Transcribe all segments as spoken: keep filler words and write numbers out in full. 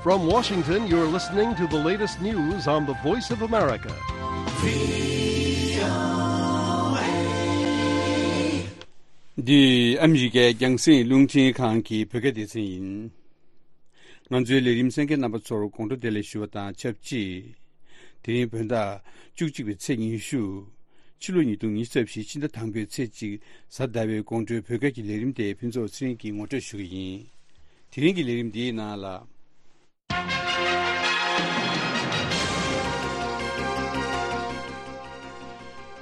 From Washington, you're listening to the latest news on the Voice of America. འདི་ཨ་མི་རི་ཀའི་རྒྱང་སྲིང་རླུང་འཕྲིན་ཁང་གི་བོད་སྐད་སྡེ་ཚན་ཡིན། ང་ཚོའི་ལས་རིམ་གསན་མཁན་རྣམ་པ་ཚོར་དགོང་དྲོ་བདེ་ལེགས་ཞུ་བ་དང་ཆབས་ཅིག་དེ་རིང་བོད་ཟླ་བཅུ་གཅིག་པའི་ཚེས་ཉི་ཤུ། ཕྱི་ལོ་ཉིས་སྟོང་ཉི་ཤུ་རྩ་བཞི་ཕྱི་ཟླ་དང་པོའི་ཚེས་གཅིག་གཟའ་ཟླ་བའི་དགོང་དྲོའི་བོད་སྐད་ཀྱི་ལས་རིམ་དེ་ཕུན་ཚོགས་ཚེ་རིང་གིས་ངོ་སྤྲོད་ཞུ་གི་ཡིན། དེ་རིང་གི་ལས་རིམ་འདིའི་ནང་ལ།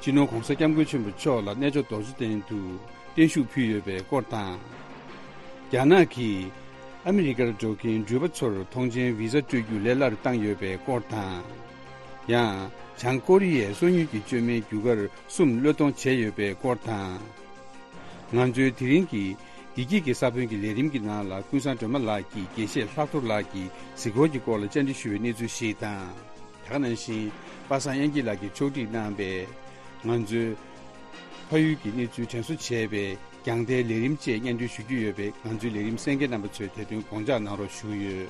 སྤྱི་ནོར་༧གོང་ས་༧སྐྱབས་མགོན་ཆེན་པོ་མཆོག་ལ་གནས་མཆོག་རྡོ་རྗེ་གདན་དུ་བརྟན་བཞུགས་ཕུལ་ཡོད་པའི་སྐོར་དང་། རྒྱ་ནག་གིས་ཨ་མི་རི་ཀར་འགྲོ་མཁན་འགྲུལ་པ་ཚོར་ཐོངས་མཆན་ཝི་ཟ་སྤྲོད་རྒྱུ་ལས་སླ་རུ་བཏང་ཡོད་པའི་སྐོར་དང་། ཡང་། བྱང་ཀོ་རི་ཡས་སོ་ཉུལ་གྱི་བཅོས་མའི་རྒྱུ་སྐར་གསུམ་བློས་གཏོང་བྱས་ཡོད་པའི་སྐོར་དང་། ང་ཚོའི་དེ་རིང་གི་བདེ་སྐྱིད་ཀྱི་ས་བོན་གྱི་ལས་རིམ་གྱི་ནང་ལ་ཀུན་བཟང་སྒྲོལ་མ་ལགས་ཀྱིས་དགེ་བཤེས་ལྷག་རྡོར་ལགས་ཀྱི་གཟིགས་སྐོར་གྱི་སྐོར་ལ་བཅར་འདྲི་ཞུ་བའི་གནས་ཚུལ་ཞིག་དང་། དེ་ག་ནང་བཞིན་པ་སངས་དབྱངས་སྐྱིད་ལགས་ཀྱིས་ཕྱོགས་སྒྲིག་གནང་པའི་ང་ཚོའི་ཕ་ཡུལ་གྱི་གནས་ཚུལ་དྲན་གསོ་བྱས་པའི་རྒྱང་བསྟན་ལས་རིམ་བཅས་སྙན་སྒྲོན་ཞུ་རྒྱུ་ཡོད་པས། ང་ཚོའི་ལས་རིམ་གསན་མཁན་རྣམ་པ་ཚོས་དེ་དོན་དགོངས་འཇགས་གནང་རོགས་ཞུ་གི་ཡོད།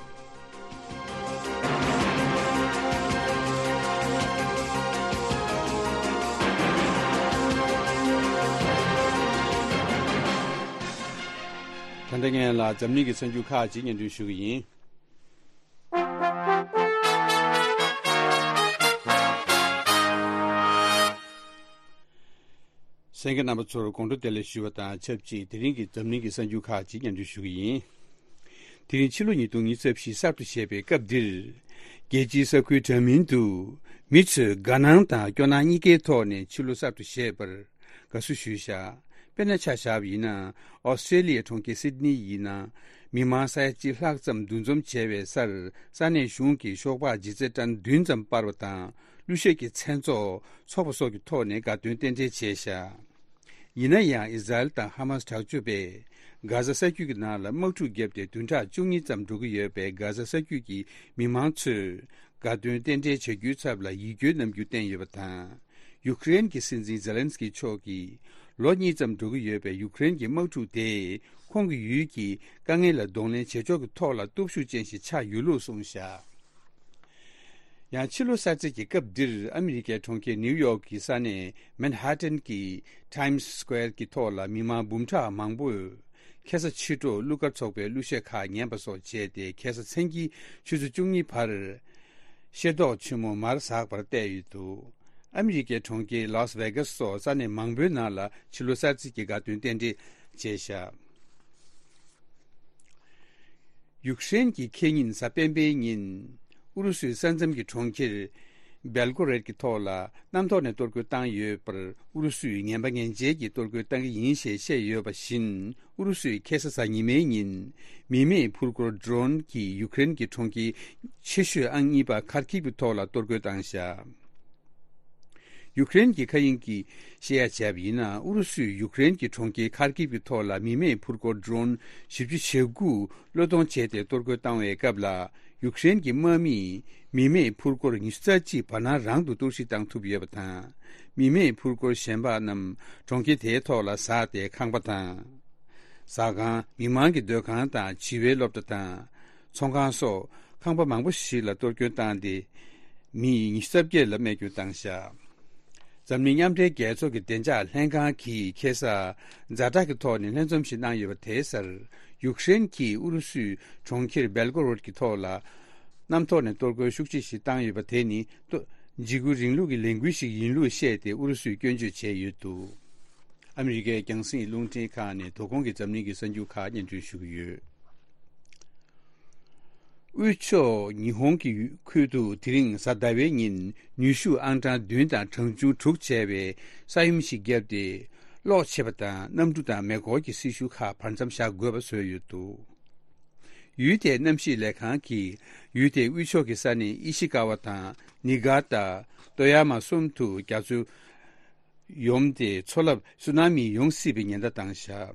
ད་ལྟ་ངས་ལ་འཛམ་གླིང་གི་གསར་འགྱུར་ཁག་ཅིག་སྙན་སྒྲོན་ཞུ་གི་ཡིན། གསན་མཁན་རྣམ་པ་ཚོར་དགོང་དྲོ་བདེ་ལེགས་ཞུ་བ་དང་ཆབས་ཅིག་དེ་རིང་གི་འཛམ་གླིང་གི་གསར་འགྱུར་ཁག་ཅིག་སྙན་སྒྲོན་ཞུ་གི་ཡིན། དེ་རིང་ཕྱི་ལོ་ཉིས་སྟོང་ཉི་ཤུ་རྩ་བཞི་གསར་དུ་བཞད་པའི་སྐབས་འདིར། རྒྱལ་སྤྱིའི་ས་ཁུལ་འདྲ་མིན་དུ་མི་ཚོས་དགའ་སྣང་དང་སྐྱོ་སྣང་གཉིས་ཀའི་ཐོག་ནས་ཕྱི་ལོ་གསར་དུ་བཞད་པར་དགའ་བསུ་ཞུས་བཞག་དཔེར་ན་ཆ་བཞག་པ་ཡིན་ན། ཨོ་སི་ཀྲེ་ལི་ཡའི་གྲོང་ཁྱེར་སིད་ནི་ཡིན་ན། མི་མང་ས་ཡ་གཅིག་ལྷག་ཙམ་འདུ་འཛོམས་བྱས་པའི་སར་ས་གནས་གཞུང་གིས་ཤོག་སྦག་ལྗིད་ཚད་ཊན་བདུན་ཙམ་སྤར་བ་དང་། གླུ་གཞས་ཀྱི་མཚན་ཚོགས་འཚོགས་པ་སོགས་ཀྱི་ཐོག་ནས་དགའ་སྟོན་རྟེན་འབྲེལ་བྱས་བཞག་ཡིན་ན་ཡང་། ཨི་ཟ་རེལ་དང་ཧ་མཱས་དྲག་སྤྱོད་པས་གྷ་ཟ་ས་རྒྱུད་ཀྱི་ནང་ལ་དམག་འཁྲུག་བརྒྱབ་སྟེ་བདུན་ཕྲག་བཅུ་གཉིས་ཙམ་འགྲོ་གི་ཡོད་པས། གྷ་ཟ་ས་རྒྱུད་ཀྱི་མི་མང་ཚོས་དགའ་སྟོན་རྟེན་འབྲེལ་བྱ་རྒྱུའི་ཚབ་ལ་ཡིད་སྐྱོའི་རྣམ་འགྱུར་བསྟན་ཡོད་པ་དང་། ཡུ་ཀེ་རེན་གྱི་སྲིད་འཛིན་ཛེ་ལན་སི་ཀི་མཆོག་གིས་ལོ་གཉིས་ཙམ་འགྲོ་གི་ཡོད་པའི་ཡུ་ཀེ་རེན་གྱི་དམག་འཁྲུག་དེ་ཁོང་གི་ཡུལ་གྱི་དཀའ་ངལ་ལ་གདོང་ལེན་བྱེད་ཕྱོགས་ཀྱི་ཐོག་ལ་སྟོབས་ཤུགས་ཅན་ཞིག་ཆགས་ཡོད་ལུགས་གསུངས་བཞག་ཡང་ཕྱི་ལོ་གསར་ཚེས་ཀྱི་སྐབས་འདིར་ཨ་མི་རི་ཀའི་གྲོང་ཁྱེར་ནིའུ་ཡོག་གི་ས་གནས་མན་ཧ་ཏན་གྱི་ཊའིམ་སི་སི་ཀོེར་གྱི་ཐོག་ལ་མི་མང་འབུམ་ཕྲག་མང་པོས་ཁ་སང་ཕྱི་དྲོ་གླུ་གར་ཚོགས་པའི་གླུ་གཞས་ཁག་ཉན་པ་སོགས་བྱས་ཏེ། ཁ་སང་མཚན་དཀྱིལ་ཆུ་ཚོད་བཅུ་གཉིས་བར་ཤེས་རྟོགས་ཆེན་མོ་མར་ཟག་པར་བལྟས་ཡོད་འདུག་ཨ་མི་རི་ཀའི་གྲོང་ཁྱེར་ལཱ་སི་ཝེ་གཱས་སོགས་ས་གནས་མང་པོའི་ནང་ལ་ཕྱི་ལོ་གསར་ཚེས་ཀྱི་དགའ་སྟོན་རྟེན་འབྲེལ་བྱས་བཞག་ཡུཀ་རེན་གྱི་ཁེ་ཉིན་གཟའ་སྤེན་པའི་ཉིན། ཨུ་རུ་སུའི་ས་མཚམས་ཀྱི་གྲོང་ཁྱེར་སྦེལ་ཀོ་རེད་ཀྱི་ཐོག་ལ་གནམ་ཐོག་ནས་གཏོར་རྒོལ་བཏང་ཡོད་པར། ཨུ་རུ་སུས་ངན་པ་ངན་འཇལ་གྱི་གཏོར་རྒོལ་བཏང་གི་ཡིན་ཞེས་བཤད་ཡོད་པ་བཞིན། ཨུ་རུ་སུས་ཁ་སང་གཟའ་ཉི་མའི་ཉིན། མི་མེད་འཕུར་འཁོར་ཌོ་རོན་གྱིས་ཡུཀ་རེན་གྱི་གྲོང་ཁྱེར་ཆེ་ཤོས་ཨང་གཉིས་པ་ཁར་ཁིབ་ཀྱི་ཐོག་ལ་གཏོར་རྒོལ་བཏང་བཞག་ཡུཀ་རེན་གྱི་མཁའ་དབྱིངས་ཀྱིས་བཤད་ཡ་བྱས་པ་ཡིན་ན། ཨུ་རུ་སུས་ཡུཀ་རེན་གྱི་གྲོང་ཁྱེར་ཁར་ཀིབ་ཀྱི་ཐོག་ལ་མི་མེད་འཕུར་འཁོར་ཌོ་རོན་བཞི་བཅུ་ཞེ་དགུ་བློས་གཏོང་བྱས་ཏེ་གཏོར་རྒོལ་བཏང་བའི་སྐབས་ལ། ཡུཀ་རེན་གྱི་དམག་མིས་མི་མེད་འཕུར་འཁོར་ཉི་ཤུ་རྩ་གཅིག་བར་སྣང་རང་དུ་གཏོར་བཤིག་བཏང་ཐུབ་ཡོད་པ་དང་། མི་མེད་འཕུར་འཁོར་གཞན་པ་རྣམས་གྲོང་ཁྱེར་དེའི་ཐོག་ལ་ཟགས་ཏེ་ཁང་པ་དང་། ཟ་ཁང་། མི་མང་གི་སྡོད་ཁང་དང་བྱིས་པའི་སློབ་གྲྭ་དང་། ཚོང་ཁང་སོགས་ཁང་པ་མང་པོ་ཞིག་ལ་གཏོར་སྐྱོན་བཏང་སྟེ། མི་ཉི་ཤུ་རྩ་བརྒྱད་ལ་རྨས་སྐྱོན་བཏང་བཞག་འཛམ་གླིང་མཉམ་འབྲེལ་རྒྱལ་ཚོགས་ཀྱི་བདེ་འཇགས་ལྷན་ཁང་གིས་ཁ་སང་ཛ་དྲག་གི་ཐོག་ནས་ལྷན་འཛོམས་ཤིག་གནང་ཡོད་པ་དེའི་སར། ཡུཀ་རེན་གྱིས་ཨུ་རུ་སུའི་གྲོང་ཁྱེར་སྦེལ་ཀོ་རོད་ཀྱི་ཐོག་ལ་གནམ་ཐོག་ནས་གཏོར་རྒོལ་ཤུགས་ཆེ་ཞིག་བཏང་ཡོད་པ་དེ་ནི། ཏོ། འཇིགས་སྐུལ་རིང་ལུགས་ཀྱི་ལས་འགུལ་ཞིག་ཡིན་ལུགས་བཤད་དེ་ཨུ་རུ་སུས་སྐྱོན་བརྗོད་བྱས་ཡོད་འདུག་ཨ་མི་རི་ཀའི་རྒྱང་སྲིང་རླུང་འཕྲིན་ཁང་ནས་དོ་དགོང་གི་འཛམ་གླིང་གི་གསར་འགྱུར་ཁག་སྙན་སྒྲོན་ཞུ་གི་ཡོད། དབུས་ཕྱོགས་ཉི་ཧོང་གི་ཁུལ་དུ་དེ་རིང་གཟའ་ཟླ་བའི་ཉིན་ནུས་ཤུགས་ཨང་གྲངས་བདུན་དང་གྲངས་ཆུང་དྲུག་བྱས་པའི་ས་ཡོམ་ཞིག་བརྒྱབ་སྟེ། གློག་ཆད་པ་དང་གནམ་གྲུ་དང་མེ་འཁོར་གྱི་སྲི་ཞུ་ཁག་བར་མཚམས་བཞག་དགོས་པ་བཟོས་ཡོད་འདུག་ཡུལ་དེའི་གནམ་གཤིས་ལས་ཁང་གིས་ཡུལ་དེའི་དབུས་ཕྱོགས་ཀྱི་ས་གནས་ཨི་ཤི་ཀ་བ་དང་ནི་ག་ཏ། ཏོ་ཡ་མ་གསུམ་དུ་རྒྱ་མཚོ་ཡོམ་སྟེ་མཚོ་རླབས་སུ་ན་མི་ཡོང་སྲིད་པའི་ཉེན་བརྡ་བཏང་བཞག་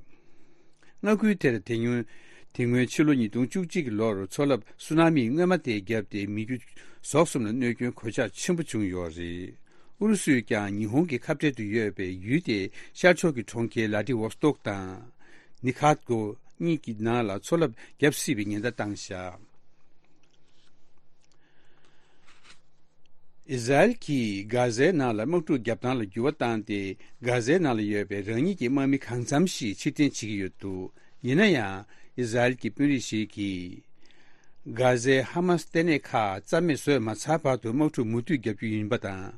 མངའ་ཁུལ་དེར་དེ་སྔོན། དེ་སྔོན་ཕྱི་ལོ་ཉིས་སྟོང་བཅུ་གཅིག་གི་ལོར་མཚོ་རླབས་སུ་ན་མི་སྔོན་མ་དེ་བརྒྱབ་སྟེ་མི་རྒྱུ་ཟོག་གསུམ་ལ་གནོད་སྐྱོན་གོད་ཆག་ཆེན་པོ་བྱུང་ཡོད་རེད། ཨུ་རུ་སུས་ཀྱང་ཉི་ཧོང་གི་ཁ་བྲལ་དུ་ཡོད་པའི་ཡུལ་དེའི་ཤར་ཕྱོགས་ཀྱི་གྲོང་ཁྱེར་ལ་ཏི་ཝོ་སྟོག་དང་། ནི་ཁ་ཏ་གོ་གཉིས་ཀྱི་ནང་ལ་མཚོ་རླབས་བརྒྱབ་སྲིད་པའི་ཉེན་བརྡ་བཏང་བཞག་ཨི་ཟ་རེལ་གྱིས་གྷ་ཟའི་ནང་ལ་དམག་འཁྲུག་བརྒྱབ་སྟངས་ལ་འགྱུར་བ་བཏང་སྟེ། གྷ་ཟའི་ནང་ལ་ཡོད་པའི་རང་ཉིད་ཀྱི་དམག་མི་གང་འཚམ་ཞིག་ཕྱིར་འཐེན་བྱེད་ཀྱི་ཡོད་འདུག་ཡིན་ན་ཡང་། ཨི་ཟ་རེལ་གྱི་དཔོན་རིགས་ཤིག་གིས། གྷ་ཟའི་ཧ་མ་སི་ལྟེ་གནས་ཁག་རྩ་མེད་བཟོས་མ་ཚར་བར་དུ་དམག་འཁྲུག་མུ་མཐུད་བརྒྱབ་རྒྱུ་ཡིན་པ་དང་།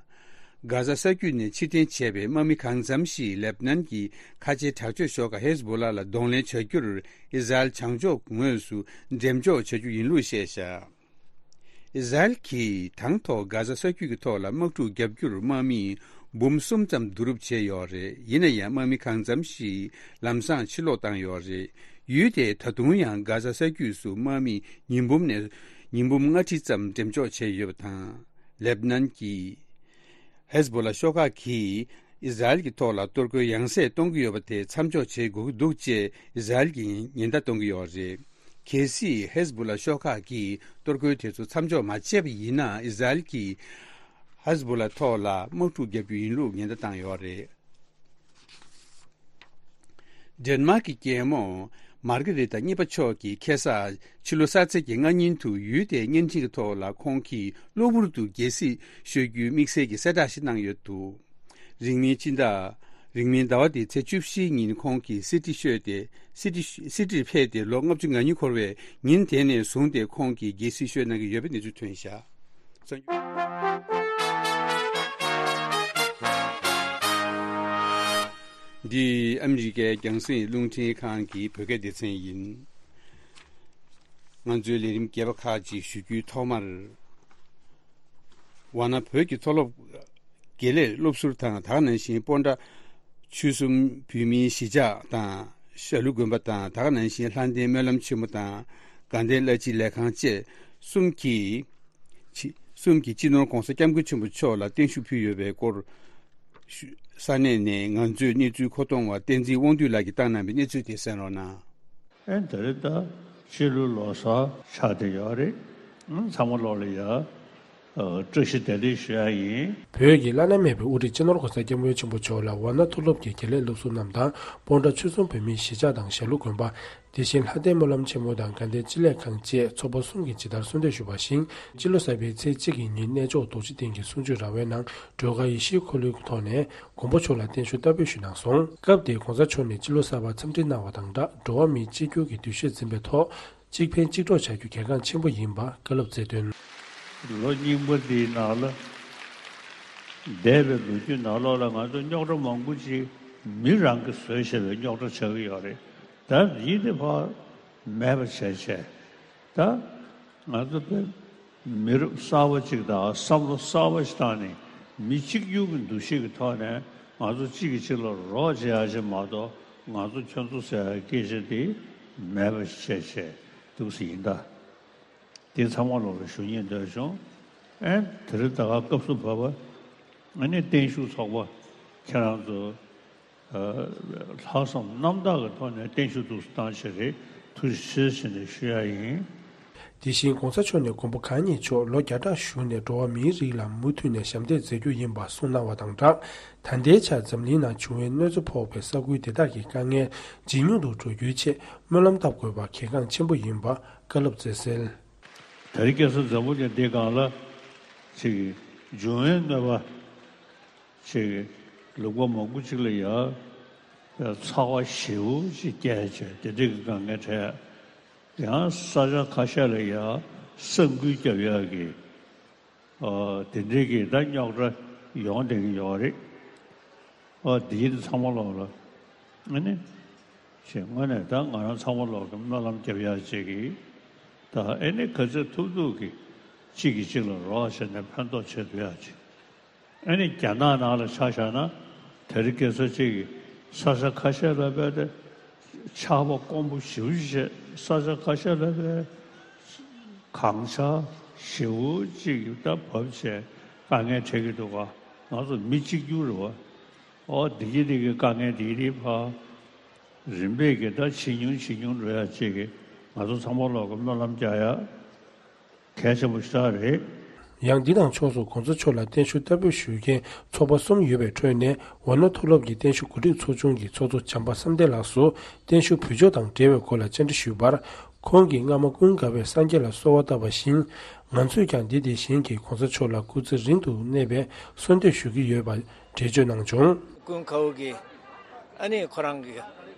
གྷ་ཟ་ས་རྒྱུད་ནས་ཕྱིར་འཐེན་བྱས་པའི་དམག་མི་གང་འཚམ་ཞིག་ལེ་བྷ་ནན་གྱི་ཁ་ཆེའི་དྲག་སྤྱོད་ཤོག་ཁག་ཧེ་ཟ་བྷོ་ལ་ལ་གདོང་ལེན་བྱ་རྒྱུར་ཨི་ཟ་རེལ་བྱང་ཕྱོགས་ངོས་སུ་འགྲེམས་འཇོག་བྱ་རྒྱུ་ཡིན་ལུགས་བཤད་བཞག་ཨི་ཟ་རེལ་གྱིས་དང་ཐོག་གྷ་ཟ་ས་རྒྱུད་ཀྱི་ཐོག་ལ་དམག་འཁྲུག་བརྒྱབ་རྒྱུར་དམག་མི་འབུམ་གསུམ་ཙམ་བསྡུ་རུབ་བྱས་ཡོད་རེད། ཡིན་ན་ཡང་དམག་མི་གང་འཚམ་ཞིག་ལམ་སང་ཕྱིར་ལོག་བཏང་ཡོད་རེད། ཡུལ་དེས་ད་དུང་ཡང་གྷ་ཟ་ས་རྒྱུད་སུ་དམག་མི་ཉིས་འབུམ་ནས་ཉིས་འབུམ་ལྔ་ཁྲི་ཙམ་འགྲེམས་འཇོག་བྱས་ཡོད་པ་དང་། ལེ་བྷ་ནན་གྱི་ཧེ་ཟ་བྷོ་ལ་ཤོག་ཁག་གིས་ཨི་ཟ་རེལ་གྱི་ཐོག་ལ་གཏོར་རྒོལ་ཡང་སེ་གཏོང་གི་ཡོད་པ་དེ་མཚམས་འཇོག་བྱེད་དགོས་ཀྱི་འདུག་ཅེས་ཨི་ཟ་རེལ་གྱིས་ཉེན་བརྡ་གཏོང་གི་ཡོད་རེད། གལ་སྲིད་ཧེ་ཟ་བྷོ་ལ་ཤོག་ཁག་གིས་གཏོར་རྒོལ་དེ་ཚོ་མཚམས་འཇོག་མ་བྱས་པ་ཡིན་ན། ཨི་ཟ་རེལ་གྱིས་ཧེ་ཟ་བྷོ་ལ་ཐོག་ལ་དམག་འཁྲུག་བརྒྱབ་རྒྱུ་ཡིན་ལུགས་ཉེན་བརྡ་བཏང་ཡོད་རེད། ཌེན་མཱག་གི་རྒྱལ་མོ་མར་གྷི་རི་ཏ་གཉིས་པ་མཆོག་གིས་ཁ་སང་ཕྱི་ལོ་གསར་ཚེས་ཀྱི་སྔ་ཉིན་དུ་ཡུལ་དེའི་བརྙན་འཕྲིན་གྱི་ཐོག་ལ་ཁོང་གིས་གློ་བུར་དུ་རྒྱལ་སྲིད་ཤོར་རྒྱུའི་དམིགས་བསལ་གྱི་གསལ་བསྒྲགས་ཤིག་གནང་ཡོད་འདུག་རིང་མིན་སྤྱི་ཟླ། རིང་མིན་ཟླ་བ་འདིའི་ཚེས་བཅུ་བཞིའི་ཉིན་ཁོང་གིས་སྲིད་ཁྲི་ཤོར་ཏེ། སྲིད་ཁྲི་སྲིད་ཁྲིར་ཕེབས་ཏེ་ལོ་ལྔ་བཅུ་ང་གཉིས་འཁོར་བའི་ཉིན་དེ་ནས་བཟུང་སྟེ་ཁོང་གིས་རྒྱལ་སྲིད་ཤོར་གནང་གི་ཡོད་པའི་གནས་ཚུལ་ཐོན་བཞག་འདི་ཨ་མི་རི་ཀའི་རྒྱང་སྲིང་རླུང་འཕྲིན་ཁང་གི་བོད་སྐད་སྡེ་ཚན་ཡིན། ང་ཚོའི་ལས་རིམ་རྒྱས་པ་ཁག་ཅིག་ཞུ་རྒྱུའི་ཐོག་མར། ཝཱ་ཎ་བོད་ཀྱི་མཐོ་སློབ་དགེ་ལས་སློབ་ཟུར་དང་། ད་ག་ནང་བཞིན་སྤོན་ཊ་ཆོལ་གསུམ་བོད་མིའི་གཞིས་ཆགས་དང་། ཞྭ་ལུ་དགོན་པ་དང་། ད་ག་ནང་བཞིན་ལྷ་ལྡན་སྨོན་ལམ་ཆེན་མོ་དང་། དགའ་ལྡན་བླ་སྤྱི་ལས་ཁང་བཅས་གསུམ་གྱིས། ཆི་གསུམ་གྱིས་སྤྱི་ནོར་༸གོང་ས་༸སྐྱབས་མགོན་ཆེན་པོ་མཆོག་ལ་བརྟན་བཞུགས་ཕུལ་ཡོད་པའི་སྐོར་ཞུ། ས་གནས་ནས་ང་ཚོའི་གནས་ཚུལ་མཁོ་གཏོང་བ་བསྟན་འཛིན་དབང་འདུས་ལགས་ཀྱིས་བཏང་གནང་བའི་གནས་ཚུལ་དེ་གསན་རོགས་གནང་། ཨེ་ད་རེས་ད་ཕྱི་ལོ་ལོ་གསར་ཆགས་བསྡད་ཡོད་རེད། ཨང་། ཚང་མ་ལོག་ལ་ཡ། ཨ། བཀྲ་ཤིས་བདེ་ལེགས་ཞུ་ཡ་ཡིན། བོད་ཀྱི་བླ་ན་མེད་པའི་དབུ་ཁྲིད་སྤྱི་ནོར་༸གོང་ས་༸སྐྱབས་མགོན་ཆེན་པོ་མཆོག་ལ་ཝཱ་ཎ་མཐོ་སློབ་ཀྱི་དགེ་ལས་སློབ་ཟུར་རྣམས་དང་། སྤོན་ཊ་ཆོལ་གསུམ་བོད་མིའི་གཞིས་ཆགས་དང་། ཞྭ་ལུ་དགོན་པ། དེ་བཞིན་ལྷ་ལྡན་སྨོན་ལམ་ཆེན་མོ་དང་དགའ་ལྡན་སྤྱི་ལས་ཁང་བཅས་ཚོགས་པ་གསུམ་གྱིས་ཇི་ལྟར་གསོལ་འདེབས་ཞུས་པ་བཞིན། སྤྱི་ལོ་གསར་པའི་ཚེས་གཅིག་གི་ཉིན་གནས་མཆོག་རྡོ་རྗེ་གདན་གྱི་གསུང་ཆོས་ར་བའི་ནང་སྒྲོལ་དཀར་ཡེ་ཤེས་འཁོར་ལོའི་ཐོག་ནས་མགོན་པོ་མཆོག་ལ་བརྟན་བཞུགས་བསྟར་འབུལ་ཞུས་གནང་སོང་། སྐབས་དེར་༸གོང་ས་མཆོག་ནས་སྤྱི་ལོ་གསར་པར་འཚམས་འདྲི་གནང་བ་དང་སྦྲགས། འགྲོ་བ་མིའི་གཅིག་གྱུར་གྱི་འདུ་ཤེས་འཛིན་པའི་ཐོག་གཅིག་ཕན་གཅིག་གྲོགས་བྱ་རྒྱུ་གལ་འགངས་ཆེན་པོ་ཡིན་པ་བཀའ་སློབ་སྩལ་དོན། ལོ་རྙིང་པ་འདིའི་ནང་ལ། འདས་པའི་ལོ་རྒྱུས་ནང་ལོགས་ལ་ང་ཚོ་རྙོག་དྲ་མང་པོ་ཅིག་མི་རང་གིས་བཟོས་བཞག་པའི་རྙོག་དྲ་ཆགས་ཀྱི་ཡོད་རེད། ད་འདི་དེ་ཕར་མེད་པ་བྱས་བྱས། ད་ང་ཚོ་དཔེ་མི་རབས་གསར་པ་ཅིག་དང་བསམ་བློ་གསར་པ་ཞིག་བཏང་ནས། མི་གཅིག་གྱུར་གྱི་འདུ་ཤེས་ཀྱི་ཐོག་ནས་ང་ཚོ་གཅིག་གིས་གཅིག་ལ་རོགས་བྱེད་ཡ་ཅིག་མ་གཏོགས། ང་ཚོ་ཁྱོད་ཚོ་ཟེར་ཡ་སྐད་ཆ་དེ་མེད་པ་བྱས་བྱས་འདུག་ཟེར་ཡིན་ད། དེ་ཚང་མ་ལོག་ལ་ཞུ་སྙིང་འདོད་བྱུང་། ཨེ་དེ་རིང་ད་ག་སྐབས་སུ་བབས་པ། ཨ་ནི་བརྟན་བཞུགས་ཚོགས་པ་ཁྱེད་རང་ཚོ། ཨ། ལྷག་བསམ་རྣམ་དག་གི་ཐོག་ནས་བརྟན་བཞུགས་འདུག་སེ་བཏང་བྱས་རེད། ཐུགས་རྗེ་ཆེ་ཟེར་ནས་ཞུ་ཡ་ཡིན། དེ་བཞིན་༸གོང་ས་མཆོག་ནས་མགོན་པོ་གང་ཉིད་མཆོག་ལོ་བརྒྱ་ཕྲག་བཞུགས་ནས་འགྲོ་བ་མིའི་རིགས་ལ་མུ་མཐུད་ནས་ཞབས་འདེགས་མཛད་རྒྱུ་ཡིན་པ་གསུངས་གནང་བ་དང་སྦྲགས། ད་ལྟའི་ཆར་འཛམ་གླིང་ནང་འབྱུང་བའི་གནོད་འཚེ་ཕོག་པའི་ས་ཁུལ་དེ་དག་གི་དཀའ་ངལ་ཇེ་ཉུང་དུ་འགྲོ་རྒྱུའི་ཆེད་སྨོན་ལམ་བཏབ་དགོས་པ་གལ་འགངས་ཆེན་པོ་ཡིན་པ་བཀའ་སློབ་སྩལ་གསལ། དེ་རིང་ཁ་སང་འཛམ་བུ་གླིང་འདིའི་སྒང་ལ་ཅིག་འབྱུང་བའི་གནོད་པ་ཅིག་ལུང་པ་མང་པོ་ཅིག་ལ་ཡ་ཚ་བ་ཞེ་པོ་ཅིག་སྐྱེས་བྱས་དེ་འདྲའི་གི་དཀའ་ངལ་འཕྲད། ཡང་ས་ཆ་ཁ་ཤས་ལ་ཡ་ས་འགུལ་རྒྱབ་ཡག་གི། ཨ། དེ་འདྲའི་གི་ད་རྙོག་དྲ་ཡོང་བསྡད་ཀྱི་ཡོད་རེད། ཨ། འདི་ཚང་མ་ལོག་ལ་ཨ་ནི་ཞེས་དངོས་གནས་ད་ང་རང་ཚང་མ་ལོག་གི་སྨོན་ལམ་རྒྱབ་ཡག་ཅིག་གི། ད་ཨ་ནི་ག་ཚོད་ཐུབ་ཐུབ་གི་གཅིག་གིས་གཅིག་ལ་རོགས་བྱས་ནས་ཕན་ཐོགས་བྱེད་ཐུབ་ཡག་ཅིག། ཨ་ནི་རྒྱ་ནག་ནང་ལ་ཆ་བཞག་ན། དེ་རིང་ཁ་སང་ཅིག་གི་ས་ཆ་ཁ་ཤས་ལ་བས་ཏེ་ཆར་པ་དཀོན་པོ་ཞེ་པོ་ཅིག་བྱས། ས་ཆ་ཁ་ཤས་ལ་བས་གངས་ཆར་ཞེ་པོ་ཅིག་ད་བབས་བྱས་དཀའ་ངལ་འཕྲད་ཀྱི་འདུག་ག། ང་ཚོ་མི་གཅིག་གྱུར་རེད་བ། ཨོ་འདི་གི་འདི་གི་དཀའ་ངལ་འདི་རིགས་ཕར་རིམ་པས་ཀྱི་ད་ཇེ་ཉུང་ཇེ་ཉུང་འགྲོ་ཡག་ཅིག་གི་ང་ཚོ་ཚང་མ་ལོག་གི་སྨོན་ལམ་རྒྱག་ཡག་གལ་ཆེན་པོ་ཞེ་དྲག་རེད། ཡང་འདི་དང་ཕྱོགས་སུ་༸གོང་ས་མཆོག་ལ་བརྟན་བཞུགས་བསྟར་འབུལ་ཞུ་མཁན་ཚོགས་པ་གསུམ་ཡོད་པའི་ཁྲོད་ནས། ཝཱ་ཎ་མཐོ་སློབ་ཀྱི་བརྟན་བཞུགས་གོ་སྒྲིག་ཚོགས་ཆུང་གི་ཚོགས་གཙོ་བྱམས་པ་བསམ་གཏན་ལགས་སུ་བརྟན་བཞུགས་ཕུལ་ཕྱོགས་དང་འབྲེལ་བའི་སྐོར་ལ་བཅར་འདྲི་ཞུས་པར། ཁོང་གིས་སྔ་མ་ཀུན་དགའ་བོས་སངས་རྒྱས་ལ་གསོལ་བ་བཏབ་པ་བཞིན། ང་ཚོས་ཀྱང་འདི་དེ་བཞིན་གྱི་གོང་ས་མཆོག་ལ་སྐུ་ཚེ་རིང་དུ་གནས་པའི་གསོལ་འདེབས་ཞུ་གི་ཡོད་པ་འགྲེལ་བརྗོད་གནང་བྱུང་། ཀུན་དགའ་བོ་གིས་ཨ་ནི་ཁོ་རང་གིས་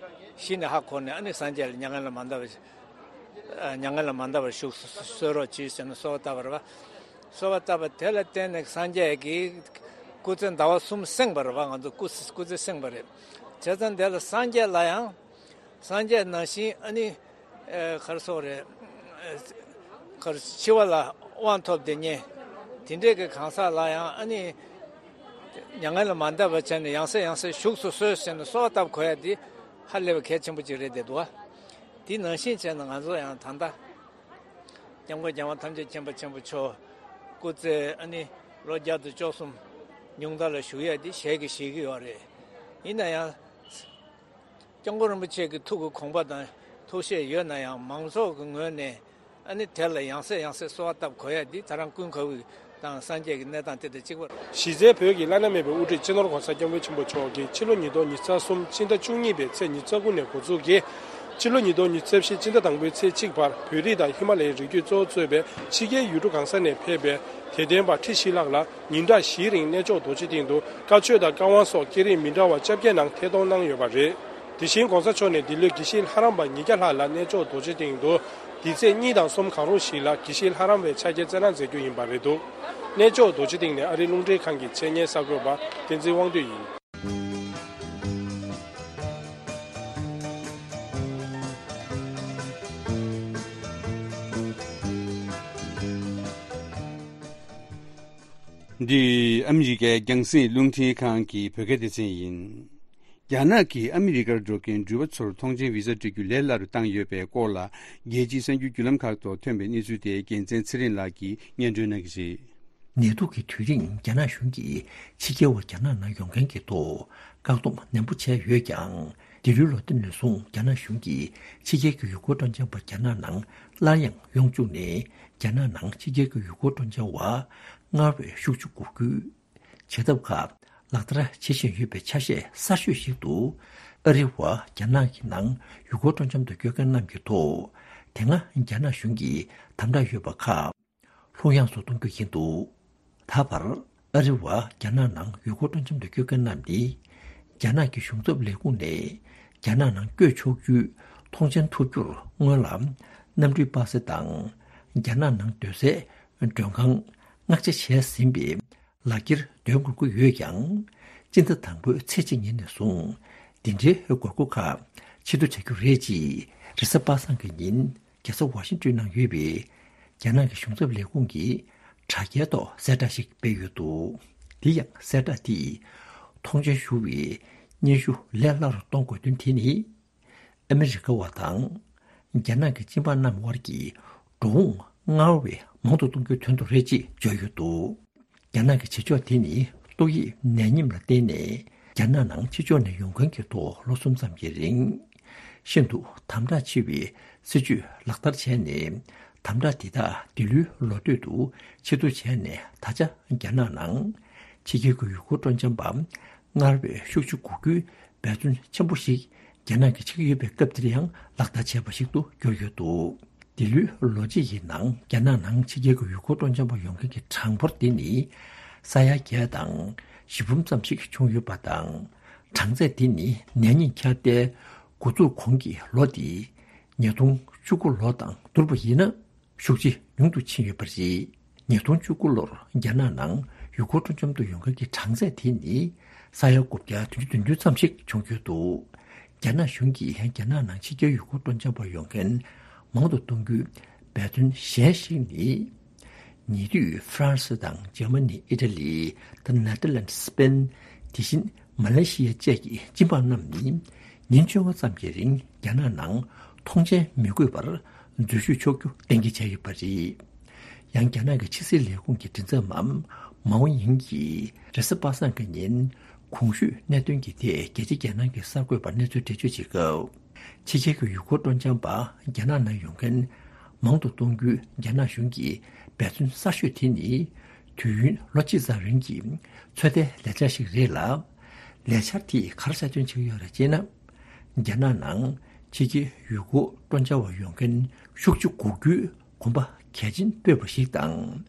གཞི་ནས་ཧ་གོ་ནས། ཨ་ནི་སངས་རྒྱས་ལ་མྱ་ངན་ལས་མ་འདའ་བར་མྱ་ངན་ལས་མ་འདའ་བར་བཞུགས་སུ་གསོལ་རོགས་གྱིས་ཟེར་ནས་གསོལ་བ་བཏབ་པ་རེད་པ། གསོལ་བ་བཏབ་པ་དེ་ལ་བརྟེན་ནས་སངས་རྒྱས་ཀྱིས་སྐུ་ཚེ་ཟླ་བ་གསུམ་སྲིངས་པ་རེད་པ། ང་ཚོ་སྐུ་སྐུ་ཚེ་སྲིངས་པ་རེད། བྱས་ཙང་དེ་ལ་སངས་རྒྱས་ལ་ཡང་། སངས་རྒྱས་ནང་བཞིན་ཨ་ནི་ཨེ་ག་རེ་ཟེར་དགོས་རེད། ཨེ་ག་རེ་འཆི་བ་ལ་དབང་ཐོབ་བསྡད་མཁན་དེ་འདྲས་ཀྱི་གང་ཟག་ལ་ཡང་ཨ་ནི་མྱ་ངན་ལས་མ་འདའ་བ་བྱས་ནས་ཡང་སེ་ཡང་སེ་བཞུགས་སུ་གསོལ་ཟེར་ནས་གསོལ་བ་བཏབ་དགོས་ཡ་དེ་ཧ་ལས་པའི་གལ་ཆེན་པོ་ཅིག་རེད་བསྡད་འདུག་བ། དེ་ནང་བཞིན་བྱས་ན་ང་ཚོ་ཡང་ད་ལྟ་སྐྱབས་མགོན་རྒྱལ་བ་ཐམས་ཅད་མཁྱེན་པ་ཆེན་པོ་མཆོག་སྐུ་ཚེ་ཨ་ནི་ལོ་བརྒྱ་དང་བཅུ་གསུམ་ཉུང་མཐའ་ལ་བཞུགས་ཡ་དེ་ཞལ་གྱིས་བཞེས་ཀྱི་ཡོད་རེད། ཡིན་ན་ཡང་། སྐྱབས་མགོན་རིན་པོ་ཆེ་གི་ཐུགས་ཀྱི་དགོངས་པ་དང་ཐུགས་བཞེད་ཡོད་ན་ཡང་། མང་ཚོགས་ཀྱི་ངོས་ནས་ཨ་ནི་དེ་ལ་ཡང་སེ་ཡང་སེ་གསོལ་བ་བཏབ་དགོས་ཡ་འདི་ད་རང་ཀུན་དགའ་བོ་དང་སངས་རྒྱས་ཀྱི་གནས་སྟངས་དེ་དང་གཅིག་པ་རེད། གཞི་རྩའི་བོད་ཀྱི་བླ་ན་མེད་པའི་དབུ་ཁྲིད་སྤྱི་ནོར་༸གོང་ས་༸སྐྱབས་མགོན་ཆེན་པོ་མཆོག་གིས་ཕྱི་ལོ་ཉིས་སྟོང་ཉི་ཤུ་རྩ་གསུམ་ཕྱི་ཟླ་བཅུ་གཉིས་པའི་ཚེས་ཉི་ཤུ་རྩ་དགུ་ནས་འགོ་འཛུགས་ཀྱིས་ཕྱི་ལོ་ཉིས་སྟོང་ཉི་ཤུ་རྩ་བཞི་ཕྱི་ཟླ་དང་པོའི་ཚེས་གཅིག་བར་བོད་རིགས་དང་ཧི་མ་ལ་ཡའི་རི་རྒྱུད་གཙོ་བོ་གཙོས་པའི་ཕྱི་རྒྱལ་ཡུལ་གྲུ་གང་ས་ནས་ཕེབས་པའི་དད་ལྡན་པ་ཁྲི་བཞི་ལྷག་ལ། ཉིན་གྲངས་བཞིའི་རིང་གནས་མཆོག་རྡོ་རྗེ་གདན་དུ་བཀའ་ཆོས་དང་བཀའ་དབང་སོགས་སྐད་རིགས་མི་འདྲ་བ་བཅོ་བརྒྱད་ནང་ཐད་གཏོང་གནང་ཡོད་པ་རེད། དེ་བཞིན་༸གོང་ས་མཆོག་ནས་འདི་ལོའི་དགེ་བཤེས་ལྷ་རམས་པ་ཉིས་བརྒྱ་ལྷག་ལ་གནས་མཆོག་རྡོ་རྗེ་གདན་དུ་འདི་ཚེས་གཉིས་དང་གསུམ་གང་རུང་ཞིག་ལ་དགེ་བཤེས་ལྷ་རམས་པའི་ཕྱག་འཁྱེར་སྩལ་གནང་མཛད་རྒྱུ་ཡིན་པ་རེད་འདུག་གནས་མཆོག་རྡོ་རྗེ་གདན་ནས་ཨ་རིའི་རླུང་འཕྲིན་ཁང་གི་ཆེད་གཉེར་གསར་འགོད་པ་བསྟན་འཛིན་དབང་འདུས་ཡིན། འདི་ཨ་མི་རི་ཀའི་རྒྱང་སྲིང་རླུང་འཕྲིན་ཁང་གི་བོད་སྐད་སྡེ་ཚན་ཡིན། རྒྱ་ནག་གིས་ཨ་མི་རི་ཀར་འགྲོ་མཁན་འགྲུལ་པ་ཚོར་ཐོངས་མཆན་བི་ཟ་སྤྲོད་རྒྱུ་ལས་སླ་རུ་བཏང་ཡོད་པའི་སྐོར་ལ། རྒྱལ་སྤྱིའི་གསར་འགྱུར་བརྒྱུད་ལམ་ཁག་ཐོག་ཐོན་པའི་གནས་ཚུལ་དེ་རྒྱལ་མཚན་ཚེ་རིང་ལགས་ཀྱིས་སྙན་སྒྲོན་གནང་གི་རེད། ནད་དུག་གི་དུས་རིང་རྒྱ་ནག་གཞུང་གིས་ཕྱི་རྒྱལ་བ་རྒྱ་ནག་ནང་ཡོང་མཁན་གྱི་ཐོག་བཀག་སྡོམ་ནན་པོ་བྱས་ཡོད་ཀྱང་། འདི་ལོའི་ལོ་མཐའ་ནས་བཟུང་རྒྱ་ནག་གཞུང་གིས་ཕྱི་རྒྱལ་གྱི་ཡུལ་སྐོར་སྤྲོ་འཆམ་པ་རྒྱ་ནག་ནང་སླར་ཡང་ཡོང་བཅུག་ནས། རྒྱ་ནག་ནང་ཕྱི་རྒྱལ་གྱི་ཡུལ་སྐོར་སྤྲོ་འཆམ་པ་སྔར་བས་ཤུགས་ཆུ་འགུག་རྒྱུའི་བྱ་ཐབས་ཁག་ལག་བསྟར་བྱེད་བཞིན་ཡོད་པའི་ཆ་ཤས་གསར་ཤོས་ཤིག་ཏུ། ཨ་རི་བ་རྒྱ་ནག་གི་ནང་ཡུལ་སྐོར་སྤྲོ་འཆམ་དུ་སྐྱོད་མཁན་རྣམས་ཀྱི་ཐོག་དེ་སྔ་རྒྱ་ནག་གཞུང་གིས་དམ་དྲག་ཡོད་པ་ཁག་ལྷུག་ཡངས་སུ་གཏོང་རྒྱུ་ཡིན་འདུག་ད་བར་ཨ་རི་བ་རྒྱ་ནག་ནང་ཡུལ་སྐོར་སྤྲོ་འཆམ་དུ་སྐྱོད་མཁན་རྣམས་ནི། རྒྱ་ནག་གི་གཞུང་ཚབ་ལས་ཁུངས་ནས་རྒྱ་ནག་ནང་བསྐྱོད་ཆོག་རྒྱུའི་ཐོངས་མཆན་ཐོབ་རྒྱུར་སྔོན་ལ་གནམ་གྲུའི་པ་སེ་དང་། རྒྱ་ནག་ནང་སྡོད་སའི་མགྲོན་ཁང་། མངགས་ཆ་བྱས་ཟིན་པའི་ལག་འཁྱེར་འདོན་དགོས་ཀྱི་ཡོད་ཀྱང་། སྤྱི་ཟླ་དང་པོའི་ཚེས་གཅིག་ཉིན་ནས་བཟུང་། འདི་འདྲའི་དགོས་མཁོ་ཁག་ཕྱིར་བསྡུ་བྱ་རྒྱུ་རེད་ཅེས་རེས་གཟའ་པ་སངས་ཀྱི་ཉིན་རྒྱལ་ས་ཝ་ཤིང་ཏོན་ནང་ཡོད་པའི་རྒྱ་ནག་གི་གཞུང་ཚབ་ལས་ཁུངས་ཀྱི་དྲ་རྒྱའི་ཐོག་གསལ་བསྒྲགས་ཤིག་སྤེལ་ཡོད་འདུག་དེ་ཡང་གསལ་བསྒྲགས་དེས་ཐོངས་མཆན་ཞུ་བའི་སྙན་ཞུ་ལས་སླ་རུ་གཏོང་དགོས་དོན་དེ་ནི། ཨ་མི་རི་ཀ་བ་དང་རྒྱ་ནག་གི་སྤྱི་འབངས་རྣམས་དབར་གྱི་འགྲོ་འོང་སྔར་བས་མང་དུ་གཏོང་རྒྱུའི་དོན་དུ་རེད་ཅེས་བརྗོད་ཡོད་འདུག་རྒྱ་ནག་གི་བྱེད་ཕྱོགས་དེ་ནི་ཏོག་དབྱིབས་ནད་ཉིམ་ལ་བརྟེན་ནས་རྒྱ་ནག་ནང་ཕྱི་ཕྱོགས་ནས་ཡོང་མཁན་གྱི་ཐོག་ལོ་གསུམ་ཙམ་གྱི་རིང་ཤིན་ཏུ་དམ་དྲག་ཆེ་བའི་སྲིད་ཇུས་ལག་བསྟར་བྱས་ནས། དམ་དྲག་དེ་དག་འདི་ལོའི་ལོ་སྟོད་དུ་ཕྱིར་བསྡུ་བྱས་ནས། ད་ཆ་རྒྱ་ནག་ནང་ཕྱི་རྒྱལ་གྱི་ཡུལ་སྐོར་སྤྲོ་འཆམ་པ་སྔར་བས་ཤུགས་ཆུ་འགུག་རྒྱུའི་འབད་བརྩོན་ཆེན་པོ་ཞིག་རྒྱ་ནག་གིས་བྱེད་ཀྱི་ཡོད་པའི་སྐབས་འདིར་ཡང་ལག་བསྟར་བྱས་པ་ཞིག་ཏུ་གྱུར་ཡོད་འདུག་འདི་ལོའི་ལོ་གཅིག་གི་ནང་རྒྱ་ནག་ནང་ཕྱི་རྒྱལ་གྱི་ཡུལ་སྐོར་སྤྲོ་འཆམ་པ་ཡོང་མཁན་གྱི་གྲངས་འབོར་དེ་ནི་ས་ཡ་བརྒྱད་དང་བཞི་འབུམ་ཙམ་ཞིག་བྱུང་ཡོད་པ་དང་། གྲངས་ཚད་དེ་ནི་ནད་རྙིང་ཁྱབ་གདལ་འགོ་འཛུགས་གོང་གི་ལོ་དེ་ཉིས་སྟོང་བཅུ་དགུ་ལོ་དང་བསྡུར་བ་ཡིན་ན། ཤུགས་ཆེ་ཉུང་དུ་ཕྱིན་ཡོད་པ་རེད། ཉིས་སྟོང་བཅུ་དགུ་ལོར་རྒྱ་ནག་ནང་ཡུལ་སྐོར་སྤྲོ་འཆམ་དུ་ཡོང་མཁན་གྱི་གྲངས་ཚད་དེ་ནི་ས་ཡ་དགུ་བརྒྱ་བདུན་ཅུ་དོན་བདུན་ཙམ་ཞིག་བྱུང་ཡོད་འདུག་རྒྱ་ནག་གཞུང་གིས་རྒྱ་ནག་ནང་ཕྱི་རྒྱལ་ཡུལ་སྐོར་སྤྲོ་འཆམ་པ་ཡོང་མཁན་མང་དུ་གཏོང་རྒྱུའི་འབད་བརྩོན་གཞན་ཞིག་ནི། ཉེ་དུས་ཧྥ་རན་སི་དང་འཇར་མ་ནི། ཨི་ཊ་ལི། དང་ནེ་དར་ལེནཌ། སི་པེན། དེ་བཞིན་མ་ལེ་ཤི་ཡ་བཅས་ཀྱི་སྤྱི་འབངས་རྣམས་ནི། ཉིན་བཅོ་ལྔ་ཙམ་གྱི་རིང་རྒྱ་ནག་ནང་ཐོངས་མཆན་མི་དགོས་པར་འཛུལ་ཞུགས་ཆོག་རྒྱུ་གཏན་འཁེལ་བྱས་ཡོད་པ་རེད། ཡང་རྒྱ་ནག་གི་ཕྱི་སྲིད་ལས་ཁུངས་ཀྱི་མགྲིན་ཚབ་པ་མའོ་ཡིང་གིས་རེས་གཟའ་པ་སངས་ཀྱི་ཉིན་གོང་ཞུས་གནད་དོན་གྱི་ཐད་རྒྱལ་སྤྱིའི་རྒྱལ་ནང་གི་གསར་འགོད་པར་གནས་ཚུལ་འགྲེལ་བརྗོད་བྱེད་སྐབས། ཕྱི་རྒྱལ་གྱི་ཡུལ་སྐོར་སྤྲོ་འཆམ་པ་རྒྱ་ནག་ནང་ཡོང་མཁན་མང་དུ་གཏོང་རྒྱུའི་རྒྱ་ནག་གཞུང་གི་འབད་བརྩོན་གསར་ཤོས་དེ་ནི། དུས་ཡུན་ལོ་གཅིག་ཙམ་རིང་གི་ཚོད་ལྟའི་ལས་འཆར་ཞིག་རེད་ལ། ལས་འཆར་དེས་ག་རེ་གསལ་སྟོན་བྱེད་ཀྱི་ཡོད་རེད་ཅེ་ན། རྒྱ་ནག་ནང་ཕྱི་རྒྱལ་ཡུལ་སྐོར་སྤྲོ་འཆམ་པ་ཡོང་མཁན་ཤུགས་ཆུ་འགུག་རྒྱུའི་ གོམ་པ་གལ་ཆེན་སྤོས་པ་ཞིག་དང་།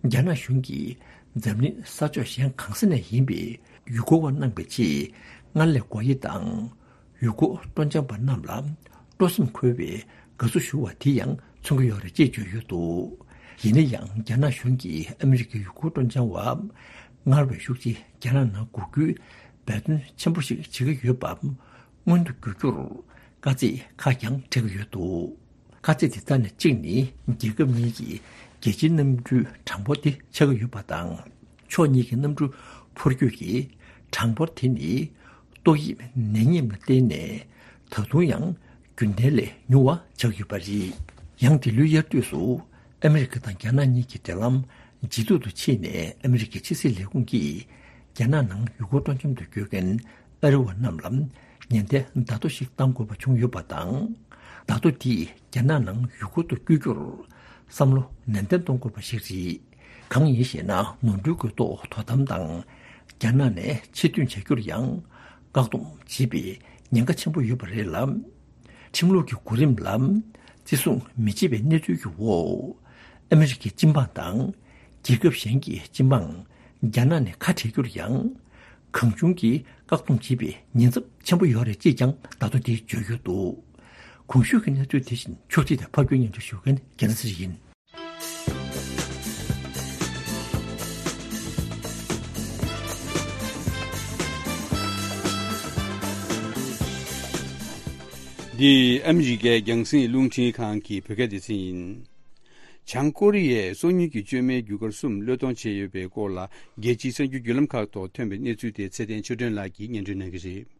རྒྱ་ནག་གཞུང་གིས་འཛམ་གླིང་ས་ཕྱོགས་གཞན་གང་ས་ནས་ཡིན་པའི་ཡུལ་སྐོར་བ་གནང་བའི་ཆེད་སྔར་ལས་སྒོ་དབྱེ་དང་། ཡུལ་སྐོར་སྤྲོ་འཆམ་པ་རྣམས་ལ་སྤྲོ་སེམས་འཁོལ་བའི་དགའ་བསུ་ཞུ་བ་དེ་ཡང་མཚོན་གྱི་ཡོད་རེད་ཅེས་བརྗོད་ཡོད་འདུག་ཡིན་ན་ཡང་། རྒྱ་ནག་གཞུང་གིས་ཨ་མི་རི་ཀའི་ཡུལ་སྐོར་སྤྲོ་འཆམ་བ་སྔར་བས་ཤུགས་ཆེ་རྒྱ་ནག་ནང་འགུག་རྒྱུའི་འབད་བརྩོན་ཆེན་པོ་ཞིག་བྱེད་ཀྱི་ཡོད་པ་མངོན་དུ་འགྱུར་རྒྱུར་དཀའ་ཚེགས་ཁག་ཀྱང་འཕྲད་ཀྱི་ཡོད་འདུག་དཀའ་ཚེགས་དེ་དག་ནས་གཅིག་ནི། རྒྱལ་ཁབ་གཉིས་ཀྱི་རྒྱལ་སྤྱིའི་གནམ་གྲུའི་གྲངས་འབོར་དེ་ཆག་གི་ཡོད་པ་དང་། ཕྱོགས་གཉིས་ཀྱི་གནམ་གྲུ་འཕུར་སྐྱོད་ཀྱི་གྲངས་འབོར་དེ་ནི་ཏོག་དབྱིབས་ནད་ཡམས་ལ་བརྟེན་ནས་ད་དུང་ཡང་རྒྱུན་ལྡན་ལས་ཉུང་བ་ཆགས་ཡོད་པ་རེད། ཡང་འདི་ལོའི་དབྱར་དུས་སུ་ཨ་མི་རི་ཀ་དང་རྒྱ་ནག་གཉིས་ཀྱི་འབྲེལ་ལམ་ཇེ་སྡུག་ཏུ་ཕྱིན་ནས། ཨ་མི་རི་ཀའི་ཕྱི་སྲིད་ལས་ཁུངས་ཀྱིས་རྒྱ་ནག་ནང་ཡུལ་སྐོར་སྤྲོ་འཆམ་དུ་འགྲོ་མཁན་ཨ་རི་བ་རྣམས་ལ་ཉེན་བརྡའི་བརྡ་ཐོ་ཞིག་བཏང་དགོས་པ་བྱུང་ཡོད་པ་དང་། བརྡ་ཐོ་དེས་རྒྱ་ནག་ནང་ཡུལ་སྐོར་དུ་བསྐྱོད་རྒྱུར་བསམ་བློ་ནན་ཏན་གཏོང་དགོས་པ་ཞིག་རེད། གང་ཡིན་ཞེ་ན། ནོར་འཁྲུལ་གྱི་ཐོག་དོ་དམ་དང་། རྒྱ་ནག་ནས་ཕྱིར་ཐོན་བྱ་རྒྱུར་ཡང་བཀག་སྡོམ་བྱེད་པའི་ཉེན་ཁ་ཆེན་པོ་ཡོད་པ་རེད་ལ། ཁྲིམས་ལུགས་ཀྱི་གོ་རིམ་ལ་བརྩི་སྲུང་མི་བྱེད་པའི་གནས་ཚུལ་གྱི་འོག་ཨ་མི་རི་ཀའི་སྤྱི་འབངས་དང་རྒྱལ་ཁབ་གཞན་གྱི་སྤྱི་འབངས་རྒྱ་ནག་ནས་ཁ་བྲལ་རྒྱུར་ཡང་གང་བྱུང་གིས་བཀག་སྡོམ་བྱེད་པའི་ཉེན་ཚབས་ཆེན་པོ་ཡོད་རེད་ཅེས་ཀྱང་བརྡ་ཐོ་དེས་བརྗོད་ཡོད་འདུག་གོང་ཞུས་ཀྱི་གནས་ཚུལ་དེ་བཞིན་ཕྱོགས་སྒྲིག་དང་ཕབ་སྒྱུར་སྙན་སྒྲོན་ཞུ་མཁན་རྒྱལ་མཚན་ཡིན། འདི་ཨ་མི་རི་ཀའི་རྒྱང་སྲིང་རླུང་འཕྲིན་ཁང་གི་བོད་སྐད་སྡེ་ཚན་ཡིན། བྱང་ཀོ་རི་ཡས་སོ་ཉུལ་གྱི་བཅོས་མའི་རྒྱུ་སྐར་གསུམ་བློས་གཏོང་བྱས་ཡོད་པའི་སྐོར་ལ། རྒྱལ་སྤྱིའི་གསར་འགྱུར་བརྒྱུད་ལམ་ཁག་ཐོག་ཐོན་པའི་གནས་ཚུལ་དེ་ཚེ་བརྟན་ཆོས་སྒྲོན་ལགས་ཀྱིས་སྙན་སྒྲོན་གནང་གི་རེད།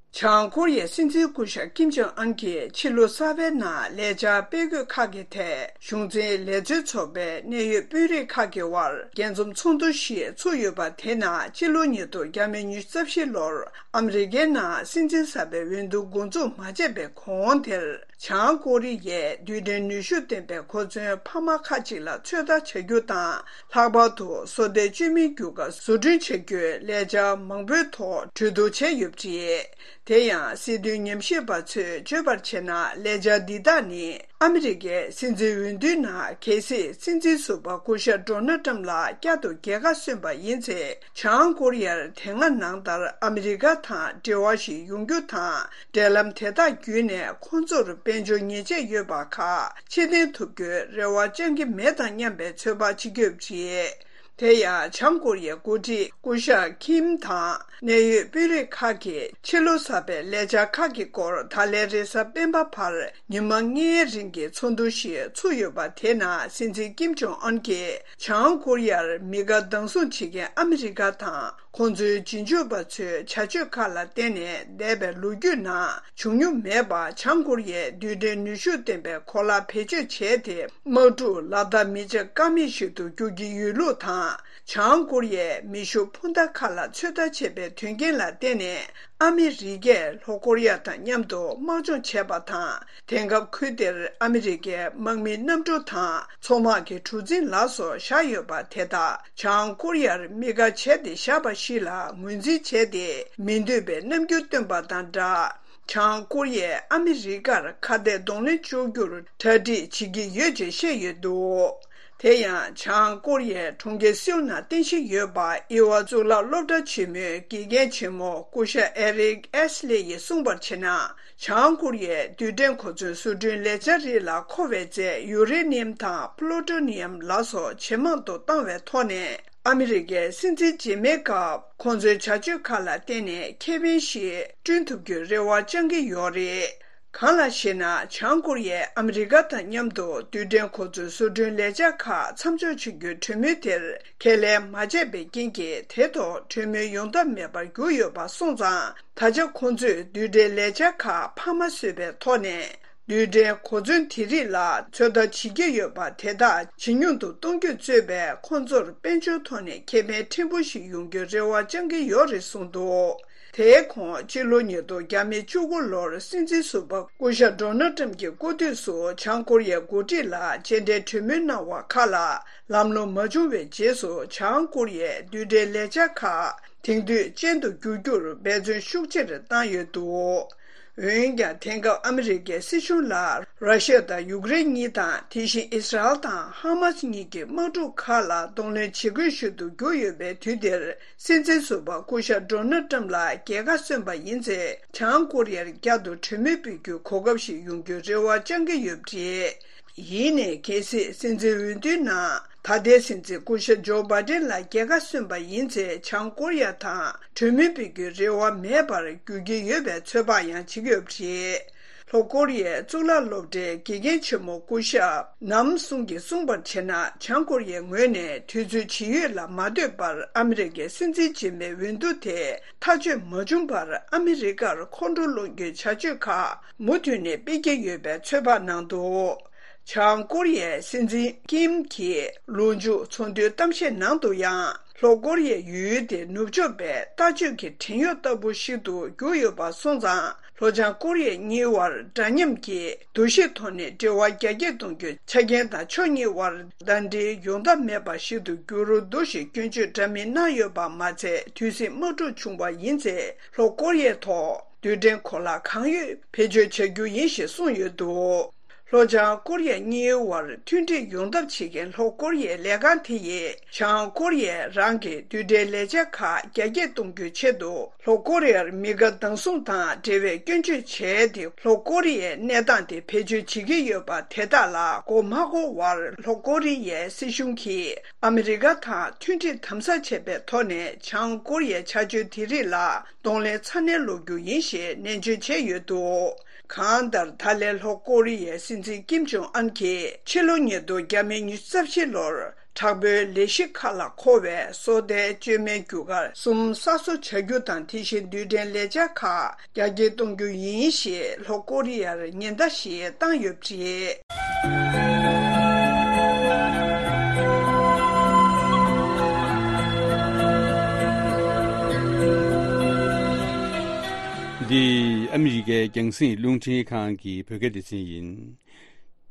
བྱང་ཀོ་རི་ཡའི་སྲིད་འཛིན་སྐུ་ཞབས་ཀིམ་ཇོང་ཨན་གྱིས་ཕྱི་ལོ་གསར་པའི་ནང་ལས་འཆར་སྤེལ་དགོས་ཁག་གི་ཐད། གཞུང་འཛིན་ལས་བྱེད་ཚོགས་པའི་གནད་ཡོད་དཔོན་རིགས་ཁག་གི་དབར་རྒྱས་འཛོམས་ཚོགས་འདུ་ཞིག་ཚུགས་ཡོད་པ་དེ་ནང་། སྤྱི་ལོ་ཉིས་སྟོང་ཉི་ཤུ་རྩ་བཞི་ལོར་ཨ་མི་རི་ཀའི་ནང་སྲིད་འཛིན་གསར་པའི་འོས་བསྡུ་འགོ་འཛུགས་མ་བྱས་པའི་གོང་དེར། བྱང་ཀོ་རི་ཡས་རྡུལ་ཕྲན་ནུས་ཤུགས་ལྡན་པའི་གོ་མཚོན་འཕར་མ་ཁག་ཅིག་ལ་ཚོད་ལྟ་བྱ་རྒྱུ་དང་། ལྷག་པར་དུ་སོ་ལྟའི་བཅོས་མའི་རྒྱུ་སྐར་བཟོ་སྐྲུན་བྱ་རྒྱུའི་ལས་འཆར་མང་པོའི་ཐོག་གྲོས་བསྡུར་བྱས་ཡོད་པ་རེད། དེ་ཡང་སྲིད་དོན་ཉམས་ཞིབ་པ་ཚོས་བརྗོད་པར་བྱས་ན། ལས་འཆར་འདི་དག་ནི་ཨ་མི་རི་ཀའི་སྲིད་འཛིན་འོས་བསྡུའི་ནང་གལ་སྲིད་སྲིད་འཛིན་ཟུར་པ་སྐུ་ཞབས་ཌོ་ནལ་ཊམ་ལ་བསྐྱར་དུ་རྒྱལ་ཁ་སོན་པ་ཡིན་ཚེ། བྱང་ཀོ་རི་ཡར་དེ་སྔ་ནང་ལྟར་ཨ་མི་རི་ཀ་དང་འབྲེལ་བ་ཞིག་ཡོང་རྒྱུ་དང་། འབྲེལ་ལམ་དེ་དག་བརྒྱུད་ནས་ཁོང་ཚོར་དཔལ་འབྱོར་ཉེས་ཆད་ཡོད་པ་ཁག་ཕྱིར་འཐེན་ཐུབ་རྒྱུའི་རེ་བ་བཅང་གི་མེད་དམ་སྙམ་པའི་ཚོད་དཔག་བྱེད་ཀྱི་ཡོད་པ་རེད། དེ་ཡང་བྱང་ཀོ་རི་ཡའི་འགོ་ཁྲིད་སྐུ་ཞབས་ཁིམ་དང་གནད་ཡོད་དཔོན་རིགས་ཁག་གིས་ཕྱི་ལོ་གསར་པའི་ལས་འཆར་ཁག་གི་སྐོར་ད་ལན་རེས་གཟའ་སྤེན་པ་བར་ཉི་མ་ལྔའི་རིང་གི་ཚོགས་འདུ་ཞིག་ཚུགས་ཡོད་པ་དེ་ནང་སྲིད་འཛིན་ཀིམ་ཇོང་ཨན་གྱིས་བྱང་ཀོ་རི་ཡར་མི་དགའ་སྡང་ཟུང་བྱེད་མཁན་ཨ་མི་རི་ཀ་དང་། ཁོང་ཚོའི་རྗེས་འཇུག་པ་ཚོའི་བྱ་སྤྱོད་ཁག་ལ་བརྟེན་ནས། འདས་པའི་ལོ་རྒྱུས་ནང་བྱུང་མྱོང་མེད་པ། བྱང་ཀོ་རི་ཡས་རྡུལ་ཕྲན་ནུས་ཤུགས་ལྡན་པའི་གོ་ལག་བེད་སྤྱོད་བྱས་ཏེ། དམག་འཁྲུག་ལག་བསྟར་མི་བྱེད་ཀ་མེད་ཞིག་ཏུ་འགྱུར་གྱི་ཡོད་ལུགས་དང་། བྱང་ཀོ་རི་ཡས་མེ་ཤུགས་འཕུར་མདའ་ཁག་ལ་ཚོད་ལྟ་བྱས་པའི་དོན་རྐྱེན་ལ་བརྟེན་ནས། ཨ་མི་རི་ཀས་ལྷོ་ཀོ་རི་ཡ་དང་མཉམ་དུ་དམག་སྦྱོང་བྱས་པ་དང་། དེང་སྐབས་ཁུལ་དེར་ཨ་མི་རི་ཀའི་དམག་མིའི་གནམ་གྲུ་དང་མཚོ་དམག་གི་གྲུ་གཟིངས་ལ་སོགས་བཞག་ཡོད་པ་དེ་དག་བྱང་ཀོ་རི་ཡར་དམིགས་བཀར་བྱས་ཏེ་བཞག་པ་ཞིག་ལ་ངོས་འཛིན་བྱས་ཏེ། མི་འདོད་པའི་རྣམ་འགྱུར་སྟོན་པ་དང་སྦྲགས། བྱང་ཀོ་རི་ཡས་ཨ་མི་རི་ཀར་ཁ་གཏད་གདོང་ལེན་གཅོག་རྒྱུར་གྲ་སྒྲིག་བྱེད་ཀྱི་ཡོད་ཅེས་བཤད་ཡོད་འདུག་དེ་ཡང་། བྱང་ཀོ་རི་ཡའི་གྲོང་ཁྱེར་སེའུལ་ནང་རྟེན་གཞི་ཡོད་པ་དབྱེ་བ་གཙུག་ལག་སློབ་གྲྭ་ཆེན་མོའི་དགེ་རྒན་ཆེན་མོ་སྐུ་ཞབས་ཨེ་རིག་ཨེས་ལེ་ཡིས་གསུངས་པར་བྱས་ན། བྱང་ཀོ་རི་ཡའི་རྡུལ་ཕྲན་གོ་མཚོན་བཟོ་སྐྲུན་ལས་འཆར་རིགས་ལ་མཁོ་བའི་རྫས་ཡུ་རེ་ནི་ཡམ་དང་པླུ་ཏོ་ནི་ཡམ་ལ་སོགས་ཇེ་མང་དུ་བཏང་བའི་ཐོག་ནས། ཨ་མི་རི་ཀའི་སྲིད་འཛིན་རྗེས་མའི་སྐབས། ཁོང་ཚོའི་བྱ་སྤྱོད་ཁག་ལ་བརྟེན་ནས་ཁེ་ཕན་ཞིག་བསྐྲུན་ཐུབ་རྒྱུའི་རེ་བ་བཅང་གི་ཡོད་རེད། གང་ལགས་ཤེ་ན། བྱང་ཀོ་རི་ཡས་ཨ་མི་རི་ཀ་དང་མཉམ་དུ་རྡུལ་ཕྲན་གོ་མཚོན་བཟོ་སྐྲུན་ལས་འཆར་ཁག་མཚམས་འཇོག་བྱེད་རྒྱུའི་གྲོས་མོལ་དེར་ཁས་ལེན་མ་བྱས་པའི་རྐྱེན་གྱིས། དེ་ཐོག་གྲོས་མོལ་ཡོང་ཐབས་མེད་པར་གྱུར་ཡོད་པ་སོང་ཙང་། ད་ཆ་ཁོང་ཚོས་རྡུལ་ཕྲན་ལས་འཆར་ཁག་འཕར་མ་བཟོས་པའི་ཐོག་ནས། རྡུལ་ཕྲན་གོ་མཚོན་དེ་རིགས་ལ་ཚོད་ལྟ་བྱེད་ཀྱི་ཡོད་པ་དེ་དག་ཇེ་ཉུང་དུ་གཏོང་རྒྱུ་གཙོས་པའི། ཁོང་ཚོར་དཔལ་འབྱོར་ཐོག་ནས་ཁེ་ཕན་ཕྲན་བུ་ཞིག་ཡོང་རྒྱུའི་རེ་བ་བཅང་གི་ཡོད་རེད་གསུངས་འདུག་དེའི་གོང་། སྤྱི་ལོ་ཉིས་སྟོང་བཅུ་དགུ་ལོར་སྲིད་འཛིན་ཟུར་པ་སྐུ་ཞབས་ཌོ་ནལ་ཊམ་གྱི་སྐུ་དུས་སུ་བྱང་ཀོ་རི་ཡའི་འགོ་ཁྲིད་ལ་མཇལ་འཕྲད་གྲོས་མོལ་གནང་བ་ཁག་ལ་ལམ་ལྷོང་མ་བྱུང་བའི་རྗེས་སུ། བྱང་ཀོ་རི་ཡས་རྡུལ་ཕྲན་ལས་འཆར་ཁག་དེང་དུས་ཅན་དུ་བསྒྱུར་རྒྱུར་འབད་བརྩོན་ཤུགས་ཆེར་བཏང་ཡོད་འདུག་འོན་ཀྱང་དེང་སྐབས་ཨ་མི་རི་ཀའི་སྲིད་གཞུང་ལ་ར་ཤི་ཡ་དང་ཡུཀ་རེན་གཉིས་དང་དེ་བཞིན་ཨི་སི་རལ་དང་ཧ་མ་སི་གཉིས་ཀྱི་དམག་འཁྲུག་ཁག་ལ་གདོང་ལེན་བྱེད་དགོས་ཤིག་ཏུ་གྱུར་ཡོད་པའི་དུས་འདིར། སྲིད་འཛིན་ཟུར་པ་སྐུ་ཞབས་ཌོ་ནལ་ཊམ་ལ་རྒྱལ་ཁ་སོན་པ་ཡིན་ཚེ། བྱང་ཀོ་རི་ཡར་བསྐྱར་དུ་གྲོས་མོལ་སྤེལ་རྒྱུའི་གོ་སྐབས་ཤིག་ཡོང་རྒྱུའི་རེ་བ་བཅང་གི་ཡོད་པ་རེད། ཡིན་ནའི་གལ་སྲིད་སྲིད་འཛིན་འོས་བསྡུའི་ནང་ད་ལྟའི་སྲིད་འཛིན་སྐུ་ཞབས་ཇོ་བྷའི་ཌེན་ལ་རྒྱལ་ཁ་སོན་པ་ཡིན་ཚེ། བྱང་ཀོ་རི་ཡ་དང་གྲོས་མོལ་སྤེལ་རྒྱུའི་རེ་བ་མེད་པར་འགྱུར་གྱི་ཡོད་པའི་ཚོད་དཔག་ཡང་བྱེད་ཀྱི་ཡོད་པ་རེད། ལྷོ་ཀོ་རི་ཡའི་གཙུག་ལག་སློབ་གྲྭའི་དགེ་རྒན་ཆེན་མོ་སྐུ་ཞབས་ནམ་སུང་གིས་གསུངས་པར་བྱས་ན། བྱང་ཀོ་རི་ཡའི་ངོས་ནས་དུས་ཚོད་ཇི་ཡོད་ལ་མ་ལྟོས་པར་ཨ་མི་རི་ཀའི་སྲིད་འཛིན་རྗེས་མའི་འོས་བསྡུ་དེ་མཐའ་དཔྱོད་མ་བྱུང་བར་ཨ་མི་རི་ཀར་ཁོང་ཁྲོ་སློང་རྒྱུའི་བྱ་སྤྱོད་ཁག་མུ་མཐུད་ནས་སྤེལ་གྱི་ཡོད་པའི་ཚོད་དཔག་གནང་འདུག། བྱང་ཀོ་རི་ཡའི་སྲིད་འཛིན་ཀིམ་གྱིས་ལོ་མཇུག་ཚོགས་འདུའི་གཏམ་བཤད་ནང་དུ་ཡང་། ལྷོ་ཀོ་རི་ཡའི་ཡུལ་དེ་ནུབ་ཕྱོགས་པའི་ལྟ་སྤྱོད་ཀྱི་བྲན་གཡོག་ལྟ་བུ་ཞིག་ཏུ་གྱུར་ཡོད་པ་སོང་ཙང་། ལྷོ་བྱང་ཀོ་རི་ཡ་གཉིས་བར་འདྲ་མཉམ་གྱི་འདུ་ཤེས་ཐོག་ནས་འབྲེལ་བ་རྒྱ་སྐྱེད་གཏོང་རྒྱུའི་ཆ་རྐྱེན་དང་ཕྱོགས་གཉིས་བར་ཟླ་སྒྲིལ་ཡོང་ཐབས་མེད་པ་ཞིག་ཏུ་གྱུར་འདུག་ཞེས་སྐྱོན་བརྗོད་འདྲ་མིན་གནང་ཡོད་པ་མ་ཚད། དུས་སྲིད་དམག་འཁྲུག་བྱུང་བ་ཡིན་ཚེ། ལྷོ་ཀོ་རི་ཡའི་ཐོག་རྡུལ་ཕྲན་གོ་ལག་གང་ཡོད་བེད་སྤྱོད་བྱ་རྒྱུ་ཡིན་ཞེས་གསུངས་ཡོད་འདུག། ལྷོ་བྱང་ཀོ་རི་ཡ་གཉིས་བར་མཐུན་སྒྲིལ་ཡོང་ཐབས་བྱེད་མཁན་ལྷོ་ཀོ་རི་ཡའི་ལས་ཁང་དེ་ཡིས། བྱང་ཀོ་རི་ཡས་རང་གི་རྡུལ་ཕྲན་ལས་འཆར་ཁག་རྒྱ་སྐྱེད་གཏོང་རྒྱུའི་ཆེད་དུ། ལྷོ་ཀོ་རི་ཡར་མི་དགའ་སྡང་ཟུང་དང་འབྲེལ་བའི་སྐྱོན་བརྗོད་བྱས་ཏེ། ལྷོ་ཀོ་རི་ཡས་གནས་སྟངས་དེ་བེད་སྤྱོད་བྱེད་ཀྱི་ཡོད་པ་དེ་དག་ལ་མགོ་མ་འཁོར་བར། ལྷོ་ཀོ་རི་ཡའི་སྲིད་གཞུང་གིས་ཨ་མི་རི་ཀ་དང་མཐུན་སྒྲིལ་དམ་ཟབ་བྱས་པའི་ཐོག་ནས། བྱང་ཀོ་རི་ཡའི་བྱ་སྤྱོད་དེ་རིགས་ལ་གདོང་ལེན་ཚ་ནན་སློག་རྒྱུ་ཡིན་ཞེས་ནན་བརྗོད་བྱས་ཡོད་འདུག། གང་ལྟར། ད་ལན་ལྷོ་ཀོ་རི་ཡའི་སྲིད་འཛིན་ཀིམ་ཇོང་ཨན་གྱིས་ཕྱི་ལོ་ཉིས་སྟོང་ཉི་ཤུ་རྩ་བཞི་ལོར་དྲག་པོའི་ལས་གཞི་ཁག་ལ་མཁོ་བའི་སོ་ལྟའི་བཅོས་མའི་རྒྱུ་སྐར་གསུམ་གསར་བཟོ་བྱ་རྒྱུ་དང་། དེ་བཞིན་རྡུལ་ཕྲན་ལས་འཆར་ཁག་རྒྱ་སྐྱེད་གཏོང་རྒྱུ་ཡིན་ཞེས་ལྷོ་ཀོ་རི་ཡར་ཉེན་བརྡ་ཞིག་བཏང་ཡོད་པ་རེད། འདི་ཨ་མི་རི་ཀའི་རྒྱང་སྲིང་རླུང་འཕྲིན་ཁང་གི་བོད་སྐད་སྡེ་ཚན་ཡིན།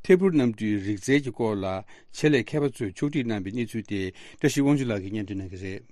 ཐད་འཕུར་གནམ་གྲུའི་རིག་རྩལ་གྱི་སྐོར་ལ་ཆེད་ལས་མཁས་པ་ཚོས་ཕྱོགས་སྒྲིག་གནང་བའི་གནས་ཚུལ་དེ། བཀྲ་ཤིས་དབང་ཕྱུག་ལགས་ཀྱིས་སྙན་སྒྲོན་གནང་གི་རེད།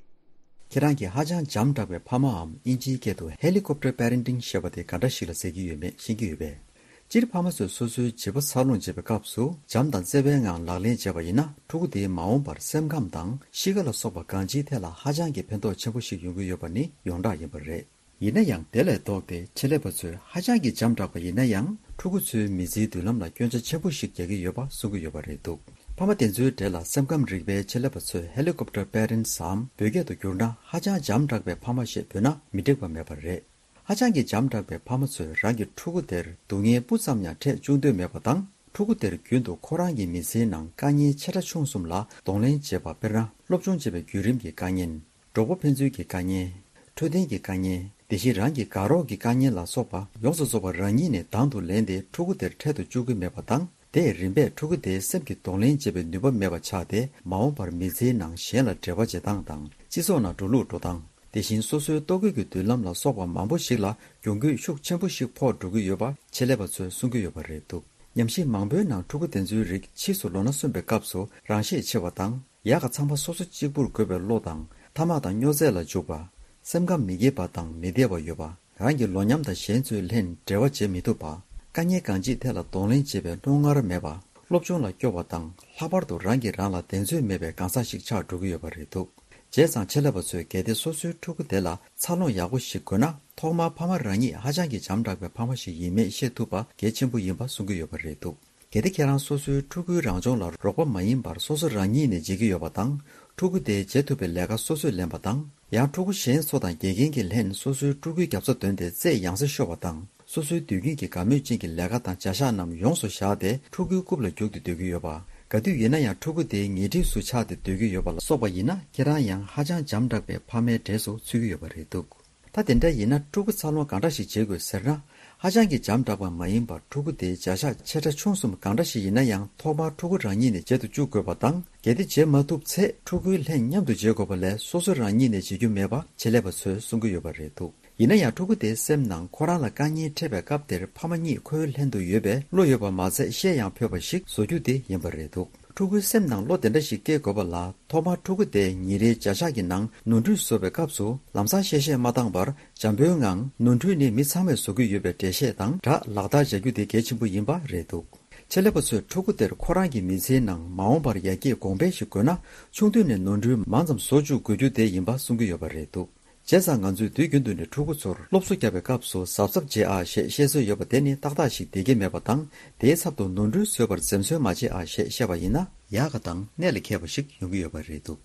ཁྱེད་རང་གིས་ཧ་ཅང་འཇམ་དྲགས་པའི་ཕ་མའམ་དབྱིན་ཇིའི་སྐད་དུ་Helicopter Parenting ཞེས་པ་དེ་ག་འདྲ་ཞིག་ལ་ཟེར་གྱི་ཡོད་མེད་ཤེས་ཀྱི་ཡོད་པས། སྤྱིར་ཕ་མ་ཚོས་སོ་སོའི་བྱིས་པ་འཚར་ལོངས་བྱེད་པའི་སྐབས་སུ་འཇམ་དང་བརྩེ་བའི་ངང་ལག་ལེན་བྱས་པ་ཡིན་ན། ཕྲུ་གུ་དེའི་མ་འོངས་པར་སེམས་ཁམས་དང་གཤིས་ཀ་ལ་སོགས་པ་གང་ཅིའི་ཐད་ལ་ཧ་ཅང་གི་ཕན་ཐོགས་ཆེན་པོ་ཞིག་ཡོང་གི་ཡོད་པ་ནི་ཡོངས་གྲགས་ཡིན་པ་རེད། ཡིན་ན་ཡང་། དེ་ལས་ལྡོག་སྟེ་ཆེད་ལས་པ་ཚོས་ཧ་ཅང་གི་འཇམ་དྲགས་པ་ཡིན་ན་ཡང་། ཕྲུ་གུ་ཚོའི་མི་ཚེའི་མདུན་ལམ་ལ་སྐྱོན་ཆ་ཆེན་པོ་ཞིག་རྒྱག་གི་ཡོད་པ་གསུང་གི་ཡོད་པ་རེད་འདུག། ཕ་མ་དེ་ཚོའི་གྲས་ལ་སེམས་ཁམས་རིག་པའི་ཆེད་ལས་པ་ཚོས་Helicopter Parents ཟེར་བོད་སྐད་དུ་བསྒྱུར་ན་ཧ་ཅང་འཇམ་དྲགས་པའི་ཕ་མ་ཞེས་འབོད་ན་མི་འགྲིག་པ་མེད་པ་རེད། ཧ་ཅང་གི་འཇམ་དྲགས་པའི་ཕ་མ་ཚོས་རང་གི་ཕྲུ་གུ་དེར་སྡུག་བསྔལ་སྤུ་ཙམ་ཡང་འཕྲད་བཅུག་འདོད་མེད་པ་དང་། ཕྲུ་གུ་དེར་རྒྱུན་དུ་ཁོ་རང་གི་མི་ཚེའི་ནང་དཀའ་ངལ་ཆེ་ཕྲ་ཆུང་གསུམ་ལ་གདོང་ལེན་བྱེད་པ། དཔེར་ན། སློབ་སྦྱོང་བྱེད་པའི་བརྒྱུད་རིམ་གྱི་དཀའ་ངལ། གྲོགས་པོ་ཕན་ཚུན་གྱི་དཀའ་ངལ། འཕྲོད་བསྟེན་གྱི་དཀའ་ངལ། དེ་བཞིན་རང་གི་དགའ་རོགས་ཀྱི་དཀའ་ངལ་ལ་སོགས་པ་ཡོངས་སུ་རྫོགས་པ་རང་ཉིད་ནས་དང་དུ་ལེན་ཏེ་ཕྲུ་གུ་དེར་འཕྲད་དུ་བཅུག་གི་མེད་པ་དང་། དེས་རིམ་པས་ཕྲུ་གུ་དེའི་སེམས་ཀྱི་གདོང་ལེན་བྱེད་པའི་ནུས་པ་མེད་པ་ཆགས་ཏེ། མ་འོངས་པར་མི་ཚེའི་ནང་གཞན་ལ་འབྲེལ་བ་བྱེད་སྟངས་དང་། སྤྱི་ཚོགས་ནང་འགྲོ་ལུགས་འགྲོ་སྟངས། དེ་བཞིན་སོ་སོའི་ལྟོ་གོས་ཀྱི་མདུན་ལམ་ལ་སོགས་པ་མང་པོ་ཞིག་ལ་གྱོང་གུད་ཤུགས་ཆེན་པོ་ཞིག་ཕོག་འགྲོ་གི་ཡོད་པ་ཆེད་ལས་པ་ཚོས་གསུང་གི་ཡོད་པ་རེད་འདུག། ཉམས་ཞིབ་མང་པོའི་ནང་ཕྲུ་གུ་དེ་ཚོའི་རིགས་ཕྱིས་སུ་ལོ་ན་སོན་པའི་སྐབས་སུ་རང་ཤེད་ཆེ་བ་དང་། ཡག་ག་ཚང་མ་སོ་སོ་གཅིག་པུར་དགོས་པའི་བློ་དང་། ཐ་མག་དང་སྨྱོ་རྫས་ལ་འཇུག་པ། སེམས་ཁམས་མི་སྐྱིད་པ་དང་མི་བདེ་བ་ཡོད་པ། རང་གི་ལོ་མཉམ་དང་གཞན་ཚོའི་ལྷན་འབྲེལ་བ་བྱེད་མི་ཐུབ་པ། དཀའ་ངལ་གང་ཅིའི་ཐད་ལ་གདོང་ལེན་བྱེད་པའི་རྣོ་ངར་མེད་པ། སློབ་སྦྱོང་ལ་སྐྱོ་བ་དང་། ལྷག་པར་དུ་རང་གིས་རང་ལ་གདེང་ཚོད་མེད་པའི་གང་ཟག་ཞིག་ཆགས་འགྲོ་གི་ཡོད་པ་རེད་འདུག། བྱས་ཙང་ཆེད་ལས་པ་ཚོས་གལ་ཏེ་སོ་སོའི་ཕྲུ་གུ་དེ་ལ་འཚར་ལོངས་ཡག་པོ་ཞིག་དགོས་ན། ཐོག་མར་ཕ་མ་རང་ཉིད་ཧ་ཅང་གི་འཇམ་དྲགས་པའི་ཕ་མ་ཞིག་ཡིན་མེད་ཤེས་ཐུབ་པ་གལ་ཆེན་པོ་ཡིན་པ་གསུང་གི་ཡོད་པ་རེད་འདུག། གལ་ཏེ་ཁྱེད་རང་སོ་སོའི་ཕྲུ་གུའི་རང་སྦྱོང་ལ་རོགས་པ་མ་ཡིན་པར་སོ་སོ་རང་ཉིད་ནས་བྱེད་ཀྱི་ཡོད་པ་དང་། ཕྲུ་གུ་དེས་བྱེད་ཐུབ་པའི་ལས་ཀ་སོ་སོས་ལེན་པ་དང་། ཡང་ཕྲུ་གུ་གཞན་ཚོ་དང་དགེ་རྒན་གྱིས་ལྷན་སོ་སོའི་ཕྲུ་གུའི་རྒྱབ་རྩ་འདོན་ཏེ་རྩེད་ཡང་སེ་ཤོར་བ་དང་། སོ་སོའི་དུས་རྒྱུན་གྱི་དགའ་མོས་ཅན་གྱི་ལས་ཀ་དང་བྱ་གཞག་རྣམས་ཡོངས་སུ་བཞག་སྟེ་ཕྲུ་གུའི་རྐུབ་ལ་རྒྱུག་སྟེ་སྡོད་ཀྱི་ཡོད་པ། ག་དུས་ཡིན་ན་ཡང་ཕྲུ་གུ་དེའི་ཉེ་འཁྲིས་སུ་ཆགས་ཏེ་སྡོད་ཀྱི་ཡོད་པ་ལ་སོགས་པ་ཡིན་ན། ཁྱེད་རང་ཡང་ཧ་ཅང་འཇམ་དྲགས་པའི་ཕ་མའི་གྲས་སུ་ཚུད་ཀྱི་ཡོད་པ་རེད་འདུག། ད་དེ་འདྲ་ཡིན་ན་ཕྲུ་གུ་འཚར་ལོངས་གང་འདྲ་ཞིག་བྱེད་དགོས་ཟེར་ན། ཧ་ཅང་གི་འཇམ་དྲགས་པ་མ་ཡིན་པར་ཕྲུ་གུ་དེའི་བྱ་གཞག་ཆེ་ཕྲ་ཆུང་གསུམ་གང་འདྲ་ཞིག་ཡིན་ན་ཡང་ཐོག་མར་ཕྲུ་གུ་རང་ཉིད་ནས་བྱེད་དུ་བཅུག་དགོས་པ་དང་། གལ་ཏེ་བྱེད་མ་ཐུབ་ཚེ་ཕྲུ་གུའི་ལྷན་མཉམ་དུ་བྱེད་དགོས་པ་ལས་སོ་སོ་རང་ཉིད་ནས་བྱེད་རྒྱུ་མེད་པ་ཆེད་ལས་པ་ཚོས་གསུང་གི་ཡོད་པ་རེད་འདུག། ཡིན་ན་ཡང་ཕྲུ་གུ་དེའི་སེམས་ནང་ཁོ་རང་ལ་དཀའ་ངལ་འཕྲད་པའི་སྐབས་དེར་ཕ་མ་གཉིས་ཁོའི་ལྷན་དུ་ཡོད་པའི་བློ་ཡོད་པ་མ་ཚད་བཤད་ཡང་ཕོད་པ་ཞིག་བཟོ་རྒྱུ་དེ་ཡིན་པ་རེད་འདུག། ཕྲུ་གུའི་སེམས་ནང་བློ་དེ་འདྲ་ཞིག་སྐྱེ་དགོས་པ་ལ། ཐོག་མར་ཕྲུ་གུ་དེ་ཉིན་རེའི་བརྒྱ་ཕྲག་གི་ནང་ནོར་འཁྲུལ་བཟོ་བའི་སྐབས་སུ་ལམ་སང་གཤེ་གཤེ་མ་བཏང་བར། འཇམ་པོའི་ངང་ནོར་འཁྲུལ་ནི་མི་ཚང་མས་བཟོ་གི་ཡོད་པའི་འགྲེལ་བཤད་དང་སྦྲགས་ལག་བསྟར་བྱ་རྒྱུ་དེ་གལ་ཆེན་པོ་ཡིན་པ་རེད་འདུག་ཆེད་ལས་པ་ཚོས་ཕྲུ་གུ་དེར་ཁོ་རང་གི་མི་ཚེའི་ནང་མ་འོངས་པར་ཡར་རྒྱས་གོང་འཕེལ་ཞིག་དགོས་ན། ཆུང་དུས་ནས་ནོར་འཁྲུལ་མང་ཙམ་བཟོ་བཅུག་དགོས་རྒྱུ་དེ་ཡིན་པ་གསུང་གི་ཡོད་པ་རེད་འདུག་བྱས་ཙང་ང་ཚོས་དུས་རྒྱུན་དུ་ནས་ཕྲུ་གུ་ཚོར་སློབ་གསོ་བརྒྱབ་པའི་སྐབས་སུ་གཟབ་གཟབ་བྱེད་ཨ་ཞེས་བཤད་སྲོལ་ཡོད་པ་དེ་ནི་ཏག་ཏག་ཞིག་བསྡད་ཀྱི་མེད་པ་དང་། དེའི་ཚབ་ཏུ་ནོར་འཁྲུལ་བཟོས་པར་འཛེམ་ཟོན་མ་བྱེད་ཨ་ཞེས་བཤད་པ་ཡིན་ན་ཡག་ག་དང་གནད་ལ་འཁེལ་བ་ཞིག་ཡོང་གི་ཡོད་པ་རེད་འདུག་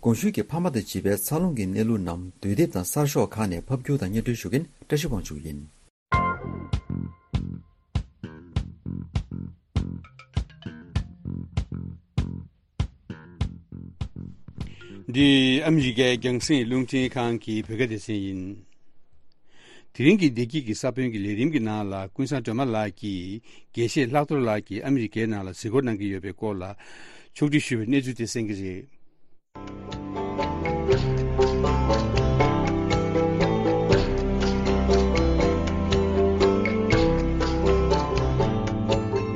གོང་ཞུས་ཀྱི་ཕ་མ་དང་བྱིས་པའི་འཚར་ལོངས་ཀྱི་གནས་ལུགས་རྣམས་དུས་དེབ་དང་གསར་ཤོག་ཁག་ནས་ཕབ་སྒྱུར་དང་སྙན་སྒྲོན་ཞུ་མཁན་བཀྲ་ཤིས་དབང་ཕྱུག་ཡིན། འདི་ཨ་མི་རི་ཀའི་རྒྱང་སྲིང་རླུང་འཕྲིན་ཁང་གི་བོད་སྐད་སྡེ་ཚན་ཡིན། དེ་རིང་གི་བདེ་སྐྱིད་ཀྱི་ས་བོན་གྱི་ལས་རིམ་གྱི་ནང་ལ་ཀུན་བཟང་སྒྲོལ་མ་ལགས་ཀྱིས་དགེ་བཤེས་ལྷག་རྡོར་ལགས་ཀྱིས་ཨ་མི་རི་ཀའི་ནང་ལ་གཟིགས་སྐོར་གནང་གི་ཡོད་པའི་སྐོར་ལ་ཕྱོགས་སྒྲིག་ཞུས་པའི་གནས་ཚུལ་དེ་གསན་གྱི་རེད།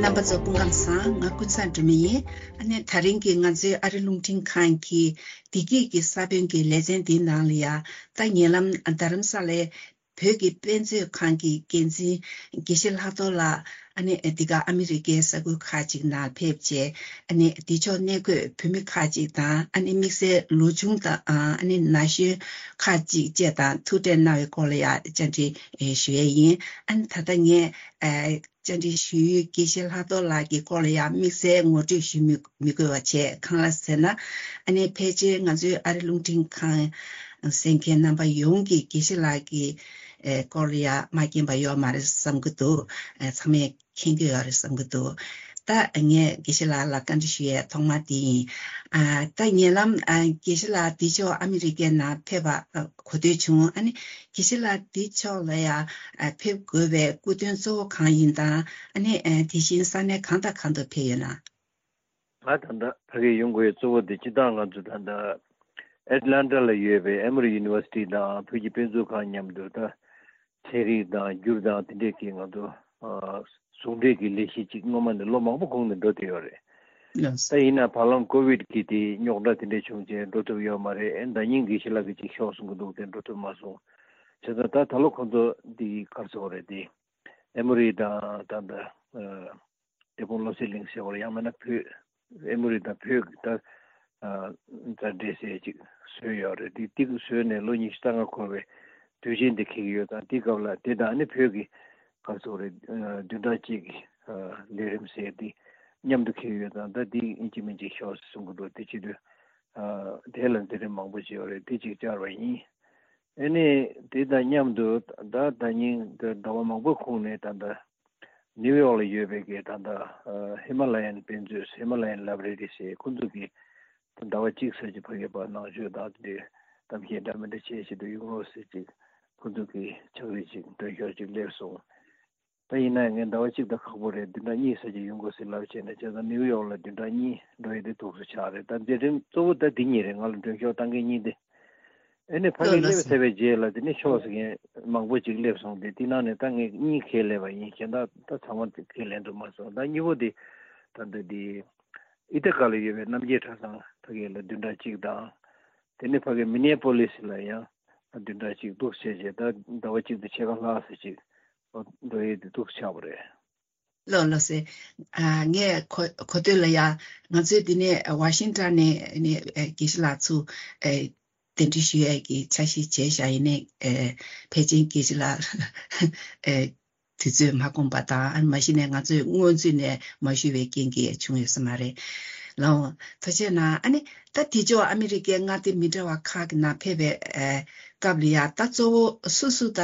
རྣམ་པ་ཚོ་སྐུ་ཁམས་བཟང་། ང་ཀུན་བཟང་སྒྲོལ་མ་ཡིན། ཨ་ནི་དེ་རིང་གི་ང་ཚོའི་ཨ་རི་རླུང་འཕྲིན་ཁང་གི་བདེ་སྐྱིད་ཀྱི་ས་བོན་གྱི་ལེ་ཚན་འདིའི་ནང་ལ་ཡ། ད་ཉེ་ལམ་རྡ་རམ་ས་ལའི་བོད་ཀྱི་དཔེ་མཛོད་ཁང་གི་འགན་འཛིན་དགེ་བཤེས་ལྷག་རྡོར་ལགས། ཨ་ནི་འདི་ག་ཨ་མི་རི་ཀའི་ས་ཁུལ་ཁག་ཅིག་ནང་ཕེབས་རྗེས། ཨ་ནི་འདི་ཕྱོགས་གནས་འཁོད་བོད་མི་ཁག་ཅིག་དང་། ཨ་ནི་དམིགས་བསལ་ལོ་ཆུང་དང་། ཨ་ནི་ན་གཞོན་ཁག་ཅིག་བཅས་དང་ཐུག་འཕྲད་གནང་བའི་སྐོར་ལ་ཡ་བཅར་འདྲི་ཞུ་ཡས་ཡིན། ཨ་ནི་ད་ལྟ་ངས་བཅར་འདྲི་ཞུ་ཡུལ་དགེ་བཤེས་ལྷག་རྡོར་ལགས་ཀྱི་སྐོར་ལ་ཡང་དམིགས་བསལ་ངོ་སྤྲོད་ཞུ་མི་མི་དགོས་པ་བྱས། གང་ལ་ཟེར་ན། ཨ་ནི་ཕལ་ཆེར་ང་ཚོའི་ཨ་རི་རླུང་འཕྲིན་ཁང་གསན་མཁན་རྣམ་པ་ཡོངས་ཀྱིས་དགེ་བཤེས་ལགས་ཀྱི་ཨེ་སྐོར་ལ་ཡང་མ་མཁྱེན་པ་ཡོད་མ་རེད་བསམ་གྱི་འདུག་ཨེ་ཚང་མས་མཁྱེན་གྱི་ཡོད་རེད་བསམ་གྱི་འདུག་ད་ངས་དགེ་བཤེས་ལགས་ལ་བཀའ་འདྲི་ཞུ་ཡས་ཐོག་མ་དེ་ཡིན། ཨ་ད་ཉེ་ལམ་ཨ་དགེ་བཤེས་ལགས་འདི་ཕྱོགས་ཨ་མི་རི་ཀའི་ནང་ཕེབས་པ་ཨ་གོ་ཐོས་བྱུང་། ཨ་ནི་དགེ་བཤེས་ལགས་འདི་ཕྱོགས་ལ་ཡང་ཨ་ཕེབས་དགོས་པའི་སྐུ་དོན་གཙོ་བོ་གང་ཡིན་དང་། ཨ་ནི་ཨ་དེ་བཞིན་ས་གནས་གང་དང་གང་དུ་ཕེབས་ཡོད་ན། ང་ད་ལྟ་ཕ་གིར་ཡོང་དགོས་གཙོ་བོ་དེ་སྤྱིར་བཏང་ང་ཚོ་ད་ལྟ་ཨེ་ཊ་ལན་ཊ་ལ་ཡོད་པའི་ཨེ་མོ་རི་ཡུ་ནི་ཝར་སི་ཊི་དང་བོད་ཀྱི་དཔེ་མཛོད་ཁང་མཉམ་དུ་ད་ཚན་རིག་དང་སྒྱུར་དང་དེ་འདྲས་ཀྱི་ང་ཚོ་ཨ་ཟུང་འབྲེལ་གྱི་ལས་གཞི་ཅིག་སྔོན་མ་ནས་ལོ་མང་པོ་གོང་ནས་འགྲོ་བསྡད་ཡོད་རེད། ལགས་སོ། ད་ཡིན་ན་བར་ལམ་ཀོ་བིད་ཀྱི་དེ་རྙོག་དྲ་དེ་འདྲས་བྱུང་རྗེས་འགྲོ་ཐུབ་ཡོད་མ་རེད། ཨེ་ཟླ་ཉིན་དགེ་བཤེས་ལགས་ཀྱིས་ཅིག་ཤོག་གསུང་གི་འདུག་དེ་འགྲོ་ཐུབ་མ་སོང་། བྱས་ཙང་ད་ད་ལོ་ཁོང་ཚོ་འདི་གར་སོང་རེད་དེ། ཨེ་མོ་རི་དང་ད་ལྟ་ཨ་འབྲས་སྤུངས་བློ་གསལ་གླིང་ཟེར་བ་ཡང་མིན་ན་བོད་ཨེ་མོ་རི་དང་བོད་ཀྱི་ད་ཨ་མཛའ་འབྲེལ་ཟེར་ཅིག་བཟོས་ཡོད་རེད། དེ་དེ་བཟོས་ནས་ལོ་ཉི་ཤུ་རྩ་ལྔ་འཁོར་བའི་དུས་ཆེན་དེ་འཁེལ་གྱི་ཡོད་ཙང་། དེ་སྐབས་ལ་དེ་དང་ནི་བོད་ཀྱི་ག་རེ་ཟེར་དགོས་རེད། ཨ་བདུན་ཕྲག་གཅིག་གི་ཨ་ལས་རིམ་ཟེར་དེ་མཉམ་དུ་འཁེལ་གྱི་ཡོད་ཙང་། ད་དེ་ཡིན་གཅིག་མིན་གཅིག་ཤོག་ཟེར་གསུང་གི་འདུག་དེ་བྱེད་དུས་ཨ་དེ་ལ་མཛད་རིམ་མང་པོ་ཅིག་ཡོད་རེད། དེ་གཅིག་བཅར་བ་ཡིན། ཨ་ནི་དེ་དང་མཉམ་དུ་ད་ཟླ་ཉིན་ཟླ་བ་མང་པོའི་གོང་ནས་ད་ལྟ་ནིའུ་ཡོག་ལ་ཡོད་པའི་གི་ད་ལྟ་ཨ་ཧི་མ་ལ་ཡན་དཔེ་མཛོད། ཧི་མ་ལ་ཡན་ལའི་བྷ་རེ་རི་ཟེར། ཁོང་ཚོ་གིས་ད་ཟླ་བ་གཅིག་ཙམ་ཅིག་ཕ་གིར་ཕར་ནང་ཆོས་དང་དེ་འདྲའི་གཏམ་བཤད་འདྲ་མི་འདྲ་བྱེད་ཆེད་དུ་ཡོང་རོགས་ཟེར་ཅིག་ཁོང་ཚོ་གིས་ཕྱག་བྲིས་ཅིག་མགྲོན་ཤོག་ཅིག་སླེབས་སོང་། ད་ཡིན་ན་ངས་ཟླ་བ་གཅིག་ད་ཁག་པོ་རེད། བདུན་ཕྲག་གཉིས་ཙམ་ཅིག་ཡོང་དགོས་ཟེར་ལབ་བྱས་ནས། བྱས་ཙང་ནིའུ་ཡོག་ལ་བདུན་ཕྲག་གཉིས་འགྲོ་ཡས་དེ་ཐུགས་སུ་ཆགས་རེད། ད་མཛད་རིམ་གཙོ་བོ་ད་འདི་གཉིས་རེད། ང་ལ་མགྲོན་ཤོག་བཏང་མཁན་གཉིས་དེ། ཨ་ནི་ཕ་གིར་ལགས་སླེབས་ལགས་སོ། ཚར་བའི་རྗེས་ལ་དེ་ནས་ཤོག་ཟེར་མཁན་མང་པོ་ཅིག་སླེབས་སོང་སྟེ། དེ་ནང་ནས་ད་ངས་གཉིས་ཁས་ལེན་པ་ཡིན། གཞན་དག་ད་ཚང་མ་ཁས་ལེན་ཐུབ་མ་སོང་། ད་གཉིས་པོ་དེ་ད་ལྟ་དེ་ཨི་ཐ་ག་ལ་ཡོད་པའི་རྣམ་རྒྱལ་གྲྭ་ཚང་ཕ་གི་ལ་བདུན་ཕྲག་གཅིག་དང་། དེ་ནས་ཕ་གི་མི་ནེ་པོ་ལིས་ལ་ཡང་བདུན་ཕྲག་གཅིག་འདུག་བྱས་རྗེས། ད་ཟླ་བ་གཅིག་དང་ཕྱེད་ཀ་ལྷག་ཙམ་ཅིག་འགྲོ་ཡས་དེ་འདུག་ཆགས་པ་རེད། ལགས་ལགས་སེ། ཨ་ངས་གོ་གོ་ཐོས་ལ་ཡ། ང་ཚོས་འདི་ནས་ཝ་ཤིང་ཊོན་ནས་ནས་ཨ་དགེ་བཤེས་ལགས་ཚུར་ཨ་གདན་འདྲེན་ཞུ་ཡས་ཀྱི་འཆར་གཞི་བྱས་བཞག་ཡིན་ནའི། ཨ་ཕལ་ཆེར་དགེ་བཤེས་ལགས་ཨ་དུས་ཚོད་མ་ཁོམ་པ་དང་། ཨ་མ་གཞི་ནས་ང་ཚོས་སྔོན་ཚུད་ནས་མ་ཞུས་པའི་རྐྱེན་གྱིས་བྱུང་ཡོད་ས་མ་རེད། ལགས་འོང་། ཐུགས་རྗེ་གནང་། ཨ་ནི་ད་དེ་ཕྱོགས་ཨ་མི་རི་ཀའི་མངའ་སྡེ་མི་འདྲ་བ་ཁག་གི་ནང་ཕེབས་པའི་ཨ་སྐབས་ལ་ཡ། ད་གཙོ་བོ་སུ་སུ་ད་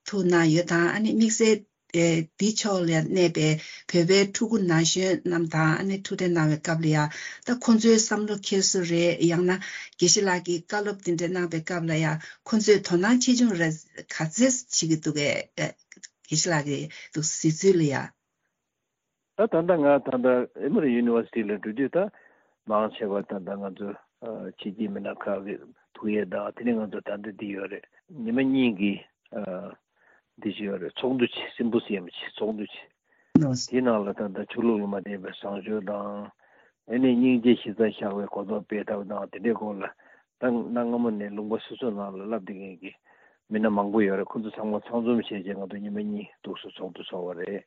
ཐུག་གནང་ཡོད་དང་། ཨ་ནི་དམིགས་བསལ་ཨེ་འདི་ཕྱོགས་ལ་གནས་པའི་བོད་པའི་ཕྲུ་གུ་ན་གཞོན་རྣམས་དང་། ཨ་ནི་ཐུག་འཕྲད་གནང་བའི་སྐབས་ལ་ཡ། ད་ཁོང་ཚོའི་བསམ་བློ་འཁྱེར་སྲོལ་རེད། ཡང་ན་དགེ་བཤེས་ལགས་ཀྱིས་བཀའ་སློབ་དེ་འདྲ་གནང་བའི་སྐབས་ལ་ཡ། ཁོང་ཚོས་དོ་སྣང་ཆེ་ཆུང་རེ་ག་ཚད་བྱེད་ཀྱི་འདུག་གས། ཨེ་དགེ་བཤེས་ལགས་ཀྱི་འདུག་གཟིགས་ཚུལ་ལ་ཡ། ད་ད་ལྟ་ང་ད་ལྟ་ཨེ་མོ་རི་ཡུ་ནི་ཝར་སི་ཊི་ལ་འགྲོ་དུས། ད་མང་ཆེ་བ་ད་ལྟ་ང་ཚོ་ཨ་ཕྱི་རྒྱལ་མི་སྣ་ཁག་གི་ཐུག་ཡས་དང་། དེ་ནས་ང་ཚོ་ད་ལྟ་འདི་ཡོད་རེད། ཉི་མ་གཉིས་ཀྱི་ཨ་འདི་ཅིག་ཡོད་རེད། ཚོགས་འདུ་ཅིག་སིམ་པོ་སི་ཡམ་ཅིག་ཚོགས་འདུ་ཅིག་ལགས་སོ། དེའི་ནང་ལ་ད་ལྟ་ཆོས་ལུགས་ལ་མ་བརྟེན་པའི་བཟང་སྤྱོད་དང་ ཨ་ནི་སྙིང་རྗེ་ཞེ་དྲག་བཞག་པའི་གོ་རྟོགས་སྤེལ་ཐབས་དང་དེ་འདྲའི་སྐོར་ལ་ད་གནའ་སྔ་མོ་ནས་ལུང་པ་སོ་སོ་ནང་ལ་བསླབ་བསྡད་མཁན་གྱི་མི་སྣ་མང་པོ་ཡོད་རེད། ཁོ་ཚོ་ཚང་མ་ཚང་འཛོམས་བྱས་རྗེས་ང་ཚོ་ཉི་མ་གཉིས་ཐུགས་སུ་ཚོགས་འདུ་ཚོགས་པ་རེད།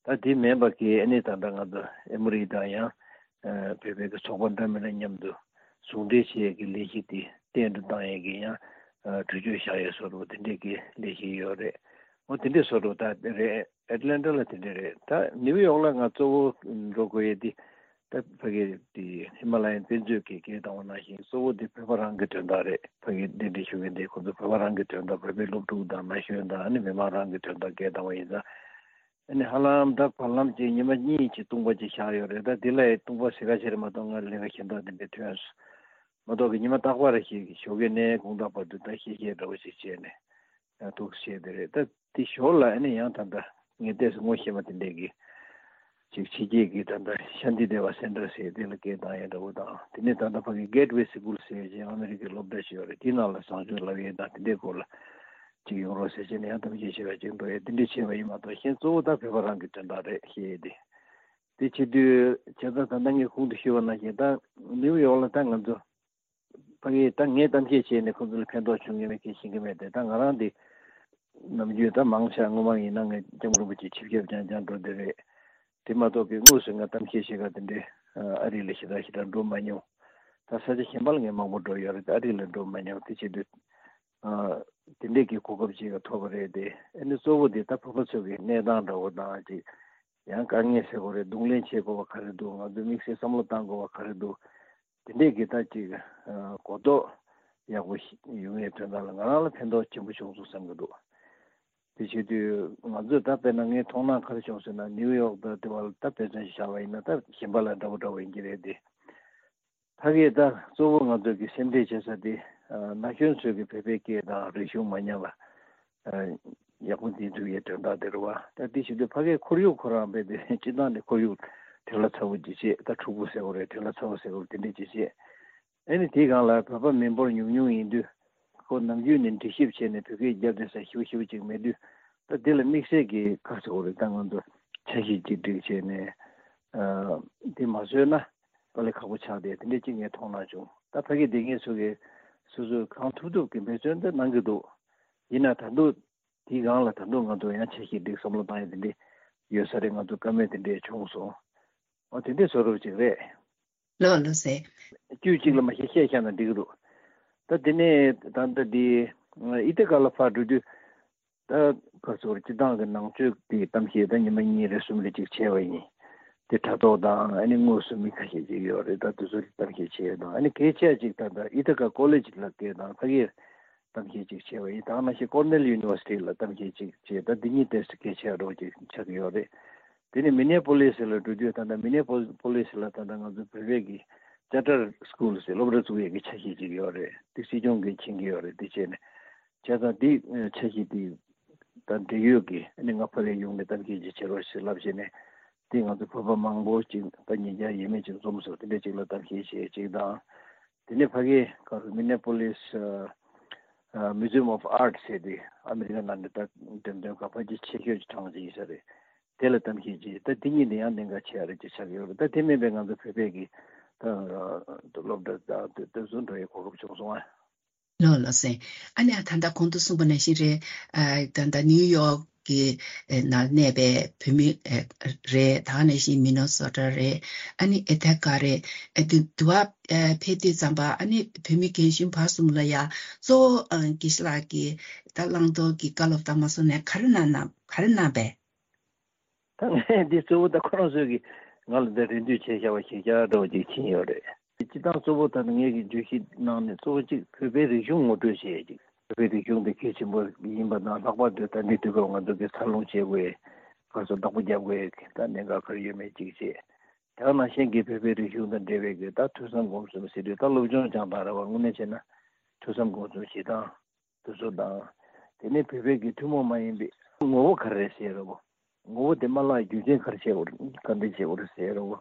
ད་དེ་མིན་པ་གི་ཨ་ནི་ད་ལྟ་ང་ཚོ་ཨེ་མོ་རི་དང་ཡང་བོད་པའི་གི་ཚོགས་པ་འདྲ་མིན་འདྲ་མཉམ་དུ་ཟུང་འབྲེལ་བྱེད་ཡས་ཀྱི་ལས་གཞི་དེ་བརྟན་དུ་བཏང་ཡས་ཀྱི་ཡང་གྲོས་ཆོད་བཞག་ཡས་བཟོ་འདྲ་དེ་འདྲས་ཀྱི་ལས་གཞི་ཡོད་རེད། འོ་དེ་འདྲས་བཟོ་འདྲ་ད་རེད། ཨེ་ཊ་ལན་ཊ་ལ་དེ་འདྲས་རེད། ད་ནིའུ་ཡོག་ལ་ང་གཙོ་བོ་འགྲོ་དགོས་ཡས་དེ་ད་ཕ་གི་དེ་ཧི་མ་ལ་ཡན་དཔེ་མཛོད་ཀྱི་སྐད་བཏང་བ་ནང་བཞིན་གཙོ་བོ་དེ་བོད་པ་རང་གི་དོན་དག་རེད། ཕ་གི་གདན་འདྲེན་ཞུ་མཁན་དེ་ཁོ་ཚོ་བོད་པ་རང་གི་དོན་དག་བོད་པའི་སློབ་ཕྲུག་དང་ན་གཞོན་དང་ཨ་ནི་མི་མང་རང་གི་དོན་དག་སྐད་བཏང་བ་ཡིན་ཙང་། ཨ་ནི་ཧ་ལམ་ད་བར་ལམ་གྱི་ཉི་མ་གཉིས་ཀྱི་སྟོང་པ་ཅིག་བཞག་ཡོད་རེད། ད་འདི་ལ་ཡི་སྟོང་པ་ཟེར་ག་ཞིག་རེད་མ་གཏོགས་ང་ལས་ཀ་གཞན་དག་འདི་འདྲའི་ཐོན་སོང་མ་གཏོགས་ཀྱི་ཉི་མ་རྟག་པར་ཞིག་ཞོགས་ཀས་ནས་དགོང་དག་བར་དུ་ད་ཤེས་བཤད་འདྲ་བོ་ཞིག་བྱས་ནས་ཡང་ཐུགས་བཞེས་དེ་རེད། ད་འདི་ཞོར་ལ་ཨ་ནི་ཡང་ད་ལྟ་ངས་ལྟས་སུ་ངོ་ཤེས་པ་དེ་འདྲས་ཀྱི་ཅིག་ཕྱི་རྒྱལ་གྱི་ད་ལྟ་ཤཱན་ཏི་དེ་བ་སེན་ཊར་ཟེར་དེ་ལ་སྐད་བཏང་ཡས་འདྲ་བོ་དང་དེ་ནས་ད་ལྟ་ཕ་གི་གེ་ཊི་ཝེ་སི་ཀུལ་ཟེར་ཅིག་ཨ་མི་རི་ཀའི་སློབ་གྲྭ་ཞིག་ཡོད་རེད། དེའི་ནང་ལ་བཟང་སྤྱོད་བསླབ་ཡས་དང་དེ་འདྲའི་སྐོར་ལ། ཅིག་ཡོང་རོགས་ཟེར་བྱས་ནས་ཡང་གཏམ་བཤད་བྱེད་པ་ཅིག་འགྲོ་ཡས་དེ་འདྲ་བྱས་པ་ཡིན་མ་གཏོགས་གཞན་གཙོ་བོ་ད་བོད་པ་རང་གི་དོན་དག་རེད་ཤེས་ཡས་དེ། དེ་བྱེད་དུས་བྱས་ཙང་ད་ལྟ་ངས་གོང་དུ་ཞུས་པ་ནང་བཞིན་ད་ནིའུ་ཡོག་ལ་ད་ང་ཚོ་ཕ་གི་ད་ངས་གཏམ་བཤད་བྱས་ནས་ཁོང་ཚོ་ལ་ཕན་ཐོགས་བྱུང་ངེས་མེད་མཁན་ཤེས་ཀྱི་མེད་དེ། ད་ང་རང་དེ་ནམ་རྒྱུན་ད་མང་ཆེ་བ་སྔོན་མ་ཡིན་ན་ངས་སྐྱབས་མགོན་རིན་པོ་ཆེ་ཆིབས་ཞབས་རྐྱང་རྐྱང་འགྲོ་བསྡད་རེད། དེ་མ་གཏོགས་པའི་དངོས་སུ་ང་གཏམ་བཤད་བྱེད་ག་དེ་འདྲའི་ཨ་རི་ལ་ཞེ་དྲག་ཞེ་དྲག་འགྲོ་མ་མྱོང་། ད་ས་ཆ་གཞན་པ་ལ་ངས་མང་པོ་འགྲོ་ཡོད་རེད། ད་ཨ་རི་ལ་འགྲོ་མ་མྱོང་། དེ་བྱེད་དུས་ཨ་དེ་འདྲས་ཀྱི་གོ་སྐབས་ཅིག་ཐོབ་པ་རེད་དེ། ཨ་ནི་གཙོ་བོ་དེ་ད་བོད་པ་ཚོ་གི་གནས་སྟངས་འདྲ་བོ་དང་ཅིག་ཡང་དཀའ་ངལ་སེལ་དགོས་རེད། གདོང་ལེན་བྱེད་དགོས་པ་ག་རེ་འདུག་ང་ཚོས་དམིགས་བསལ་བསམ་བློ་བཏང་དགོས་པ་ག་རེ་འདུག་དེ་འདྲས་ཀྱི་ད་ཅིག་གོ་རྟོགས་ཡག་པོ་ཞིག་ཡོང་ཡས་དོན་དག་ལ་ང་རང་ལ་ཕན་ཐོགས་ཆེན་པོ་བྱུང་སོང་བསམ་གྱི་འདུག་དེ་བྱེད་དུས་ང་ཚོས་ད་དཔེར་ན་ངའི་མཐོང་སྣང་ག་རེ་བྱུང་ཟེར་ན་ནིའུ་ཡོག་དང་དེ་བ་ལ་ད་དཔེ་མཚོན་ཞིག་བཞག་པ་ཡིན་ན་ད་གཞན་པ་ལ་འདྲ་པོ་འདྲ་པོ་ཡིན་གྱི་རེད་དེ། ཕ་གིའི་ད་གཙོ་བོ་ང་ཚོ་གི་སེམས་ཁྲལ་བྱེད་ས་དེ་ན་གཞོན་ཚོས་ཀྱི་བོད་པའི་སྐད་དང་རིག་གཞུང་མ་ཉམས་པ་ཡག་པོ་འཛིན་ཐུབ་ཡས་དོན་དག་དེ་རེད་བ། ད་དེ་བྱེད་དུས་ཕ་གིའི་ཁོར་ཡུག་ཁོ་རང་རྦད་དེ་སྤྱི་བཏང་ནས་ཁོར་ཡུག་དོན་ལ་ཚ་བོ་ཅིག་བྱེད། ད་འཁྲུག་པོ་ཟེར་བ་རེད། དོན་ལ་ཚ་བོ་ཟེར་བ་དེ་འདྲ་ཅིག་བྱེད། ཨ་ནི་དེའི་སྒང་ལ་བོད་པ་མི་འབོར་ཉུང་ཉུང་ཡིན་དུས་ཁོ་ནམ་རྒྱུན་ནས་འདྲི་ཞིབ་བྱས་ནས་བོད་སྐད་རྒྱབ་བསྡད་ས་ཞིབ་ཞིབ་ཅིག་མེད་དུས་ད་དེ་ལ་དམིགས་བསལ་གྱི་ཁ་ཚ་བོ་རེད། ད་ང་ཚོ་འཆར་གཞི་ཅིག་སྒྲིག་བྱས་ནས་དེ་མ་བཟོས་ན། དཀའ་ལས་ཁག་པོ་ཆགས་ཏེ་དེ་འདྲས་ཅིག་ངས་མཐོང་སྣང་བྱུང་། ད་ཕ་གི་དེ་ངས་སུ་གི་སོ་སོས་གང་ཐུབ་ཐུབ་ཀྱི་འབད་བརྩོན་དེ་གནང་གི་འདུག་ཡིན་ན་ད་དུང་དེའི་སྒང་ལ་ད་དུང་ང་ཚོ་ཡང་འཆར་གཞི་སྒྲིག་བསམ་བློ་བཏང་ཡ་དེ་འདྲས་ཡོད་ས་རེད། ང་ཚོ་བཀའ་མོལ་དེ་འདྲས་བྱུང་སོང་། འོ་དེ་འདྲས་བཟོ་རོགས་ཅིག་རེད། ལགས་ལགས་སེ། དཀྱུས་གཅིག་ལ་མ་ཤེས་བཤད་བཞག་ན་འགྲིག་གི་འདུག་ད་དེ་ནས་ད་ལྟ་འདི་ཨི་ཐི་ཀ་ལ་ཕར་འགྲོ་དུས། ད་ག་ཚོར་སྤྱི་བཏང་གི་ནང་ཆོས་ཀྱི་གཏམ་བཤད་ད་ཉི་མ་གཉིས་རེ་གསུམ་རེ་ཅིག་བྱས་པ་ཡིན། དེ་དྲ་ཐོག་དང་ཨ་ནི་དངོས་སུ་མི་ཁ་ཤས་ཅིག་ཡོད་རེད། ད་དེ་ཚོ་གཏམ་བཤད་བྱས་དང་ཨ་ནི་གལ་ཆེ་ཅིག་ད་ད་ཨི་ཐི་ཀ་ཀོ་ལེ་ཇི་ལ་སྐད་དང་ཕ་གིར་གཏམ་བཤད་ཅིག་བྱས་པ་ཡིན། ད་ནང་བཞིན་ཀོར་ནེལ་ཡུ་ནི་ཝར་སི་ཊི་ལ་གཏམ་བཤད་ཅིག་བྱས། ད་འདི་གཉིས་ཏོག་ཙམ་གལ་ཆེ་བ་འདྲ་བོ་ཅིག་ཆགས་ཀྱི་ཡོད་རེད། དེ་ནས་མི་ནེ་པོ་ལིས་ལ་འགྲོ་དུས་ད་ལྟ་མི་ནེ་པོ་ལིས་ལ་ད་ལྟ་ང་ཚོ་བོད་པའི་གི་ཅར་ཊར་སི་ཀུལ་ཟེར་སློབ་གྲྭ་བཙུགས་ཡས་ཀྱི་འཆར་གཞི་ཅིག་ཡོད་རེད། དེ་སྲིད་སྐྱོང་གིས་མཁྱེན་གྱི་ཡོད་རེད། དེ་བྱས་ནས་བྱས་ཙང་དེ་འཆར་གཞི་དེ་ད་འབྲེལ་ཡོད་ཀྱི་ཨ་ནི་ང་ཕ་གིར་ཡོང་ནས་གཏམ་བཤད་ཅིག་བྱེད་རོགས་ཞེས་ལབ་བྱས་ནས་དེ་ང་ཚོ་བོད་པ་མང་པོ་ཅིག་ད་ཉིན་རྒྱང་ཡས་མས་ཅིག་འཛོམས་སོང་། དེ་འདྲ་ཅིག་ལ་གཏམ་བཤད་བྱས་ཅིག་དང་། དེ་ནས་ཕ་གིའི་ག་རེ་མི་ནེ་པོ་ལིས་ཨ་Museum of Art ཟེར་དེ་ཨ་མི་རི་ཀ་ནང་ནས་ད་འགྲེམས་སྟོན་ག་ཕལ་ཆེར་ཆེ་ཤོས་ཀྱི་གྲངས་ཅིག་ཡིན་ས་རེད། དེ་ལ་གཏམ་བཤད་བྱས། ད་དེ་གཉིས་དེ་ཡང་གནད་འགག་ཆེ་བ་རེད་ཅེས་ཆགས་ཡོད་རེད། ད་དེ་མིན་པའི་ང་ཚོ་བོད་པའི་གི་ད་སློབ་གྲྭ་ད་དེ་ཚོ་འགྲོ་ཡའི་གོ་སྐབས་བྱུང་སོང་ཨ། ལགས་ལགས་སེ། ཨ་ནི་ད་ལྟ་གོང་དུ་གསུངས་པ་ནང་བཞིན་རེད། ཨ་ད་ལྟ་ནིའུ་ཡོག་གི་ནང་གནས་པའི་བོད་མི་རེད། ད་ག་ནང་བཞིན་མི་ནི་སོ་ཊ་རེད། ཨ་ནི་ཨི་ཐི་ཀ་རེད། ཨ་དེ་དུ་བ་ཕེབས་དུས་ཙམ་པ་ཨ་ནི་བོད་མི་རྒན་གཞོན་བར་གསུམ་ལ་ཡ་གཙོ་བོ་དགེ་བཤེས་ལགས་ཀྱིས་ད་བླང་དོར་གྱི་བཀའ་སློབ་དང་མ་སོང་ནས་ག་རེ་གནང་གནང་ག་རེ་གནང་པས། ད་ངས་འདི་གཙོ་བོ་ད་ཁོ་རང་ཚོས་ཀྱིས་ང་ལ་འདི་རེ་འདུན་བྱས་བཞག་པ་ཞིག་བཞག་འདྲ་བོ་ཅིག་ཕྱིན་ཡོད་རེད། སྤྱི་བཏང་གཙོ་བོ་ད་ངས་ཀྱི་བརྗོད་གཞི་ནང་ནས་གཙོ་བོ་གཅིག་བོད་པའི་རིག་གཞུང་ངོ་སྤྲོད་བྱེད་ཡས་ཅིག་བོད་པའི་རིག་གཞུང་འདི་གལ་ཆེན་པོ་ཡིན་པ་དང་ལྷག་པར་དུ་ད་འདི་དུས་སྐབས་ང་ཚོ་གི་འཚར་ལོངས་བྱེད་དགོས་ག་ཚོད་བདག་པོ་རྒྱབ་དགོས་ད་གནད་འགག་ག་རེ་ཡོད་མེད་ཅིག་བྱེད། དེ་ག་ནང་བཞིན་གྱི་བོད་པའི་རིག་གཞུང་དང་འབྲེལ་བའི་གི་ད་ཐོས་བསམ་སྒོམ་གསུམ་ཟེར་དུས་ད་སློབ་སྦྱོང་སྦྱང་སྟངས་རེད་བ། དངོས་གནས་བྱས་ན་ཐོས་བསམ་སྒོམ་གསུམ་བྱེད་སྟངས། དེ་ཚོ་དང་། དེ་ནས་བོད་པའི་གི་ཐུན་མོང་མ་ཡིན་པའི་ངོ་བོ་ག་རེ་རེད་ཟེར་རོ། ངོ་བོ་དེ་མ་བརླག་རྒྱུ་རྐྱེན་ག་རེ་བྱས་པ་རེད་ག་འདྲ་བྱས་པ་རེད་ཟེར་རོ།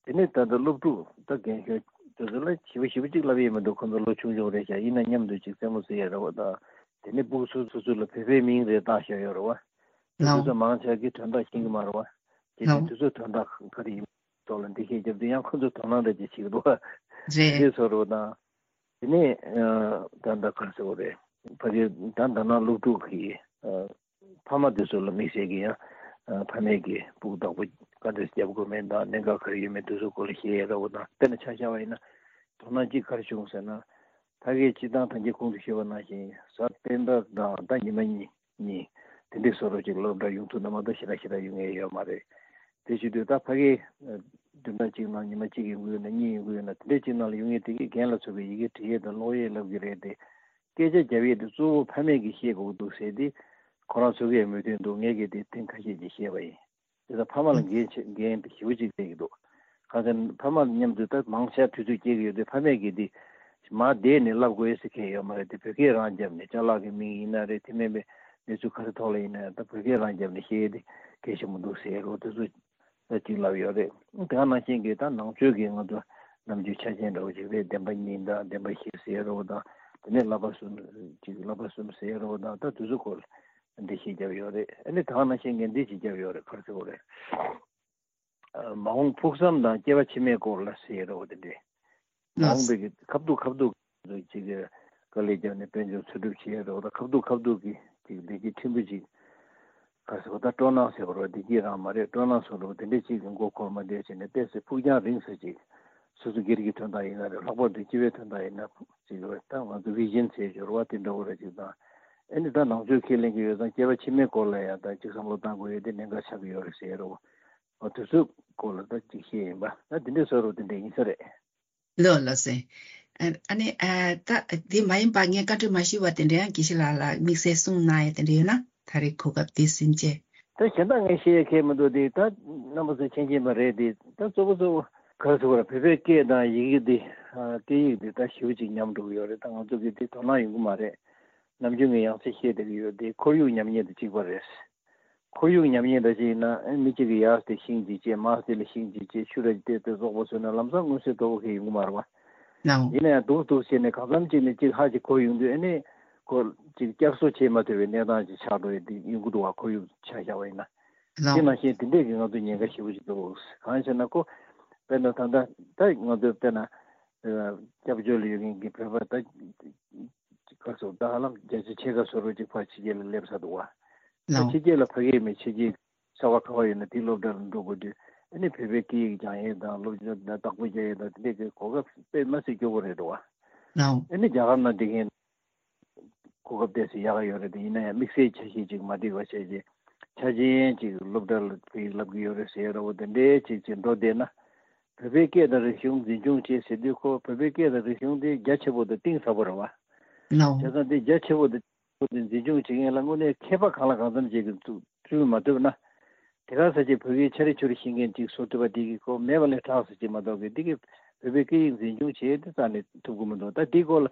དེ་ནས་ད་ལྟ་སློབ་ཕྲུག་ད་རྒན་གཞོན་དེ་ཚོ་ལ་ཞིབ་པ་ཞིབ་པ་ཅིག་ལབ་ཡས་མི་འདུག་ཁོ་ཚོ་ལོ་ཆུང་ཆུང་རེད་ཤག་ཡིན་ན་མཉམ་དུ་ཅིག་རྩེད་མོ་རྩེ་ཡས་རེད་བ་དང་། དེ་ནས་ཕྲུ་གུ་སོ་སོ་ཚོ་ལ་བོད་པའི་མིང་རེ་བཏགས་བཞག་ཡོད་རེད་བ། དེ་ཚོ་མང་ཆེ་གི་དོན་དག་ཤེས་ཀྱི་མ་རེད་བ། དེ་དེ་ཚོ་དོན་དག་ག་རེ་ཡིན། ཐོག་ལ་འགྲེལ་བཤད་བརྒྱབ་དུས་ཡང་ཁོ་ཚོ་དོ་སྣང་འདྲ་ཅིག་བྱེད་ཀྱི་འདུག་བ། རེད། དེ་བཟོ་འདྲ་བོ་དང་། དེ་ནས་ད་ལྟ་ག་རེ་ཟེར་དགོས་རེད། ཕ་གི་ད་ད་ནང་སློབ་ཕྲུག་གི་ཕ་མ་དེ་ཚོ་ལ་དམིགས་བསལ་གྱི་ཡང་ཕ་མས་ཀྱི་སྤུ་གུ་བདག་པོ་ག་འདྲས་རྒྱབ་དགོས་མིན་དང་གནད་འགག་ག་རེ་ཡོད་མེད་དེ་ཚོ་སྐོར་ལ་བཤད་ཡ་འདྲ་བོ་དང་། དཔེར་ན་ཆ་བཞག་པ་ཡིན་ན་དོ་སྣང་གཅིག་ག་རེ་བྱུང་ཟེར་ན། ཕ་གིའི་སྤྱི་བཏང་ཐང་ཆེན་གོང་དུ་ཞུས་པ་ནང་བཞིན་གཟའ་སྤེན་པ་དང་ད་ཉི་མ་གཉིས་གཉིས་དེ་འདྲའི་བཟོ་འདྲ་ཅིག་སློབ་གྲྭ་ཡོང་ཐུབ་ན་མ་གཏོགས་ཞེ་དྲག་ཞེ་དྲག་ཡོང་ངེས་ཡོད་མ་རེད། དེ་བྱེད་དུས་ད་ཕ་གིའི་བདུན་ཕྲག་གཅིག་ནང་ཉི་མ་གཅིག་ཡོང་གི་ཡོད་ན་གཉིས་ཡོང་གི་ཡོད་ན་དེ་འདྲའི་གཅིག་ནང་ལ་ཡོང་ངེས་དེ་གིས་རྒན་ལ་སོགས་པའི་ཡི་གེ་འབྲི་ཡས་དང་ཀློག་ཡས་བསླབ་ཀྱི་རེད་དེ། སྐད་ཆ་རྒྱབ་ཡས་དེ་གཙོ་བོ་ཕ་མས་ཀྱིས་ཤེས་དགོས་འདུག་ཟེར་ཏེ། ཁོ་རང་ཚོ་གིས་མོས་མཐུན་འདུག་ངས་ཀྱིས་དེ་ཐེངས་ཁ་ཤས་ཅིག་བཤད་པ་ཡིན། དེ་ལ་ཕ་མ་ལ་འགན་ཆེ་འགན་དེ་ཞེ་པོ་ཅིག་སྤྲད་ཀྱི་འདུག་གང་ཟེར་ན་ཕ་མ་མཉམ་དུ་ད་མང་ཆེ་དུས་ཚོད་སྐྱེལ་གྱི་ཡོད་དུས་ཕ་མས་ཀྱིས་དེ་མར་བསྡད་ནས་བསླབ་དགོས་ཟེར་མཁན་ཡོད་མ་རེད་དེ། བོད་སྐད་རང་བརྒྱབ་ནས་ཅ་ལག་གི་མིང་ཡིན་ན་རེད། དེ་མིན་པའི་གནས་ཚུལ་ག་རེ་ཐོག་ལ་ཡིན་ན་ཡང་ད་བོད་སྐད་རང་བརྒྱབ་ནས་བཤད་ཡས་དེ་གལ་ཆེན་པོ་འདུག་ཟེར་རོ་དེ་ཚོ་ད་ཅིག་ལབ་ཡོད་རེད། དེ་ག་ནང་བཞིན་གྱི་ད་ནང་ཆོས་ཀྱི་ང་ཚོ་ནམ་རྒྱུན་ཆ་རྐྱེན་འདྲ་བོ་ཅིག་རེད། བདེན་པ་གཉིས་དང་བདེན་པ་བཞི་ཟེར་རོ་དང་དེ་ནས་བསླབ་པ་གསུམ་ཅིག་བསླབ་པ་གསུམ་ཟེར་རོ་དང་ད་དེ་ཚོ་སྐོར་ལ་འགྲེལ་བཤད་བརྒྱབ་ཡོད་རེད། ཨ་ནི་ད་ག་ནང་བཞིན་གྱི་འདི་ཅིག་བརྒྱབ་ཡོད་རེད། ག་རེ་ཟེར་དགོས་རེད། མ་འོངས་ཕུགས་བསམ་དང་སྐྱེ་བ་ཕྱི་མའི་སྐོར་ལ་ཟེར་རོ་དེ་འདྲས། མ་འོངས་པའི་གི་ཁ་ཐུག་ཁ་ཐུག་ཅིག་གི་དཀའ་ལས་བརྒྱབ་ནས་དཔལ་འབྱོར་འཚོལ་སྒྲུབ་བྱེད་རོགས་ད་ཁ་ཐུག་ཁ་ཐུག་གི་ཅིག་བདེ་སྐྱིད་ཕྲན་བུ་ཅིག་ག་ཟེར་བ་ད་སྤྲོ་སྣང་ཟེར་བ་རོ་བདེ་སྐྱིད་རང་མ་རེད། སྤྲོ་སྣང་ཟེར་རོ་དེ་འདྲས་ཅིག་གི་མགོ་འཁོར་མ་བསྡད་བྱས་ནས་ཏོག་ཙམ་ཕུགས་རྒྱང་རིང་ས་ཅིག་སོ་སོ་སྒེར་གྱི་དོན་དག་ཡིན་ན་རེད། ལྷག་པར་དུ་སྤྱི་པའི་དོན་དག་ཡིན་ན་ཅིག་རེད། ད་ང་ཚོ་བི་ཞན་ཟེར་སྦྱོར་བ་དེ་འདྲ་བོ་རེ་ཅིག་དང་། ཨ་ནི་ད་ནང་ཆོས་ཁས་ལེན་གྱི་ཡོད་ཙང་སྐྱེ་བ་ཕྱི་མའི་སྐོར་ལ་ཡང་ད་ཅིག་བསམ་བློ་བཏང་དགོས་ཡོད་དེ་གནད་འགག་ཆགས་ཀྱི་ཡོད་རེད་ཟེར་རོ། འོ་དེ་ཚོའི་སྐོར་ལ་ད་ཅིག་བཤད་ཡིན་པ། ད་དེ་འདྲའི་བཟོ་འདྲ་དེ་འདྲ་ཡིན་ས་རེད། ལགས་ལགས་སེ། ཨ་ནི་ཨ་ད་དེ་མ་ཡིན་པ་ངས་བཀའ་འདྲི་མ་ཞུས་པ་དེ་འདྲ་ཡང་དགེ་བཤེས་ལགས་ལ་དམིགས་བསལ་གསུངས་གནང་ཡས་དེ་འདྲ་ཡོད་ན་ད་རེས་གོ་སྐབས་དེ་ཟིན་བྱས། ད་གཞན་དག་ངས་བཤད་ཡས་ཁེལ་མི་འདུག་དེ་ད་རྣམ་པ་ཚོ་མཁྱེན་མཁྱེན་པ་རེད་དེ། ད་གཙོ་བོ་གཙོ་བོ་ག་རེ་ཟེར་དགོས་རེད། བོད་པའི་སྐད་དང་ཡི་གེ་འདི་ཨ་སྐད་ཡིག་འདི་ད་ཞེ་པོ་ཅིག་ཉམས་འགྲོ་གི་ཡོད་རེད། ད་ང་ཚོ་གིས་དེ་དོ་སྣང་ཡོང་གི་མ་རེད། ནམ་རྒྱུན་ངས་ཡང་སེ་བཤད་བསྡད་ཀྱི་ཡོད་དེ་ཁོར་ཡུག་ཉམས་ཉེས་དང་གཅིག་པ་རེད། ཁོར་ཡུག་ཉམས་ཉེས་འདྲ་ཅིག་ཡིན་ན་ཨེ་མི་གཅིག་གིས་ཡར་དེ་ཤིང་གཅིག་བཅད་མར་དེ་ལ་ཤིང་གཅིག་བཅད་ཆུ་ར་གཅིག་བལྟས་ཏེ་བཙོག་པ་བཟོས་ན་ལམ་སང་མངོན་གསལ་དོད་པོ་གང་ཡང་ཡོང་གི་མ་རེད་བ། ལའོ། ཡིན་ན་ཡང་སྡུག་སྡུག་བྱས་ནས་གང་འཚམ་ཅིག་ནས་གཅིག་ཧ་ཅིག་གོ་ཡོང་དུས་ཨེ་ནས་ཁོ་གཅིག་བསྐྱར་གསོ་བྱེད་མ་ཐུབ་པའི་གནས་སྟངས་ཅིག་ཆགས་འགྲོ་ཡི་དེ་ཡོང་གི་འདུག་བ། ཁོར་ཡུག་ཆ་བཞག་པ་ཡིན་ན། དེ་ལའོ། ནང་བཞིན་དེ་འདྲས་ཀྱི་ང་ཚོ་ཉེན་ཁ་ཞེ་པོ་ཅིག་འདུག་གང་ཟེར་ན་ཁོ་དཔེར་ན་ད་ལྟ་ད་ང་ཚོ་དཔེར་ན་སྐྱབས་བཅོལ་ལ་ཡོད་མཁན་གྱི་བོད་པ་ད་ག་ཚོད་ད་ཧ་ལམ་བརྒྱ་ཆ་ཕྱེད་ཀ་བཟོ་འདྲ་ཅིག་ཕར་ཕྱི་རྒྱལ་ལ་སླེབས་ཚར་འདུག་བ། ལའོ། ཕྱི་རྒྱལ་ལ་ཕ་གིའི་མི་ཕྱི་རྒྱལ་གསར་པ་ག་པར་ཡོད་ན་དེའི་སློབ་གྲྭ་ལ་འགྲོ་དགོས་དུས་ཨ་ནི་བོད་པའི་སྐད་ཡིག་སྦྱང་ཡས་དང་སློབ་སྦྱོང་དང་བདག་པོ་རྒྱག་ཡས་དང་དེ་འདྲས་ཀྱི་གོ་སྐབས་དཔེ་མ་སྲིད་སྐྱོ་པོ་རེད་འདུག་བ། ལའོ། ཨ་ནི་རྒྱ་གར་ནང་བསྡད་མཁན་གོ་སྐབས་ཏོག་ཙམ་ཡག་ག་ཡོད་རེད་དེ། ཡིན་ན་ཡང་དམིགས་བསལ་འཆར་གཞི་ཅིག་མ་འགྲིག་པ་བྱས་རྗེས་ཆ་རྐྱེན་ཅིག་སློབ་གྲྭ་ལ་བོད་ཡིག་བསླབ་ཀྱི་ཡོད་རེད་ཟེར་ཡ་འདྲ་བོ་དེ་འདྲས་ཅིག་ཅིག་འགྲོ་བསྡད་ན། བོད་པའི་སྐད་དང་རིག་གཞུང་འཛིན་སྐྱོང་བྱེད་ཟེར་དུས་ཁོ་བོད་པའི་སྐད་དང་རིག་གཞུང་དེ་རྒྱ་ཆེ་པོ་དང་གཏིང་ཟབ་པོ་རེད་བ། ལའོ། བྱས་ཙང་དེ་རྒྱ་ཆེ་པོ་དང་གཏིང་ཟབ་པོ་དེ་འཛིན་སྐྱོང་བྱེད་མཁན་ལ་དངོས་གནས་མཁས་པ་གང་ལ་གང་འཚམ་ཅིག་གིས་བཙུགས་བཙུགས་མ་ཐུབ་ན། དེ་ག་ས་ཅིག་བོད་ཡིག་ཆ་རེ་ཆུ་རེ་ཤེས་མཁན་ཅིག་བཟོ་ཐུབ་པ་དེ་གི་ཁོ་མེད་པ་ལས་དྲག་ས་ཅིག་མ་གཏོགས་གི་དེ་གི་བོད་པའི་སྐད་ཡིག་འཛིན་སྐྱོང་བྱེད་དེ་རྩ་ནས་ཐུབ་ཀྱི་མི་འདུག་ད་དེའི་སྐོར་ལ་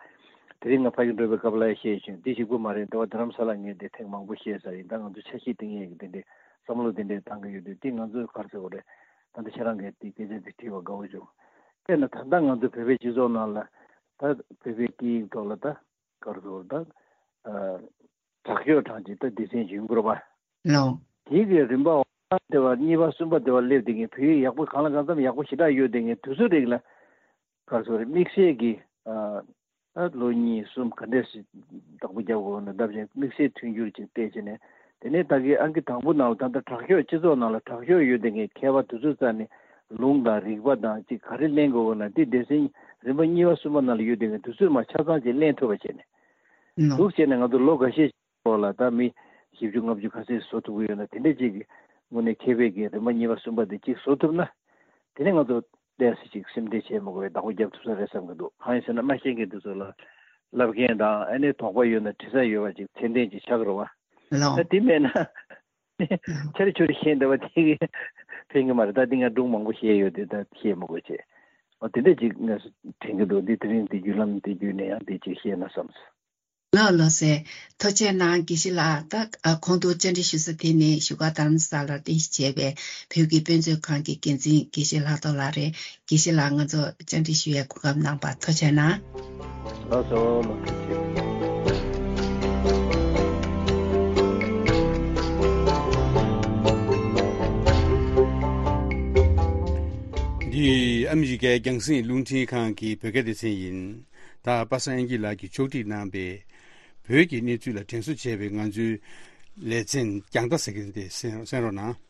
དེ་རིང་ང་ཕ་གི་འགྲོ་བའི་སྐབས་ལ་ཡང་བཤད་བྱུང་། འདི་གཅིག་པུ་མ་རེད། འདི་བ་རྡ་རམ་ས་ལ་ངས་དེ་ཐེངས་མང་པོ་བཤད་ས་ཡིན། ད་ང་ཚོ་འཆར་གཞི་བཏིང་ཡས་ཀྱི་དེ་འདྲའི་བསམ་བློ་དེ་འདྲའི་བཏང་གི་ཡོད་དུས་དེ་ང་ཚོས་ག་རེ་ཟེར་དགོས་རེད། ད་ལྟ་ཁྱེད་རང་གིས་དེ་སྐད་ཆ་དེ་དྲིས་པ་དགའ་བོ་བྱུང་། དཔེར་ན་ད་ལྟ་ང་ཚོ་བོད་པའི་སྤྱི་ཚོགས་ནང་ལ་ད་བོད་པའི་སྐད་ཡིག་ཐོག་ལ་ད་ག་རེ་ཟེར་དགོས་རེད། ད་དྲག་ཤོས་གྲངས་ཀྱི་ད་སྡེ་ཚན་ཡོང་གི་རེད་པ། ལའོ། དེའི་གི་རིམ་པ་འོག་དེ་བ་གཉིས་པ་གསུམ་པ་དེ་བ་སླེབས་དེ་ངས་བོད་ཡིག་ཡག་པོ་གང་ལ་གང་འཚམ་ཡག་པོ་ཞེ་དྲག་ཡོད་དེ་ངས་དུས་ཚོད་རིང་ལ་ག་རེ་ཟེར་དམིགས་བསལ་གྱི་ཨ་ལོ་གཉིས་གསུམ་ག་འདྲས་ཞིག་བདག་པོ་རྒྱབ་དགོས་ན་ལབ་ཅིང་དམིགས་བསལ་མཐུན་འགྱུར་ཅིག་སྤྲད་བྱས་ནས་དེ་ནས་ད་གི་ཨང་ཀི་དང་པོ་ནང་ལ་ད་ལྟ་དྲག་ཤོས་སྤྱི་ཚོགས་ནང་ལ་དྲག་ཤོས་ཡོད་དེ་ངས་མཁས་པ་དུས་ཚོད་རྩ་ནས་ལུང་དང་རིགས་པ་དང་ཅིག་ག་རེ་ལེན་དགོས་ན་དེ་སྡེ་ཚན་རིམ་པ་གཉིས་པ་གསུམ་པ་ནང་ལ་ཡོད་དེ་ངས་དུས་ཚོད་མ་ཆ་ཚང་ཅིག་ལེན་ཐུབ་པ་བྱས་ནས་ལའོ། འདུག་བྱས་ནས་ང་ཚོ་ལོ་འགའ་ཤས་ཐོག་ལ་ད་མི་བཞི་བཅུ་ལྔ་བཅུ་ག་ཚོད་བཟོ་ཐུབ་ཀྱི་ཡོད་ན་དེ་འདྲ་ཅིག་གི་དངོས་གནས་མཁས་པའི་གི་རིམ་པ་གཉིས་པ་གསུམ་པ་དེ་གཅིག་བཟོ་ཐུབ་ན། དེ་ནས་ང་ཚོ་ཏོག་ཙམ་ཅིག་སེམས་ཁྲལ་བྱེད་མི་དགོས་པའི་བདག་པོ་རྒྱབ་ཐུབ་ས་རེད་བསམ་གྱི་འདུག་གང་ཡིན་ཟེར་ན་མ་ཤེས་མཁན་དེ་ཚོ་ལ་ལབ་མཁན་དང་ཨ་ནི་དོགས་པ་ཡོད་ན་དྲི་ས་ཡོད་པ་ཅིག་ཚད་ལྡན་ཅིག་ཆགས་ཀྱི་རེད་བ། ལའོ། ད་དེ་མེད་ན་ཆ་རེ་ཆུ་རེ་བཤད་འདྲ་བ་དེ་གི་ཕན་གྱི་མ་རེད། ད་དེ་ང་སྒྲུང་མང་པོ་བཤད་ཡོད་དེ་ད་བཤད་མི་དགོས་བྱས། འོ་དེ་འདྲ་ཅིག་ང་དྲན་གྱི་འདུག་འདི་དེ་རིང་འདི་བརྒྱུད་ལམ་འདི་བརྒྱུད་ནས་ཡང་འདི་ཅིག་བཤད་ན་བསམས། ལགས་ལགས་སེ། ཐུགས་རྗེ་གནང་། དགེ་བཤེས་ལགས། ད་ཨ་གོང་དུ་བཅར་འདྲི་ཞུ་ས་དེ་ནི་བཞུགས་སྒར་རྡ་རམ་ས་ལར་རྟེན་གཞི་བྱས་པའི་བོད་ཀྱི་དཔེ་མཛོད་ཁང་གི་འགན་འཛིན་དགེ་བཤེས་ལྷག་རྡོར་ལགས་རེད། དགེ་བཤེས་ལགས་ང་ཚོ་བཅར་འདྲི་ཞུ་ཡའི་གོ་སྐབས་གནང་བར་ཐུགས་རྗེ་གནང་། ལགས་སོ་ལགས་ཐུགས་རྗེ་ཆེ། ཨ་མི་རི་ཀའི་རྒྱང་སྲིང་རླུང་འཕྲིན་ཁང་གི་བོད་སྐད་སྡེ་ཚན་ཡིན། ད་པ་སངས་དབྱངས་སྐྱིད་ལགས་ཀྱིས་ཕྱོགས་སྒྲིག་གནང་པའི་བོད་ཀྱི་གནས་ཚུལ་ལ་དྲན་གསོ་བྱས་པའི་ང་ཚོའི་ལེ་ཚན་རྒྱང་ལྟ་ཟེར་གྱི་དེ་གསན་གསན་རོགས་གནང་།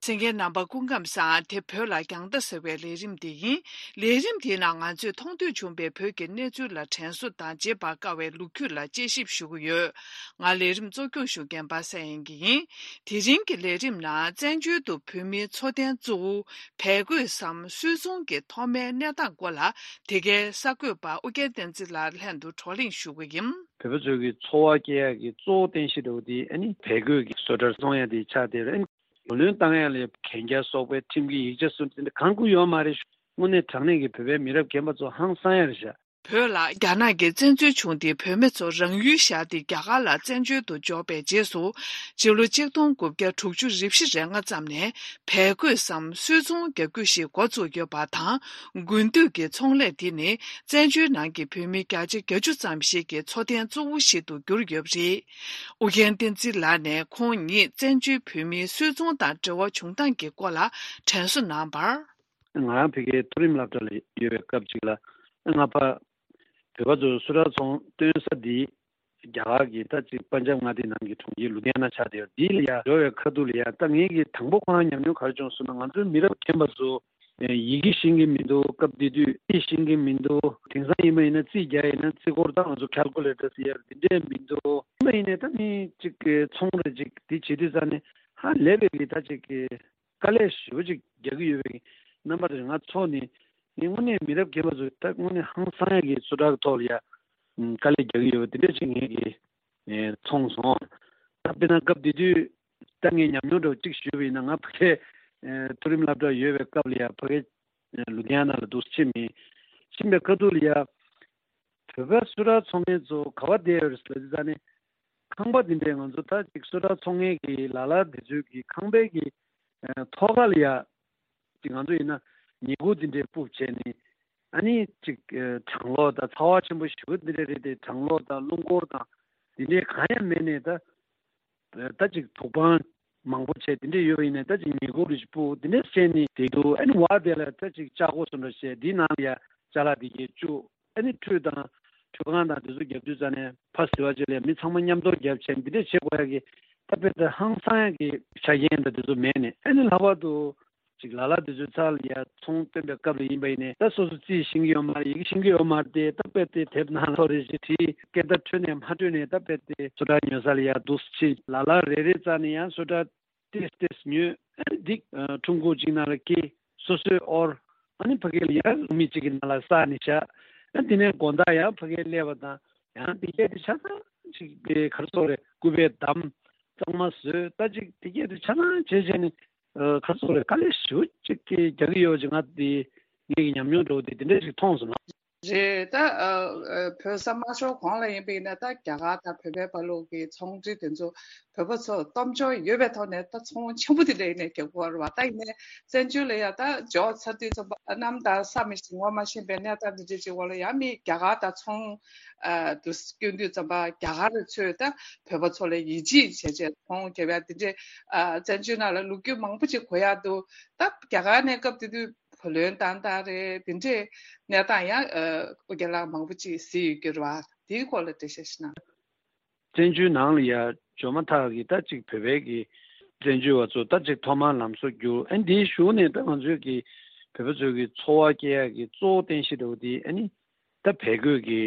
གསན་མཁན་རྣམ་པ་སྐུ་ཁམས་བཟང་། དེ་བོད་ལ་རྒྱང་ལྟ་ཟེར་བའི་ལས་རིམ་དེ་ཡིན། ལས་རིམ་དེའི་ནང་ང་ཚོས་མཐོང་ཐོས་བྱུང་བའི་བོད་ཀྱི་གནས་ཚུལ་ལ་དྲན་གསོ་དང་བརྗེད་པར་དཀའ་བའི་ལོ་རྒྱུས་ལ་དཔྱད་ཞིབ་ཞུ་གི་ཡོད། ང་ལས་རིམ་གཙོ་སྐྱོང་ཞུ་མཁན་པ་སངས་དབྱངས་སྐྱིད་ཡིན། དེ་རིང་གི་ལས་རིམ་ནང་བཙན་བྱོལ་དུ་བོད་མིའི་འཚོ་རྟེན་གཙོ་བོ་བལ་གོས་སམ་སུད་ཚོང་གི་ཐོག་མའི་གནས་སྟངས་སྐོར་ལ་དེ་གའི་གསར་འགོད་པ་ཨུ་རྒྱན་བསྟན་འཛིན་ལགས་ལྷན་དུ་བགྲོ་གླེང་ཞུ་གི་ཡིན། བོད་པ་ཚོའི་གི་འཚོ་བ་སྐྱེལ་ཡག་གི་གཙོ་བོ་རྟེན་གཞི་འདྲ་བོ་དེ་ཨ་ནི་བལ་གོས་ཀྱི་བཟོ་གྲྭར་བཙོང་ཡག་དེ་ཆགས་བསྡད་རེད། བུ་ལོན་བཏང་ཡག་ལ་གན་རྒྱ་སོགས་པའི་ཁྲིམས་ཀྱི་ཡིག་ཆ་སོགས་དེ་འདྲ་གང་དགོས་ཡོད་མ་རེད། དངོས་གནས་དྲང་གནས་ཀྱི་བོད་པའི་མི་རབས་རྒན་པ་ཚོ་ཧང་སང་ཡག་རེད་ཤག་བོད་ལ་རྒྱ་ནག་གིས་བཙན་འཛུལ་བྱུང་སྟེ་བོད་མི་ཚོ་རང་ཡུལ་བཞག་སྟེ་རྒྱ་གར་ལ་བཙན་བྱོལ་དུ་འབྱོར་བའི་རྗེས་སུ། སྤྱི་ལོ་ཆིག་སྟོང་དགུ་བརྒྱ་དྲུག་ཅུ་རེ་བཞི་རེ་ལྔ་ཙམ་ནས་བལ་གོས་སམ་སུད་ཚོང་རྒྱག་རྒྱུ་ཞིག་འགོ་བཙུགས་ཡོད་པ་དང་། དགུན་དུས་ཀྱི་ཚོང་ལས་དེ་ནི་བཙན་བྱོལ་ནང་གི་བོད་མི་བརྒྱ་ཆ་བརྒྱད་ཅུ་ཙམ་ཞིག་གི་འཚོ་རྟེན་གཙོ་བོ་ཞིག་ཏུ་གྱུར་ཡོད་པ་རེད། ཨུ་རྒྱན་བསྟན་འཛིན་ལགས་ནས་ཁོང་ཉིད་བཙན་བྱོལ་བོད་མིའི་སུད་ཚོང་དང་འབྲེལ་བ་བྱུང་སྟངས་ཀྱི་སྐོར་ལ་དྲན་གསོ་གནང་བར། ང་རང་ཕ་གིའི་མཐོ་རིམ་སློབ་གྲྭ་ལ་ཡོད་པའི་སྐབས་ཅིག་ལ་ང་ཕ་བོད་པ་ཚོ་སུད་ཊར་ཚོང་སྟོན་ས་འདི་རྒྱ་གར་གྱི་ད་ཅིག་པན་ཇབ་མངའ་སྡེ་ནང་གི་གྲོང་ཁྱེར་ལུ་དྷི་ཡ་ན་ཆགས་བསྡད་ཡོད། འདི་ལ་ཡ་འགྲོ་བའི་ཁ་ཐུག་ལ་ཡ་ད་ངེད་ཀྱི་དང་པོ་ཁོ་རང་ཉམས་མྱོང་ག་རེ་བྱུང་སོང་ན། ང་ཚོའི་མི་རབས་རྒན་པ་ཚོ་ཡི་གེ་ཤེས་ཀྱི་མི་འདུག་སྐབས་དེ་དུས་རྩིས་ཤེས་ཀྱི་མི་འདུག་དེང་སང་ཡིན་པ་ཡིན་ན་རྩིས་རྒྱག་ཡིན་ན་རྩིས་འཁོར་ད་ང་ཚོ་ཁལ་ཀུ་ལེ་ཊར་ཟེར་ཡ་དེ་འདྲས་མི་འདུག་ཡིན་པ་ཡིན་ནའི་ད་མི་གཅིག་ཚོང་རེ་གཅིག་དེ་བྱེད་དུས་ཙང་ནས་ཧ་ལས་པའི་གི་ད་ཅིག་གི་དཀའ་ལས་ཞེ་པོ་ཅིག་རྒྱག་གི་ཡོད་པའི་རྣམ་པ་དེ་ང་ཚོ་ནི་ངས་དངོས་གནས་མི་རབས་རྒན་པ་ཚོས་ད་དངོས་གནས་ཧང་སང་ཡག་གི་བཟོ་གྲྭ་གི་ཐོག་ལ་ཡ་དཀའ་ལས་རྒྱག་གི་ཡོད་པ་དེ་འདྲ་ཅིག་ངས་ཀྱི་མཐོང་སོང་། ད་དཔེར་ན་སྐབས་དེ་དུས་ད་ངས་ཉམས་མྱོང་འདྲ་བོ་ཅིག་ཞུས་པ་ཡིན་ན། ང་ཕ་གིའི་མཐོ་རིམ་སློབ་གྲྭ་ཡོད་པའི་སྐབས་ལ་ཡ་ཕ་གིའི་ལུ་དྷི་ཡ་ན་ལ་འདུག་ཕྱིན་མི་ཕྱིན་པའི་ཁ་ཐུག་ལ་ཡ་བོད་པ་སུད་ཊར་ཚོང་མཁན་ཚོ་ག་པར་བསྡད་ཡོད་རེད་ཟེར་ལབ་དུས་ཙང་ནས། ཁང་པ་འདི་འདྲའི་ང་ཚོ་ད་ཅིག་སུད་ཊར་ཚོང་མཁན་གྱི་ལ་ལ་འདི་ཚོའི་གི་ཁང་པའི་གི་ཨ་ཐོག་ཁ་ལ་ཡ་ཅིག་ང་ཚོ་ཡིན་ན་ཉལ་ཁུག་འདི་འདྲའི་སྤུབས་བྱས་ནས་ཨ་ནི་ཅིག་ཨ་གྲང་གློག་དང་ཚ་བ་ཆེན་པོ་ཞེ་པོ་འདི་འདྲ་རེད་དེ། གྲང་གློག་དང་རླུང་འཁོར་དང་འདི་འདྲའི་གང་ཡང་མེད་ནས་ད་ད་ཅིག་དུག་སྤང་མང་པོ་བྱས་འདི་འདྲ་ཡོད་པ་ཡིན་ན་ད་ཅིག་ཉལ་ཁུག་རེ་ཞིག་སྤུབས་འདི་འདྲ་བྱས་ནས་བསྡད་འདུག་ཨ་ནི་བར་དེ་ལ་ད་ཅིག་ལྕགས་སྒོ་བཟོ་འདྲ་བྱས་འདི་ནང་ལ་ཡ་ཅ་ལག་འདི་གས་བཅུག་ཨ་ནི་ཁྲུས་དང་ཁྲུས་ཁང་དང་དེ་ཚོ་རྒྱབ་དུས་ཙ་ནས་ཕ་ཟི་བ་བཅས་ལ་མི་ཚང་མ་མཉམ་དུ་རྒྱབ་བྱས་འདི་འདྲ་བྱེད་དགོས་ཡ་གི་ད་དཔེ་དེ་ཧང་སང་ཡ་གི་ཆ་རྐྱེན་དང་དེ་ཚོ་མེད་ནས། ཨ་ནི་ལྷག་པར་དུ་ཅིག་ལ་ལ་དེ་ཚོའི་ཚབ་ལ་ཡ་ཚོང་སྟོན་པའི་སྐབས་ལ་ཡིན་པ་ཡིན་ནས་ད་སོ་སོ་རྩིས་ཤེས་ཀྱི་ཡོད་མ་རེད། ཡི་གེ་ཤེས་ཀྱི་ཡོད་མ་རེད་དེ། ད་དཔེ་དེ་དེབ་ནང་ལ་ཐོ་རེ་ཞིག་བྲིས། སྐད་བརྡ་འཕྲོད་ནས་མ་འཕྲོད་ནས་ད་དཔེ་དེ་སུད་ཊར་ཉོ་ས་ལ་ཡ་འདུག་སེ་ཕྱིན། ལ་ལ་རེ་རེ་རྩ་ནས་ཡང་སུད་ཊར་ཏེས་ཏེས་ཉོས། ཨ་ནི་འདི་ཨ་ཁྲོམ་སྒོ་གཅིག་ནང་ལ་སྐྱེལ། སོ་སོས་དབོར། ཨ་ནི་ཕ་གི་ལ་ཡང་ལུག་མིག་གཅིག་གི་ནང་ལ་བསགས་ནས་བཞག་ཨ་དེ་ནས་དགོང་དག་ཡང་ཕ་གིར་སླེབས་པ་དང་ཡང་དེ་གས་དེ་ཆ་ཚང་ཅིག་དེ་ག་རེ་ཟེར་དགོས་རེད། སྐུད་པས་བསྡམས། གཙང་མ་བཟོས། ད་ཅིག་དེ་གས་དེ་ཆ་ཚང་བྱས་བྱས་ནས་ཨ་ག་རེ་ཟེར་དགོས་རེད། དཀའ་ལས་ཞེ་པོ་ཅིག་གི་རྒྱག་གི་ཡོད་ཅིག་ང་དེ་ངེད་ཀྱི་ཉམས་མྱོང་འདྲ་བོ་དེ་དེ་འདྲ་ཞིག་མཐོང་སོང་ལགས། རེད། ད་ཨ་ཨ་བོད་ས་མ་ཤོར་གོང་ལ་ཡིན་པ་ཡིན་ན་ད་རྒྱ་གར་དང་བོད་པའི་བར་ལུགས་ཀྱི་ཚོང་འབྲེལ་དེ་ཚོ་བོད་པ་ཚོ་སྟོབས་འབྱོར་ཡོད་པའི་ཐོག་ནས་ད་ཚོང་ཆེན་པོ་དེ་འདྲ་ཡིན་ནས་རྒྱག་གི་ཡོད་རེད་བ། ད་ཡིན་ནའི་བཙན་བྱོལ་ལ་ཡ་ད་འབྱོར་ཚར་དུས་ཙམ་པ་གནམ་དང་ས་མི་ཤེས་ངོ་མ་ཤེས་པའི་གནས་སྟངས་འདི་འདྲ་ཅིག་འོག་ལ་ཡ་མི་རྒྱ་གར་དང་ཚོང་ཨ་དུ་སྐྱོན་དུས་ཙམ་པ་རྒྱ་གར་ཚོས་ད་བོད་པ་ཚོ་ལ་ཡིད་ཆེས་བྱས་བྱས་ཚོང་རྒྱབ་ཡ་དེ་འདྲས་ཨ་བཙན་བྱོལ་ནང་ལ་ལོ་རྒྱུས་མང་པོ་ཅིག་གོ་ཡ་འདུག་ད་རྒྱ་གར་ནས་སྐབས་དེ་དུས་བུ་ལོན་བཏང་སྟངས་རེད། དེ་འདྲའི་གནས་སྟངས་ཡང་ཨ་ཨོ་རྒྱན་ལགས་མང་པོ་ཅིག་གཟིགས་ཡོད་ཀྱི་རེད་བ། དེའི་སྐོར་ལ་འགྲེལ་བཤད་ཞིག་གནང་། བཙན་བྱོལ་ནང་ལ་ཡ་འབྱོར་མ་ཐག་གི་ད་ཅིག་བོད་པའི་གི་བཙན་བྱོལ་བ་ཚོ་ད་ཅིག་ཐོག་མར་ལམ་བཟོ་བསྒྱུར། ཨ་འདིའི་གཞུག་ནས་ད་ང་ཚོའི་གི་བོད་པ་ཚོའི་གི་འཚོ་བ་སྐྱེལ་ཡག་གི་གཙོ་བོ་རྟེན་གཞི་འདྲ་བོ་དེ་ཨ་ནི་ད་བལ་གོས་གི་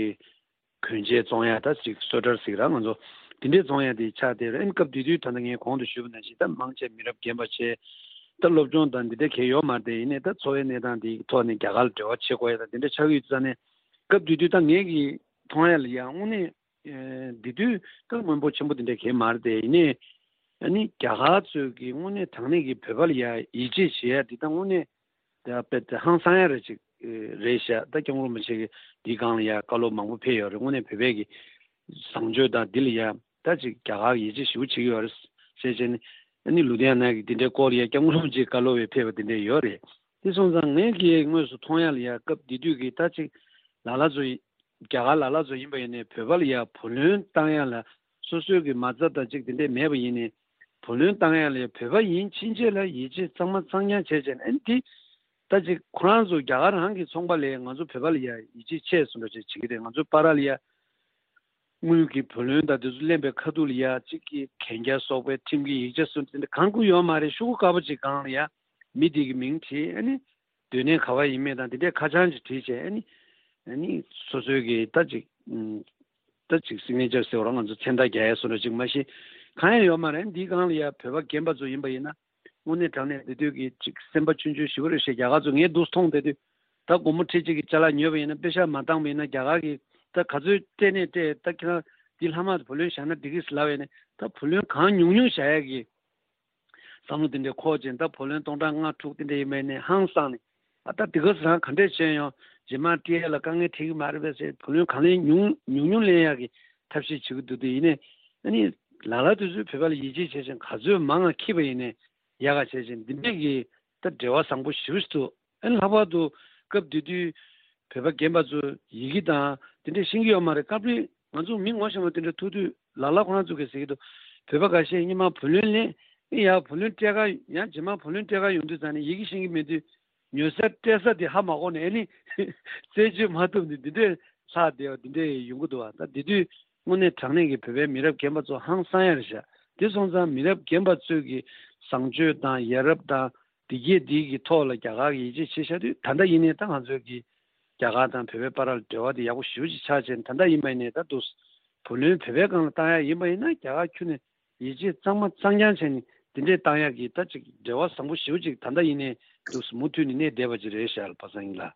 གོན་ཆས་བཙོང་ཡ་ད་ཅིག་སོ་ཊར་ཟེར་ར་ང་ཚོ་དེ་འདྲས་བཙོང་ཡ་དེ་ཆགས་བསྡད་རེད། ཨ་ནི་སྐབས་དེ་དུས་ད་ལྟ་ངས་གོང་དུ་ཞུས་པ་ནང་བཞིན་ད་མང་ཆེ་མི་རབས་རྒན་པ་བྱས། ད་སློབ་སྦྱོང་དང་འདི་འདྲ་གང་ཡང་ཡོད་མ་རེད་དེ། ཡིན་ནའི་ད་འཚོ་བའི་གནས་སྟངས་དེའི་ཐོག་ནས་རྒྱ་གར་ལ་འབྲེལ་བ་བྱེད་དགོས་ཡ་ད་དེ་འདྲ་ཆགས་ཀྱི་ཡོད་ཙང་ནས། སྐབས་དེ་དུས་ད་ངས་ཀྱི་མཐོང་ཡ་ལ་ཡ་དངོས་གནས་ཨེ་འདི་དུས་ད་སྔོན་པོ་ཆེན་པོ་དེ་འདྲ་གང་ཡང་མ་རེད་དེ། ཡིན་ནའི་ཨ་ནི་རྒྱ་གར་ཚོས་ཀྱི་དངོས་གནས་དྲང་གནས་ཀྱི་བོད་པ་ལ་ཡ་ཡིད་ཆེས་བྱེད་ཡ་འདི་ད་དངོས་གནས་ད་དཔེ་དེ་ཧང་སང་ཡ་རེ་ཅིག་རེད་ཤག་ད་སྐྱབས་མགོན་རིན་པོ་ཆེ་གི་འདིའི་སྒང་ལ་ཡ་བཀའ་སློབ་མང་པོ་ཕེབས་ཡོད་རེད། དངོས་གནས་བོད་པའི་གི་བཟང་སྤྱོད་དང་འདི་ལ་ཡ་ད་ཅིག་རྒྱ་གར་ཡིད་ཆེས་ཞེ་པོ་བྱེད་ཀྱི་ཡོད་རེད་ཟེར་བྱས་ནས། ཨ་ནི་ལུ་དྷི་ཡ་ན་གི་འདི་འདྲའི་སྐོར་ལ་ཡ་སྐྱབས་མགོན་རིན་པོ་ཆེའི་བཀའ་སློབ་ཡང་ཕེབས་པ་འདི་འདྲ་ཡོད་རེད། དེ་སོང་ཙང་ངས་ཀྱིས་དངོས་སུ་མཐོང་ཡ་ལ་ཡ་སྐབས་འདི་དུས་ཀྱི་ད་ཅིག་ལ་ལ་ཚོ་ཡི་ རྒྱ་གར་ལ་ལ་ཚོ་ཡིན་པ་ཡིན་ནའི་བོད་པ་ལ་ཡ་བུ་ལོན་བཏང་ཡ་ལ་སོ་སོའི་གི་མ་རྩ་དང་གཅིག་དེ་འདྲས་མེད་པ་ཡིན་ནའི་བུ་ལོན་བཏང་ཡ་ལ་ཡ་བོད་པ་ཡིན་ཕྱིན་ཆད་ལ་ཡིད་ཆེས་གཙང་མ་གཙང་རྐྱང་བྱས་བྱས་ནས་ཨ་ནི་འདི་ད་ཅིག་ཁོ་རང་ཚོ་རྒྱ་གར་རང་གི་ཚོང་པ་ལས་ང་ཚོ་བོད་པ་ལ་ཡ་ཡིད་ཆེས་ཆེ་སོང་འདྲ་ཅིག་བྱེད་ཀྱི་རེད། ང་ཚོ་བར་ལ་ཡ་དངུལ་གྱི་བུ་ལོན་དང་དེ་ཚོ་ལེན་པའི་ཁ་ཐུག་ལ་ཡ་གཅིག་གི་གན་རྒྱ་སོགས་པའི་ཁྲིམས་ཀྱི་ཡིག་ཆ་སོགས་དེ་འདྲ་གང་དགོས་ཡོད་མ་རེད། ཤོག་གུ་དཀར་པོ་ཅིག་སྒང་ལ་ཡ་མི་དེ་གི་མིང་བྲིས་ཨ་ནི། སྡོད་གནས་ག་བ་ཡིན་མིན་དང་དེ་འདྲའི་ཁ་བྱང་ཅིག་བྲིས་བྱས་ཨ་ནི། ཨ་ནི་སོ་སོའི་གི་ད་ཅིག་ཨུམ། ད་ཅིག་སིག་ནེ་ཅར་ཟེར་བ་རང་ང་ཚོ་མཚན་རྟགས་རྒྱག་ཡས་བཟོ་འདྲ་ཅིག་མ་གཞི་གང་ཡང་ཡོད་མ་རེད། འདིའི་སྒང་ལ་ཡ་བོད་པ་རྒན་པ་ཚོ་ཡིན་པ་ཡིན་ན་དངོས་གནས་དྲང་གནས་འདི་དུས་ཀྱི་ཅིག་སེམས་པ་ཆུང་ཆུང་ཞིག་རེད་ཤག་རྒྱ་གར་ཚོ་ངས་འདུག་མཐོང་བསྡད་དུས་ད་སྒོར་མོ་ཁྲི་གཅིག་གི་ཅ་ལག་ཉོས་པ་ཡིན་ན་པེ་ཤག་མ་བཏང་བ་ཡིན་ན་རྒྱ་གར་གི་ད་ག་ཚོད་སྤྲད་ནས་སྤྲད་ད་ཁྱེད་རང་འདི་ལྷག་མ་བུ་ལོན་བཞག་ན་འགྲིག་གི་ལབ་ཡས་ནས་ད་བུ་ལོན་གང་ཉུང་ཉུང་བཞག་ཡས་ཀྱི་བསམ་བློ་དེ་འདྲའི་འཁོར་ཅིང་ད་བུ་ལོན་སྟོང་ཕྲག་ལྔ་དྲུག་དེ་འདྲ་ཡིན་མིན་ནས་ཧང་སངས་ནས་ཨ་ད་དེ་ག་ཚོད་རང་ག་འདྲས་བྱས་ཡོང་རྗེས་མ་སྤྲད་ཡ་ལ་དཀའ་ངལ་འཕྲད་ཀྱི་མ་རེད་པས་ཟེར་བུ་ལོན་གང་ལེན་ཉུང་ཉུང་ཉུང་ལེན་ཡག་གི་ཐབས་ཤེས་བྱེད་ཀྱི་འདུག་དེ་ཡིན་ནས་ཨ་ནི་ལ་ལ་དུས་ཚོད་བོད་པ་ལ་ཡིད་ཆེས་བྱས་ཤིང་ག་ཚོད་མང་ང་འཁྱེར་བ་ཡིན་ནས་ཡག་ག་བྱས་ཤིང་འདི་འདྲས་ཀྱི་ད་འབྲེལ་བ་བཟང་པོ་ཞེ་པོ་ཞིག་འདུག་ཨ་ནི་ལྷག་པར་དུ་སྐབས་དེ་དུས་བོད་པ་རྒན་པ་ཚོ་ཡི་གེ་དང་དེ་འདྲས་ཤེས་ཀྱི་ཡོད་མ་རེད། སྐབས་རེ་ང་ཚོ་མི་ངོ་ཤེས་པ་དེ་འདྲ་ཐུག་དུས་ལ་ལ་ཁོ་རང་ཚོ་གིས་ཟེར་གྱི་འདུག་བོད་པ་འགའ་ཤས་སྔོན་མ་བུ་ལོན་ལེན་ཨེ་ཡ་བུ་ལོན་སྤྲད་ག་ཡང་རྗེས་མ་བུ་ལོན་སྤྲད་ག་ཡོང་དུས་ཙང་ནས་ཡི་གེ་ཤེས་ཀྱི་མེད་དུས་ཉོ་ས་སྤྲད་ས་དེ་ཧ་མ་གོ་ནས་ཨ་ནི་རྩད་གཅོད་མ་ཐུབ་ནས་འདི་འདྲས་ལྷག་བསྡད་པ་འདི་འདྲས་ཡོང་གི་འདུག་བ། ད་དེ་དུས་དངོས་གནས་དྲང་གནས་ཀྱི་བོད་པའི་མི་རབས་རྒན་པ་ཚོ་ཧང་སང་ཡ་རེད་ཤག་དེ་སོང་ཙང་མི་རབས་རྒན་པ་ཚོས་ཀྱི་བཟང་སྤྱོད་དང་ཡ་རབས་དང་། དེ་གས་དེ་གི་ཐོག་ལ་རྒྱ་གར་གྱི་ཡིད་ཆེས་བྱེད་བཞག་དུས་ད་ལྟ་ཡིན་ནའི་ད་ང་ཚོའི་གི་རྒྱ་གར་དང་བོད་པའི་བར་ལ་འབྲེལ་བ་དེ་ཡག་པོ་ཞེ་པོ་ཅིག་ཆགས་བྱས་ད་ལྟ་ཡིན་པ་ཡིན་ནའི་ད་དུ་བུ་ལོན་བོད་པའི་སྒང་ལ་བཏང་ཡག་ཡིན་པ་ཡིན་ན་རྒྱ་གར་ཁྱོན་ནས་ཡིད་ཆེས་གཙང་མ་གཙང་རྐྱང་བྱས་ནས་དེ་འདྲས་བཏང་ཡག་གི་ད་ཅིག་འབྲེལ་བ་བཟང་པོ་ཞེ་པོ་ཅིག་ད་ལྟ་ཡིན་ནའི་དུ་མུ་མཐུད་ནས་གནས་བསྡད་པ་ཅིག་རེད་ཤག་པ་སངས་ཡིན་ལ།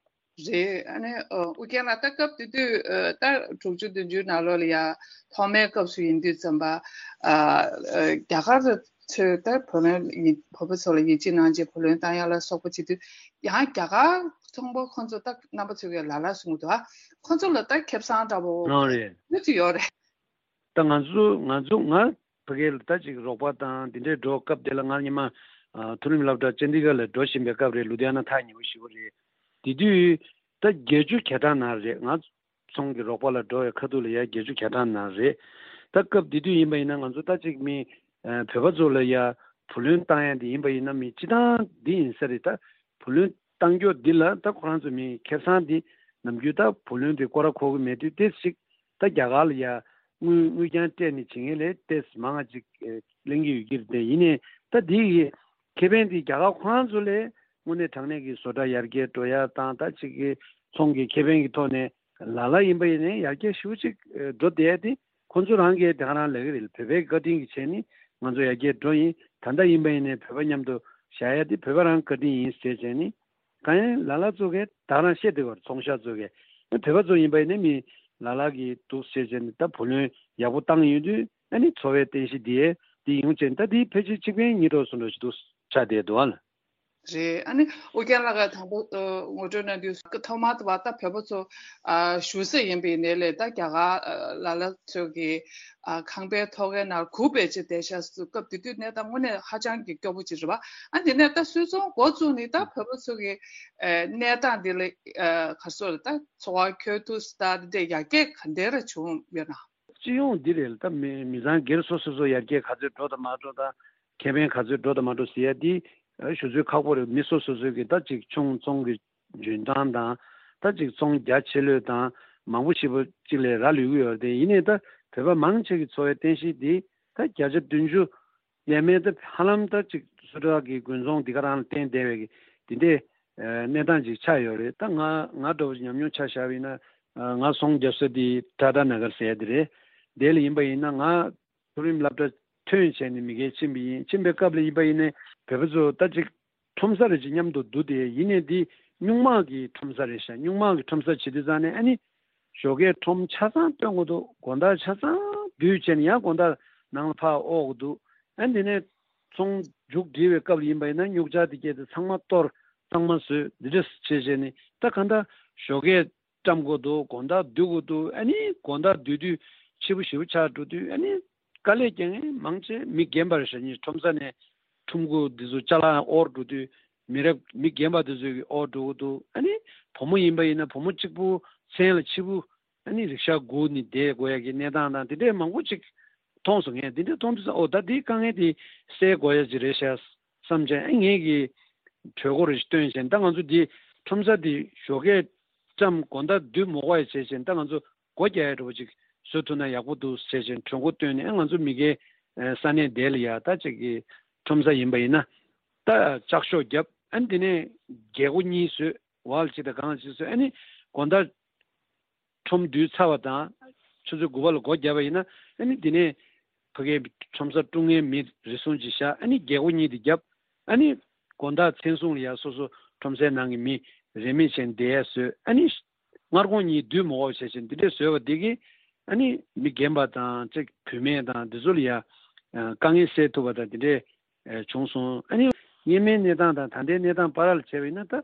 རེད། ཨ་ནི་ཨོ་ཨུ་རྒྱན་ལགས་ད་སྐབས་དེ་དུས་ཨ་ད་དྲུག་ཅུ་བདུན་ཅུའི་ནང་ལོགས་ལ་ཡ་ཐོག་མའི་སྐབས་སུ་ཡིན་དུས་ཙམ་པ་ཨ་ཨ་རྒྱ་གར་ཚོས་ད་བུ་ལོན་ཡིན་བོད་པ་ཚོ་ལ་ཡིད་ཆེས་གནང་རྗེས་བུ་ལོན་བཏང་ཡ་ལ་སོགས་པ་བྱེད་དུས་ཡང་རྒྱ་གར་ཚོང་པ་ཁོང་ཚོ་ད་རྣམ་པ་ཚོས་ལ་ལ་གསུང་གི་འདུག་ཨ་ཁོང་ཚོ་ལ་ད་ཁེ་བཟང་འདྲ་པོ་ཨོ་རེད། ཡོད་ཚོད་ཡོད་རེད། ད་ང་ཚོ་ང་ཚོ་ང་ཕ་གིར་ད་ཅིག་རོགས་པ་དང་དེ་འདྲའི་འགྲོ་སྐབས་དེ་ལ་ང་སྔོན་མ་ཨ་མཐོ་རིམ་སློབ་གྲྭ་ཅན་ཌི་གྷར་ལ་འགྲོ་བཞིན་པའི་སྐབས་རེད། ལུ་དྷི་ཡ་ན་ཐག་ཉེ་པོ་ཞེ་པོ་རེད། དེ་དུས་ད་བརྒྱད་ཅུ་གྱ་གྲངས་ནང་རེད། ང་ཚོང་གི་རོགས་པ་ལ་འགྲོ་བའི་ཁ་ཐུག་ལ་ཡ་བརྒྱད་ཅུ་གྱ་གྲངས་ནང་རེད། ད་སྐབས་དེ་དུས་ཡིན་པ་ཡིན་ན་ང་ཚོ་ད་ཅིག་མི་ཨ་བོད་པ་ཚོ་ལ་ཡ་བུ་ལོན་བཏང་ཡ་དེ་ཡིན་པ་ཡིན་ན་མི་སྤྱི་བཏང་འདི་ཡིན་ས་རེད། ད་བུ་ལོན་བཏང་རྒྱུ་འདི་ལ་ད་ཁོ་རང་ཚོ་མི་ཁེ་བཟང་འདི་ནམ་རྒྱུན་ད་བུ་ལོན་དེ་སྐོར་ར་འཁོར་གི་མེད་དུས་ཏོག་ཙམ་ཅིག་ད་རྒྱ་གར་ལ་ཡ་དངུལ་དངུལ་རྐྱང་སྤྲད་ནས་བྱེད་མཁན་ལས་ཏོག་ཙམ་མང་ང་ཅིག་ཨེ་ལེན་གྱི་ཡོད་ཀྱི་རེད། དེ་ཡིན་ནའི་ད་འདི་ཡི་ཁེ་ཕན་འདི་རྒྱ་གར་ཁོ་རང་ཚོ་ལས་དངོས་གནས་དྲང་གནས་ཀྱི་བཟོ་གྲྭ་ཡར་རྒྱས་འགྲོ་ཡ་དང་ད་ཅིག་གི་ཚོང་གི་ཁེ་ཕན་གྱི་ཐོག་ནས་ལ་ལ་ཡིན་པ་ཡིན་ནའི་ཡར་རྒྱས་ཞེ་པོ་ཅིག་ཨེ་འགྲོ་བསྡད་ཡ་དེ་ཁོ་ཚོ་རང་གིས་དེ་ག་རང་ལབ་ཀྱི་རེད། བོད་པའི་བཀའ་དྲིན་གྱི་ཆེད་ནི་ང་ཚོ་ཡར་རྒྱས་འགྲོ་ཡིན། ད་ལྟ་ཡིན་པ་ཡིན་ནའི་བོད་པ་མཉམ་དུ་བཞག་ཡ་དེ་བོད་པ་རང་བཀའ་དྲིན་ཡིན་ཟེར་བྱས་ནི། གང་ཡིན་ལ་ལ་ཚོ་གིས་ད་རང་བཤད་བསྡད་པར་ཚོང་ཤག་ཚོ་གིས་ཨ་བོད་པ་ཚོ་ཡིན་པ་ཡིན་ན་མི་ལ་ལ་གི་འདུག་བཤད་བྱས་ནས་ད་བུ་ལོན་ཡག་པོ་བཏང་ཡོང་དུས་ཨ་ནི་འཚོ་བའི་རྟེན་གཞི་འདི་འདི་ཡོང་བྱས་ད་འདི་ཕལ་ཆེར་གཅིག་ཕན་གཉིས་གྲོགས་སུ་འགྲོ་ཞིག་འདུག་ཆགས་བསྡད་འདུག་ཨ་ལ། རེད། ཨ་ནི་ཨོ་རྒྱན་ལགས་ཀྱིས་དང་པོ་ངོ་སྤྲོད་གནང་དུས་ཐོག་མར་དུ་བ་ད་བོད་པ་ཚོ་ཨ་བཞུགས་ས་ཡིན་པའི་ནས་ལས་ད་རྒྱ་གར་ལ་ལ་ཚོ་གི་ཨ་ཁང་པའི་ཐོག་ཁའི་ནང་སྒུག་པའི་ཆེད་བསྡད་ཤག་སུ་སྐབས་དེ་དུས་གནས་སྟངས་དངོས་གནས་ཧ་ཅང་གི་སྐྱོ་པོ་ཅིག་རེད་བ། ཨ་དེ་ནས་ད་སུད་ཚོང་འགོ་བཙུགས་ནས་ད་བོད་པ་ཚོ་གི་ཨ་གནས་སྟངས་འདི་ལ་ཨ་ག་རེ་ཟེར་ད་འཚོ་བ་འཁྱོལ་ཐུབ་ས་ད་འདི་འདྲ་ཡར་རྒྱས་ག་འདྲ་ར་བྱུང་ཡོད་ན། སྤྱི་ཡོངས་འདི་རེད་ད་མི་མི་ཚང་སྒེར་སོ་སོ་སོ་ཡར་རྒྱས་ག་ཚོད་འགྲོ་དང་མ་འགྲོ་དང་ཁེ་ཕན་ག་ཚོད་འགྲོ་དང་མ་འགྲོ་ཟེར་ཡ་འདི་ཨ་ཞུ་ཚོད་ཁག་པོ་རེད། མི་སོ་སོ་སོའི་གི་ད་ཅིག་ཆུང་ཚོང་གི་འཇོན་ཐང་དང་ད་ཅིག་ཚོང་རྒྱ་ཆེ་ལོས་དང་མང་པོ་ཞེ་པོ་ཅིག་ལས་རག་ལུས་ཀྱི་ཡོད་རེད། དེ་ཡིན་ནའི་ད་བོད་པ་མང་ཆེ་གི་འཚོ་བའི་རྟེན་གཞི་འདི་ད་བརྒྱ་ཆ་བདུན་ཅུ་ཡས་མས་ད་ཧ་ལམ་ད་ཅིག་སུད་ཊར་གི་དགུན་ཚོང་འདི་ག་རང་ལ་བརྟེན་བསྡད་པའི་གི་འདི་འདྲའི་གནས་སྟངས་ཅིག་ཆགས་ཡོད་རེད། ད་ང་ང་འདྲ་བོ་ཉམས་མྱོང་ཆ་བཞག་པ་ཡིན་ན་ང་ཚོང་རྒྱབ་ས་འདི་ཊ་ཊ་ན་གར་ཟེར་ཡ་འདི་རེད། དེ་ལ་ཡིན་པ་ཡིན་ན་ང་མཐོ་རིམ་སློབ་གྲྭ་ཐོན་བྱས་ནས་མི་སྒེར་ཕྱིན་པ་ཡིན། ཕྱིན་པའི་སྐབས་ལ་ཡིན་པ་ཡིན་ནའི་བོད་པ་ཚོ་ད་ཅིག་ཁྲོམ་ས་རེ་ཅིག་མཉམ་དུ་འདུག་དེ་ཡིན་ནའི་འདི་སྨྱུག་མ་གི་ཁྲོམ་ས་རེད་ཤག་སྨྱུག་མ་གི་ཁྲོམ་ས་བྱེད་དུས་ཙང་ནས་ཨ་ནི་ཞོགས་ཀས་ཁྲོམ་ཆ་ཚང་སྟོན་དགོས་འདུག་དགོང་དག་ཆ་ཚང་སྡུད་བྱས་ནས་ཡང་དགོང་དག་ནང་ལ་ཕར་དབོར་དགོས་འདུག་ཨ་ནི་དེ་ནས་ཚོང་མཇུག་སྒྲིལ་བའི་སྐབས་ལ་ཡིན་པ་ཡིན་ན་སྨྱུག་ཆ་དེ་སྐྱེལ་ཏེ་ཚང་མ་གཏོར་གཙང་མ་བཟོས་འདི་འདྲ་བྱས་བྱས་ནས་ད་གང་ལྟར་ཞོགས་ཀས་བཀྲམ་དགོས་འདུག་དགོང་དག་སྡུད་དགོས་འདུག་ཨ་ནི་དགོང་དག་སྡུད་དུས་ཕྱི་པོ་ཞེ་པོ་ཆགས་འགྲོ་དུས་ཨ་ནི་དཀའ་ལས་རྒྱག་མཁན་མང་ཆེ་མི་རྒན་པ་རེད་ཤག་ཁྲོམ་ས་ནས་ཁྲོམ་སྐོར་འདི་ཚོ་ཅ་ལག་དབོར་འགྲོ་དུས་མི་རབས་མི་རྒན་པ་འདི་ཚོས་ཀྱི་དབོར་འགྲོ་གི་འདུག་ཨ་ནི་བུ་མོ་ཡིན་པ་ཡིན་ན་བུ་མོ་གཅིག་པུ་མཚན་ལ་ཕྱི་པོ་ ཨ་ནི་རིག་ཤག་སྒུག་ནས་བསྡད་དགོས་ཡ་གི་གནས་སྟངས་དང་དེ་འདྲས་མང་པོ་ཅིག་མཐོང་སོང་། ངས་དེ་འདྲས་མཐོང་དུས་ཙང་ཨོ་ད་དེའི་དཀའ་ངལ་དེ་སེལ་དགོས་ཡ་ཅིག་རེད་ཤག་བསམ་བྱས། ཨ་ངས་ཀྱི་གྲོས་འགོ་རེ་ཞིག་བཏོན་བྱས། ད་ང་ཚོ་འདི་ཁྲོམ་ས་འདི་ཞོགས་ཀས་ཙམ་དགོང་དག་བདུད་མོ་ག་ཡ་བྱས་བྱས། ད་ང་ཚོ་སྒོ་རྒྱག་ཡ་འདྲ་པོ་ཅིག་བཟོ་ཐུབ་ན་ཡག་པོ་འདུག་ཟེར་བྱས་གྲོས་འགོ་བཏོན་ནས། ཨ་ང་ཚོ་མི་སྒེར་ས་གནས་དེ་ལ་ཡ་ད་ཅིག་གི་ཁྲོམ་ས་ཡིན་པ་ཡིན་ན་ད་ལྕགས་ཤོག་བརྒྱབ། ཨ་ནི་དེ་ནས་རྒྱལ་སྒོ་གཉིས་བཟོས། ཝལ་གཅིག་དང་སྒང་གཅིག་བཟོས། ཨ་ནི་དགོང་དག་ཁྲོམ་བསྡུས་ཚར་བ་དང་ཆུ་ཚོད་དགུ་པ་ལ་སྒོ་བརྒྱབ་པ་ཡིན་ན། ཨ་ནི་དེ་ནས་ཕ་གིའི་ཁྲོམ་ས་དཀྲུག་མཁན་མི་རེ་ཟུང་ཅིག་བཞག་ཨ་ནི་རྒྱལ་སྒོ་གཉིས་དེ་བརྒྱབ། ཨ་ནི་དགོང་དག་མཚན་སྲུང་ལ་ཡ་སོ་སོ་ཁྲོམ་སའི་ནང་གི་མི་རེ་མི་བྱས་བསྡད་ཡ་བཟོས། ཨ་ནི་སྔར་གོང་གཉིས་བདུད་མོ་ག་བྱས་བྱས་འདི་འདྲས་བཟོས་པ་འདི་གིས་ཨ་ནི་མི་རྒན་པ་དང་ཅིག་བུད་མེད་དང་འདི་ཚོ་ལ་ཡ་དཀའ་ངལ་སེལ་ཐུབ་པ་དང་འདི་འདྲས་བྱུང་སོང་། ཨ་ནི་སྔོན་མའི་གནས་སྟངས་དང་ད་ལྟའི་གནས་སྟངས་བར་ལ་བྱས་པ་ཡིན་ན་ད་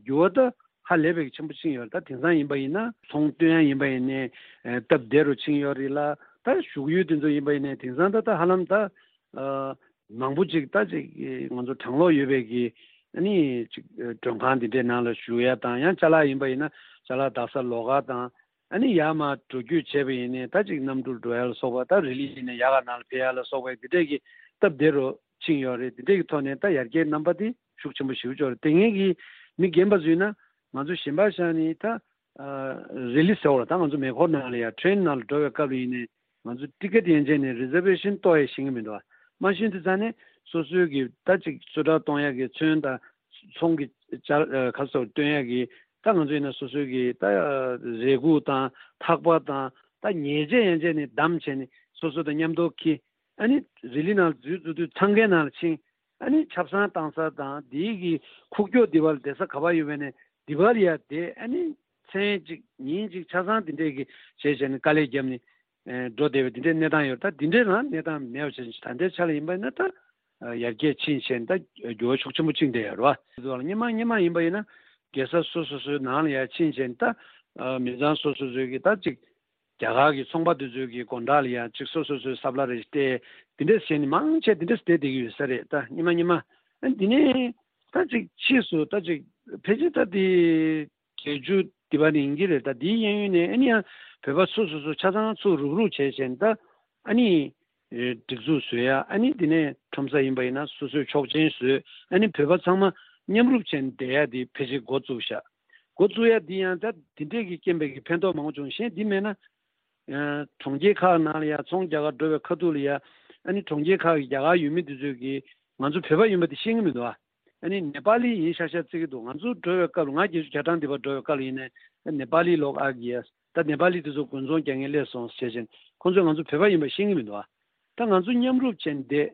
འགྱུར་བ་ད་ཧ་ལས་པའི་ཆེན་པོ་ཕྱིན་ཡོད་རེད། ད་དེང་སང་ཡིན་པ་ཡིན་ན་ཚོང་སྟོན་ཡ་ཡིན་པ་ཡིན་ནའི་སྟབས་བདེ་རུ་ཕྱིན་ཡོད་རེད་ལ། ད་བཞུགས་ཡུལ་དེ་ཚོ་ཡིན་པ་ཡིན་ནའི་དེང་སང་ད་ད་ཧ་ལམ་ད་མང་པོ་ཅིག་ད་ཅིག་ང་ཚོ་གྲང་གློག་ཡོད་པའི་གི་ཨ་ནི་ཅིག་མགྲོན་ཁང་འདི་འདྲའི་ནང་ལ་བཞུགས་ཡ་དང་། ཡང་ཅ་ལག་ཡིན་པ་ཡིན་ན་ཅ་ལག་འདག་ས་ལོགས་ཀ་དང་། ཨ་ནི་ཡར་མར་འགྲོ་སྐྱོད་བྱས་པ་ཡིན་ནའི་ད་ཅིག་གནམ་གྲུར་འགྲོ་ཡ་ལ་སོགས་པ། ད་རི་ལི་ཡིན་ནའི་ཡར་ཁ་ནང་ལ་ཕེབས་ཡ་ལ་སོགས་པའི་འདི་འདྲས་ཀྱི་སྟབས་བདེ་རུ་ཕྱིན་ཡོད་རེད། འདི་འདྲས་ཀྱི་ཐོག་ནས་ད་ཡར་རྒྱས་རྣམ་པ་དེ་ཤུགས་ཆེན་པོ་ཞེ་པོ་ཅིག་ཡོད་རེད། དེ་སྔའི་གི་མི་རྒན་པ་ཚོ་ཡིན་ན་ང་ཚོ་གཞན་པ་བཞག་ནས་ད་རི་ལི་ཟེར་བ་ལ་ད་ང་ཚོ་མེ་འཁོར་ནང་ལ་ཡ་ཊེ་རེན་ནང་ལ་འགྲོ་བའི་སྐབས་ལ་ཡིན་ནའི་ང་ཚོ་ཊི་ཀེ་ཊི་ཡན་ཆད་ནས་རི་ཛར་ཝེ་ཤན་གཏོང་ཡ་ཤེས་ཀྱི་མི་འདུག་བ། མ་ཤེས་དུས་ཙང་ནས་སོ་སོའི་གི་ད་ཅིག་གསོལ་ཁྲལ་གཏོང་ཡ་གི་ཚོན་དང་ཚོང་གི་ཅ་ཁ་སོགས་སྟོན་ཡ་གི་ད་ང་ཚོ་ཡིན་ན་སོ་སོའི་གི་ད་རས་ཁུག་དང་ཐག་པ་དང་ད་ཉལ་ཆས་ཡན་ཆད་ནས་བསྡམས་བྱས་ནས་སོ་སོ་དང་མཉམ་དུ་འཁྱེར། ཨ་ནི་རི་ལི་ནང་འཛུལ་འཛུལ་དུས་འཚང་ཁའི་ནང་ལ་ཕྱིན། ཨ་ནི་ཆབ་གསང་བཏང་ས་དང་དེའི་གི་ཁུག་ཀྱོག་འདི་པར་བསྡད་ས་ག་པར་ཡོད་པ་ནས་འདི་པར་ཡར་བསྡད། ཨ་ནི་མཚན་གཅིག་ཉིན་གཅིག་ཆ་ཚང་འདི་འདྲས་གི་བྱས་བྱས་ནས་དཀའ་ལས་བརྒྱབ་ནས་འགྲོ་བསྡད་པའི་འདི་འདྲའི་གནས་སྟངས་ཡོད། ད་འདི་འདྲའི་རང་གནས་སྟངས་མེད་པ་བྱས་ནས་ད་ལྟའི་ཆ་ལ་ཡིན་པ་ཡིན་ན་ད་ཡར་རྒྱས་ཕྱིན་བྱས་ནས་ད་འགྱུར་བ་ཤུགས་ཆེན་པོ་ཕྱིན་བསྡད་ཡོད་རེད་བ། དེ་ཚོ་ལ་སྔོན་མ་སྔོན་མ་ཡིན་པ་ཡིན་ན་རྒྱལ་ས་སོ་སོ་སོའི་ནང་ལ་ཡར་ཕྱིན་བྱས་ནས་ད་མི་ཚང་སོ་སོ་སོའི་གི་ད་ཅིག་རྒྱ་གར་གྱི་ཚོང་པ་དེ་ཚོའི་གི་སྒོ་འགྲམ་ལ་ཡང་ཅིག་སོ་སོ་སོའི་སབ་ལ་རེ་སྟེར། དེ་འདྲས་བྱས་ནས་མང་ཆེ་དེ་འདྲས་བསྡད་བསྡད་ཀྱི་ཡོད་ས་རེད། ད་སྔོན་མ་སྔོན་མ་ཨ་ནི་དེ་ནས་ད་ཅིག་ཕྱིས་སུ་ད་ཅིག་ཕལ་ཆེར་ད་དེ་བརྒྱད་ཅུ་དེ་པ་ནས་ཡིན་གྱི་རེད། ད་དེའི་གཡས་གཡོན་ནས་ཨ་ནི་ཡང་བོད་པ་སོ་སོ་སོ་ཆ་ཚང་ཚུར་རུག་རུག་བྱས་བྱས་ནས་ད་ཨ་ནི་སྒྲིག་འཛུགས་བཟོས་ཡ། ཨ་ནི་དེ་ནས་ཁྲོམ་ས་ཡིན་པ་ཡིན་ན་སོ་སོའི་ཆོག་མཆན་བཟོས། ཨ་ནི་བོད་པ་ཚང་མ་མཉམ་རུབ་བྱས་ནས་བསྡད་ཡ་དེ་ཕལ་ཆེར་འགོ་བཙུགས་ཤག་འགོ་བཙུགས་ཡ་འདི་ཡང་ད་འདི་འདྲས་ཀྱི་རྐྱེན་པས་ཀྱི་ཕན་ཐོགས་མང་པོ་བྱུང་། གཞན་འདི་མེད་ན་ཨ་གྲོང་ཁྱེར་ཁག་ནང་ལ་ཡ་ཚོང་རྒྱག་གར་འགྲོ་བའི་ཁ་ཐུག་ལ་ཡ་ཨ་ནི་གྲོང་ཁྱེར་ཁག་གི་རྒྱ་གར་ཡུལ་མི་འདི་ཚོས་ཀྱིས་ང་ཚོ་བོད་པ་ཡིན་པ་དེ་ཤེས་ཀྱི་མི་འདུག་ཨ། ཨ་ནི་ནེ་པ་ལི་ཡིན་ཤག་ཤག་བརྩི་གི་འདུག་ང་ཚོ་འགྲོ་བའི་སྐབས་ལ་ང་བརྒྱད་ཅུ་གྱ་གྲངས་འདི་པར་འགྲོ་བའི་སྐབས་ལ་ཡིན་ནའི་ནེ་པ་ལི་ལོག་ཨ་གི་ཡ། ད་ནེ་པ་ལི་འདི་ཚོ་དགུན་ཚོང་རྒྱག་མཁན་སླེབས་སོང་ཟེར་བྱས་ནས་ཁོང་ཚོས་ང་ཚོ་བོད་པ་ཡིན་པ་ཤེས་ཀྱི་མི་འདུག་ཨ། ད་ང་ཚོ་མཉམ་རུབ་བྱས་ནས་བསྡད།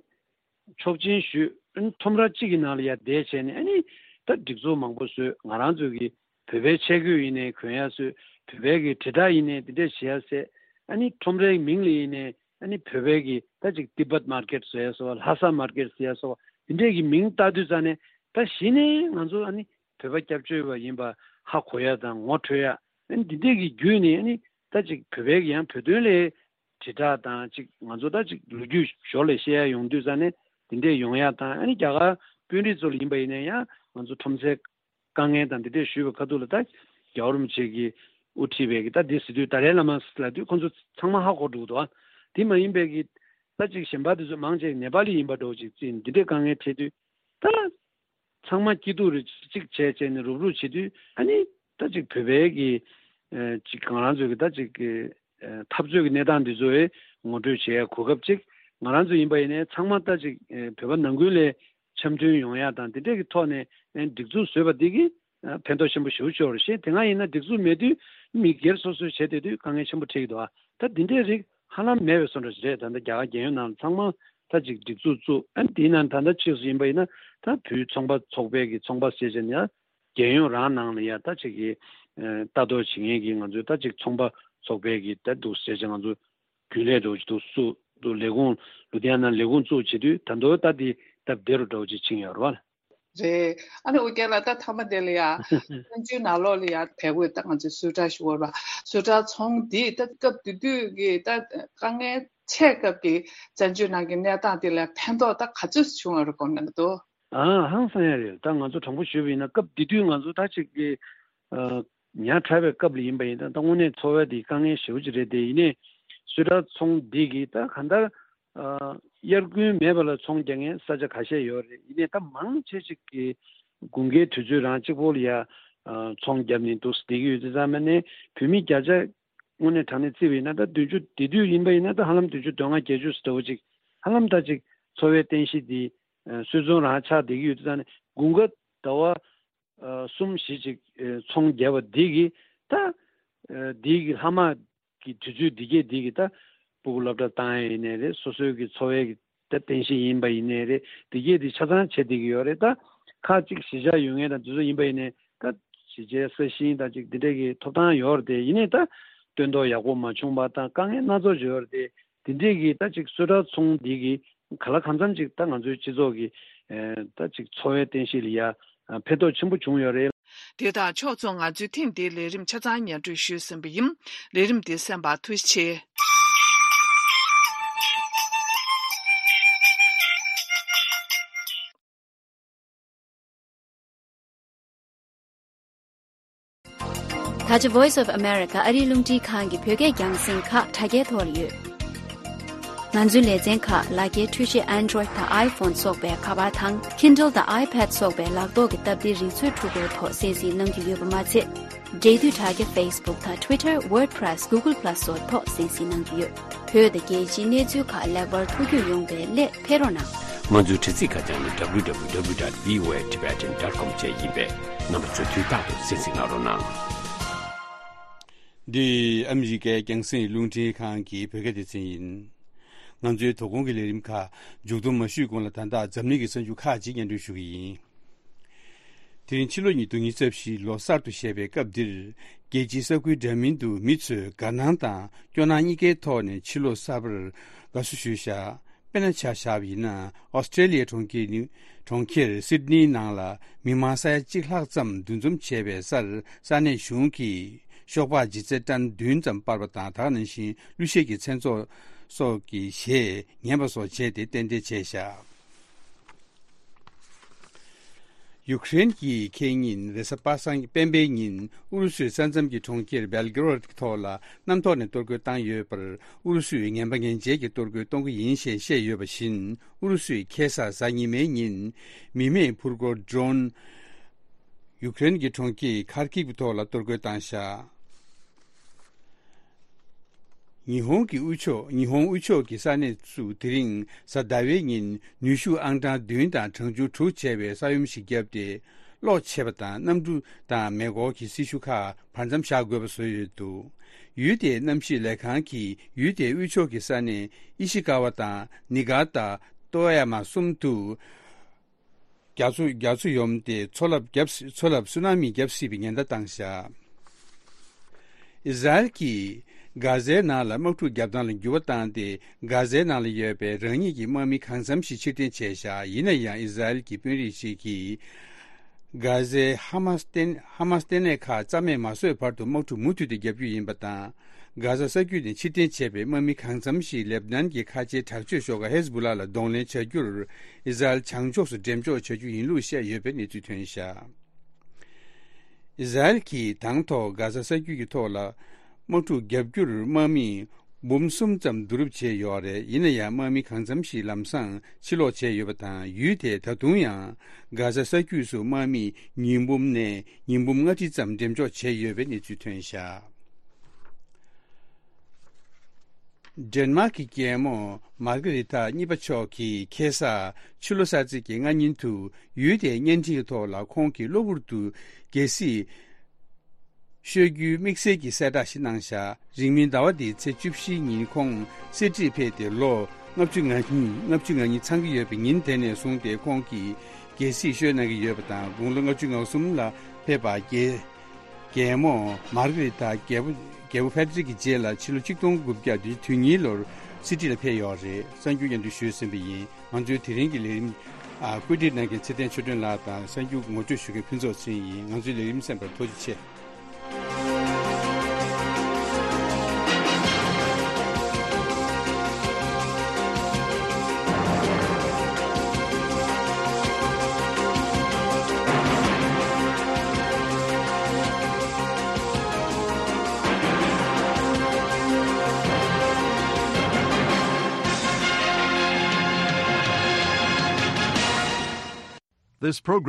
ཆོག་མཆན་ཞུས། ཨ་ནི་ཁྲོམ་ར་གཅིག་གི་ནང་ལ་ཡར་བསྡད་བྱས་ནས་ཨ་ནི་ད་སྒྲིག་འཛུགས་མང་པོ་བཟོས། ང་རང་ཚོ་གི་བོད་པའི་ཆས་གོས་ཡིན་ནའི་གོན་ཡ་བཟོས། བོད་པའི་གི་དྲིལ་བསྒྲགས་ཡིན་ནའི་འདི་འདྲས་བྱེད་ཡ་བཟོས། ཨ་ནི་ཁྲོམ་རའི་མིང་ལ་ཡིན་ནའི་ཨ་ནི་བོད་པའི་གི་ད་ཅིག་ཏི་བེད་མར་ཀེཊ་བཟོ་ཡ་སོགས། ལྷ་ས་མར་ཀེཊ་ཟེར་ཡ་སོགས་འདི་འདྲས་གི་མིང་བཏགས་དུས་ཙང་ནས་ད་གཞི་ནས་ང་ཚོ་ཨ་ནི་བོད་པ་སྐྱབས་བཅོལ་བ་ཡིན་པ་ཧ་གོ་ཡ་དང་ངོ་འཕྲོད་ཡ། ཨ་ནི་འདི་འདྲས་གི་བརྒྱུད་ནས་ཨ་ནི་ད་ཅིག་བོད་པའི་གི་ཡང་བོད་དོན་ལ་དྲིལ་བསྒྲགས་དང་ཅིག་ང་ཚོ་ད་ཅིག་ལོ་རྒྱུས་ཞོར་ལས་བཤད་ཡ་ཡོང་དུས་ཙང་ནས་དེ་འདྲས་ཡོང་ཡ་དང་། ཨ་ནི་རྒྱ་གར་དཔོན་རིགས་ཚོ་ལ་ཡིན་པ་ཡིན་ན་ཡང་ང་ཚོ་ཁྲོམ་སའི་དཀའ་ངལ་དང་དེ་འདྲས་ཞུས་པའི་ཁ་ཐུག་ལ་ད་རྒྱལ་བ་རིན་པོ་ཆེ་གིས་དབུ་ཁྲིད་པའི་གི་ད་འདི་ཟེར་དུས་ཏཱ་ལའི་བླ་མ་ལབ་དུས་ཁོང་ཚོ་ཚང་མ་ཧ་གོ་འགྲོ་གི་འདུག་ཨ། དེ་མ་ཡིན་པའི་གི་ད་ཅིག་གཞན་པ་དེ་ཚོ་མང་ཆེ་ནེ་པ་ལི་ཡིན་པ་འདྲ་བོ་ཅིག་བརྩིས་ནས་འདི་འདྲའི་དཀའ་ངལ་འཕྲད་དུས་ད། ཚང་མ་སྐྱིད་སྡུག་རེ་གཅིག་བྱས་བྱས་ནས་རུབ་རུབ་བྱེད་དུས་ཨ་ནི་ད་ཅིག་བོད་པའི་གི་ཨ་ཅིག་ང་རང་ཚོའི་གི་ད་ཅིག་གི་ཨ་འཐབ་རྩོད་ཀྱི་གནས་སྟངས་འདི་ཚོ་ངོ་སྤྲོད་བྱེད་ཡ་གོ་སྐབས་ཅིག་ང་རང་ཚོ་ཡིན་པ་ཡིན་ནའི་ཚང་མ་ད་ཅིག་ཨ་བོད་པ་ནང་ཁུལ་ལ་འཆམ་མཐུན་ཡོང་ཡ་དང་དེ་འདྲས་ཀྱི་ཐོག་ནས་ཨ་སྒྲིག་འཛུགས་བཟོས་པ་འདི་གིས་ཨ་ཕན་ཐོགས་ཆེན་པོ་ཞེ་པོ་ཅིག་ཡོད་རེད། གཞན་དེ་སྔ་ཡིན་ན་སྒྲིག་འཛུགས་མེད་དུས་མི་སྒེར་སོ་སོས་བྱས་བསྡད་དུས་དཀའ་ངལ་ཆེན་པོ་འཕྲད་ཀྱི་འདུག་ཨ། ད་འདི་འདྲའི་རིགས་ཧ་ལམ་མེད་པའི་བཟོ་འདྲ་ཞིག་རེད། ད་ལྟ་རྒྱ་གར་རྒྱལ་ཡོངས་ནང་ཚང་མ་ད་ཅིག་སྒྲིག་འཛུགས་བཙུགས། ཨ་ནི་དེའི་ནང་ད་ལྟ་ཕྱིས་སུ་ཡིན་པ་ཡིན་ན་ད་བོད་ཚོང་པ་ཚོགས་པའི་གི་ཚོང་པ་ཟེར་བྱས་ནས་རྒྱལ་ཡོངས་རང་ནང་ལ་ཡ་ད་ཅིག་གི་ལྟ་རྟོག་བྱེད་མཁན་གྱི་ང་ཚོའི་ད་ཅིག་ཚོང་པ་ཚོགས་པའི་གི་ད་འདུག་ཟེར་བྱས་ང་ཚོ་རྒྱུན་ལས་འདྲ་བོ་ཅིག་འདུག་བཙུགས་འདུག་ལས་ཁུངས་ལུ་དྷི་ཡ་ན་ལས་ཁུངས་བཙུགས་བྱེད་དུས་ད་མདོར་ད་དེ་སྟབས་བདེ་རུ་འདྲ་བོ་ཅིག་ཕྱིན་ཡོད་རེད་བ། རེད། ཨ་ནི་ཨོ་རྒྱན་ལགས་ད་མཐའ་མ་དེ་ལ་ཡ་བཙན་བྱོལ་ནང་ལོགས་ལ་ཡ་བལ་པོས་ད་ང་ཚོས་གསོལ་ཁྲག་ཞུ་བར་བ་གསོལ་ཁྲག་ཚོང་འདི་ད་སྐབས་དེ་དུས་ཀྱི་ད་དཀའ་ངལ་ཆེ་སྐབས་ཀྱི་བཙན་བྱོལ་ནང་གི་གནས་སྟངས་དེ་ལ་ཕན་ཐོགས་ད་ག་ཚོད་བྱུང་བ་རེད་དགོངས་གནང་གི་འདུག་ཨ་ཧང་སང་ཡ་རེད། ད་ང་ཚོ་དྲང་པོ་ཞུས་པ་ཡིན་ན་སྐབས་དེ་དུས་ང་ཚོ་ད་ཅིག་གི་ཨ་ ཉག་ཕྲ་བའི་སྐབས་ལ་ཡིན་པ་ཡིན་ན་ད་དངོས་གནས་འཚོ་བ་དེ་དཀའ་ངལ་ཞེ་པོ་ཅིག་རེད་དེ། ཡིན་ནའི་སུད་ཊར་ཚོང་འདི་གིས་ད་གང་ལྟར་ཨ་དབྱར་དགུན་མེད་པ་ལ་ཚོང་རྒྱག་མཁན་ས་ཆ་ཁ་ཤས་ཡོད་རེད། ཡིན་ནའི་ད་མང་ཆེ་ཅིག་གིས་དགུན་ཁའི་དུས་ཚོད་རང་གཅིག་པོ་ལ་ཡ་ཨ་ཚོང་བརྒྱབ་ནས་འདུག་བསྡད་ཀྱི་ཡོད་དུས་ཙང་མ་ནས་བོད་མི་བརྒྱ་ཆ་དངོས་གནས་དྲང་གནས་བརྩིས་པ་ཡིན་ན་ད་བདུན་ཅུ་དེ་དུས་ཡིན་པ་ཡིན་ན་ད་ཧ་ལམ་བདུན་ཅུ་དོན་ལྔ་བརྒྱད་ཅུ་ཙམ་འདྲ་བོ་ཅིག་ཧ་ལམ་ད་ཅིག་འཚོ་བའི་རྟེན་གཞི་འདི་ཨ་སུད་ཚོང་རང་ཆགས་བསྡད་ཀྱི་ཡོད་དུས་ཙང་ནས་དགུན་ཁ་ཟླ་བ་ཨ་གསུམ་བཞི་ཅིག་ཨ་ཚོང་བརྒྱབ་པ་འདི་གིས་ད་ཨ་འདི་གི་ལྷག་མ་གི་དུས་ཚོད་འདི་གས་འདི་གི་ད་སྤུ་གུ་སློབ་གྲྭ་བཏང་ཡས་ཡིན་ནའི་རེད། སོ་སོའི་གི་འཚོ་བའི་གི་ད་རྟེན་གཞི་ཡིན་པ་ཡིན་ནའི་རེད། འདི་གས་འདི་ཆ་ཚང་བྱེད་བསྡད་ཀྱི་ཡོད་རེད། ད་ཁག་ཅིག་གཞིས་ཆགས་ཡོད་མཁན་དང་དེ་ཚོ་ཡིན་པ་ཡིན་ནའི་ད་གཞིས་ཆགས་ས་ཞིང་དང་ཅིག་འདི་འདྲས་ཀྱི་ཐོབ་ཐང་ཡོད་རེད་དེ། ཡིན་ནའི་ད་སྟོན་ཐོག་ཡག་པོ་མ་བྱུང་བ་དང་དཀའ་ངལ་སྣ་ཚོགས་ཅིག་ཡོད་རེད་དེ། འདི་འདྲས་ཀྱི་ད་ཅིག་སུད་ཊར་ཚོང་འདི་གི་གང་ལ་གང་འཚམ་ཅིག་ད་ང་ཚོའི་སྤྱི་ཚོགས་ཀྱི་ཨེ་ད་ཅིག་འཚོ་བའི་རྟེན་གཞི་ལ་ཡ་ཨ་ཕན་ཐོགས་ཆེན་པོ་བྱུང་ཡོད་རེད། དེ་དང་ཕྱོགས་མཚུངས་ང་ཚོའི་ཐེངས་འདིའི་ལས་རིམ་ཆ་ཚང་སྙན་སྒྲོན་ཞུས་ཟིན་པ་ཡིན། ལས་རིམ་འདི་གསན་པར་ཐུགས་རྗེ་ཆེ། ད་ཆ་Voice of America ཨ་རིའི་རླུང་འཕྲིན་ཁང་གི་བོད་སྐད་རྒྱང་སྲིང་ཁག་དྲ་རྒྱའི་ཐོག་ལ་ཡོད། ང་ཚོའི་ལེ་ཚན་ཁག་ལག་འཁྱེར་འཕྲུལ་ཆས་Android་དང་iPhone་སོགས་པའི་ཁ་པར་དང་Kindle་དང་iPad་སོགས་པའི་ལག་ཐོག་གི་སྟབས་བདེའི་རིག་མཛོད་འཕྲུལ་འཁོར་ཐོག་གསན་གཟིགས་གནང་རྒྱུ་ཡོད་པ་མ་ཚད། འབྲེལ་མཐུད་དྲ་རྒྱ་Facebook་དང་Twitter WordPress Google Plus་སོགས་ཐོག་གསན་གཟིགས་གནང་རྒྱུ་ཡོད། བོད་དང་རྒྱལ་སྤྱིའི་གནས་ཚུལ་ཁག་ལེགས་པར་ཐུགས་རྒྱུས་ཡོང་བའི་སླད་ཕེབས་རོགས་གནང་། ང་ཚོའི་དྲ་ཚིགས་ཁ་བྱང་ནི་www.voatibetan.com་བཅས་ཡིན་པས་རྣམ་པ་ཚོས་དུས་རྟག་ཏུ་གསན་གཟིགས་གནང་རོགས་གནང་། འདི་ཨ་མི་རི་ཀའི་རྒྱང་སྲིང་རླུང་འཕྲིན་ཁང་གི་བོད་སྐད་སྡེ་ཚན་ཡིན། ང་ཚོའི་དོ་དགོང་གི་ལས་རིམ་ཁག་མཇུག་བསྡོམས་མ་ཞུས་གོང་ལ་ད་ལྟ་འཛམ་གླིང་གི་གསར་འགྱུར་ཁག་ཅིག་སྙན་སྒྲོན་ཞུ་གི་ཡིན། དེ་རིང་ཕྱི་ལོ་ཉིས་སྟོང་ཉི་ཤུ་རྩ་བཞི་ལོ་གསར་དུ་བཞད་པའི་སྐབས་འདིར། རྒྱལ་སྤྱིའི་ས་ཁུལ་འདྲ་མིན་དུ་མི་ཚོས་དགའ་སྣང་དང་སྐྱོ་སྣང་གཉིས་ཀའི་ཐོག་ནས་ཕྱི་ལོ་གསར་པར་དགའ་བསུ་ཞུས་བཞག་དཔེར་ན་ཆ་བཞག་པ་ཡིན་ན། ཨོ་སི་ཀྲེ་ལི་ཡའི་གྲོང་ཁྱེར་ནིའུ་གྲོང་ཁྱེར་སིད་ནིའི་ནང་ལ་མི་མང་ས་ཡ་གཅིག་ལྷག་ཙམ་འདུ་འཛོམས་བྱས་པའི་སར་ས་གནས་གཞུང་གིས་ཤོག་སྦག་ལྗིད་ཚད་ཏན་བདུན་ཙམ་སྤར་བ་དང་། ད་ག་ནང་བཞིན་གླུ་གཞས་ཀྱི་མཚན་ཚོགས་སོགས་ཀྱི་གཞས་ཉན་པ་སོགས་བྱས་ཏེ་རྟེན་འབྲེལ་བྱས་བཞག་ཡུ་ཀེ་རེན་གྱིས་ཁེ་ཉིན་རེས་གཟའ་པ་སངས་སྤེན་པའི་ཉིན་ཨུ་རུ་སུའི་ས་མཚམས་ཀྱི་གྲོང་ཁྱེར་བེལ་གྷི་རོད་ཀྱི་ཐོག་ལ་གནམ་ཐོག་ནས་གཏོར་རྒོལ་བཏང་ཡོད་པར། ཨུ་རུ་སུས་ངན་པ་ངན་འཇལ་གྱི་གཏོར་རྒོལ་གཏོང་གི་ཡིན་ཞེས་བཤད་ཡོད་པ་བཞིན། ཨུ་རུ་སུས་ཁ་སང་གཟའ་ཉི་མའི་ཉིན་མི་མེད་འཕུར་འཁོར་ཌོ་རོན་ཡུ་ཀེ་རེན་གྱི་གྲོང་ཁྱེར་ཁར་ཀིབ་ཐོག་ལ་གཏོར་རྒོལ་བཏང་བཞག་ཉི་ཧོང་གི་དབུས་ཕྱོགས། ཉི་ཧོང་དབུས་ཕྱོགས་ཀྱི་ས་གནས་སུ་དེ་རིང་གཟའ་ཟླ་བའི་ཉིན་ནུས་ཤུགས་ཨང་གྲངས་བདུན་དང་གྲང་ཆུང་དྲུག་བྱས་པའི་ས་ཡོམ་ཞིག་བརྒྱབ་སྟེ། གློག་ཆད་པ་དང་གནམ་གྲུ་དང་མེ་འཁོར་གྱི་སྲི་ཞུ་ཁག་བར་མཚམས་བཞག་དགོས་པ་བཟོས་ཡོད་འདུག་ཡུལ་དེའི་གནམ་གཤིས་ལས་ཁང་གིས་ཡུལ་དེའི་དབུས་ཕྱོགས་ཀྱི་ས་གནས་ཨི་ཤི་ཀ་ཝ་དང་ནི་ག་ཏ། ཏོ་ཡ་མ་གསུམ་དུ། རྒྱ་མཚོ་རྒྱ་མཚོ་ཡོམ་སྟེ་མཚོ་རླབས་བརྒྱབ། མཚོ་རླབས་སུ་ན་མི་བརྒྱབ་སྲིད་པའི་ཉེན་བརྡ་བཏང་བཞག་ཨི་ཟ་རེལ་གྱིས་གྷ་ཟའི་ནང་ལ་དམག་འཁྲུག་བརྒྱབ་སྟངས་ལ་འགྱུར་བ་བཏང་སྟེ། གྷ་ཟའི་ནང་ལ་ཡོད་པའི་རང་ཉིད་ཀྱི་དམག་མི་གང་འཚམ་ཞིག་ཕྱིར་འཐེན་བྱས་བཞག་ཡིན་ན་ཡང་ཨི་ཟ་རེལ་གྱི་དཔོན་རིགས་ཤིག་གིས། གྷ་ཟའི་ཧ་མ་སི་ལྟེ་ཧ་མ་སི་ལྟེ་གནས་ཁག་རྩ་མེད་མ་བཟོས་བར་དུ་དམག་འཁྲུག་མུ་མཐུད་དུ་བརྒྱབ་རྒྱུ་ཡིན་པ་དང་། གྷ་ཟ་ས་རྒྱུད་ནས་ཕྱིར་འཐེན་བྱས་པའི་དམག་མི་གང་འཚམ་ཞིག་ལེབ་ནན་གྱི་ཁ་ཆེའི་དྲག་སྤྱོད་ཤོག་ཁག་ཧེ་ཟ་བྷུ་ལ་ལ་གདོང་ལེན་བྱ་རྒྱུར་ཨི་ཟ་རེལ་བྱང་ཕྱོགས་སུ་འགྲེམས་འཇོག་བྱ་རྒྱུ་ཡིན་ལུགས་བཤད་ཡོད་པའི་གནས་ཚུལ་ཐོན་བཞག་ཨི་ཟ་རེལ་གྱིས་དང་ཐོག་གྷ་ཟ་ས་རྒྱུད་ཀྱི་ཐོག་ལ་དམག་འཁྲུག་བརྒྱབ་རྒྱུར་དམག་མི་འབུམ་གསུམ་ཙམ་བསྡུ་རུབ་བྱས་ཡོད་རེད། ཡིན་ན་ཡང་དམག་མི་གང་འཚམ་ཞིག་ལམ་སང་ཕྱིར་ལོག་བྱས་ཡོད་པ་དང་། ཡུལ་དེས་ད་དུང་ཡང་གྷ་ཟ་ས་རྒྱུད་སུ་དམག་མི་ཉིས་འབུམ་ནས་ཉིས་འབུམ་ལྔ་ཁྲི་ཙམ་འགྲེམས་འཇོག་བྱས་ཡོད་པའི་གནས་ཚུལ་ཐོན་བཞག་ཌེན་མཱག་གི་རྒྱལ་མོ་མར་གྷི་རི་ཐ་གཉིས་པ་མཆོག་གིས་ཁ་སང་ཕྱི་ལོ་གསར་ཚེས་ཀྱི་སྔ་ཉིན་དུ་ཡུལ་དེའི་བརྙན་འཕྲིན་གྱི་ཐོག་ལ་ཁོང་གི་གློ་བུར་དུ་རྒྱལ་སྲིད་བཤོལ་རྒྱུའི་དམིགས་བསལ་གྱི་གསལ་བསྒྲགས་ཤིག་གནང་བཞག་རིང་མིན་ཟླ་བ་འདིའི་ཚེས་བཅུ་བཞིའི་ཉིན་ཁོང་གསེར་ཁྲིར་ཕེབས་ཏེ་ལོ་ལྔ་བཅུ་ང་གཉིས་ལྔ་བཅུ་ང་གཉིས་ཚང་གི་ཡོད་པའི་ཉིན་དེ་ནས་བཟུང་སྟེ་ཁོང་གིས་རྒྱལ་སྲིད་བཤོལ་གནང་གི་ཡོད་པ་དང་། དགུང་ལོ་ལྔ་བཅུ་ང་གསུམ་ལ་ཕེབས་པ་རྒྱལ་རྒྱལ་མོ་མར་གྷི་རི་ཐ་རྒྱལ་པོ་རྒྱལ་པོ་ཕེ་ཏྲིག་གི་རྗེས་ལ་ཕྱི་ལོ་ཆིག་སྟོང་དགུ་བརྒྱ་དོན་གཉིས་ལོར་གསེར་ཁྲི་ལ་ཕེབས་ཡོད་རེད། གསར་འགྱུར་སྙན་སྒྲོན་ཞུས་ཟིན་པ་ཡིན། ང་ཚོའི་དེ་རིང་གི་ལས་རིམ་ཨ་བཀོད་སྒྲིག་གནང་མཁན་ཚེ་བརྟན་ཆོས་སྒྲོན་ལགས་དང་གསར་འགྱུར་ངོ་སྤྲོད་ཞུ་མཁན་ཕུན་ཚོགས་ཚེ་རིང་ཡིན། ང་ཚོའི་ལས་རིམ་གསན་པར་ཐུགས་རྗེ་ཆེ། This program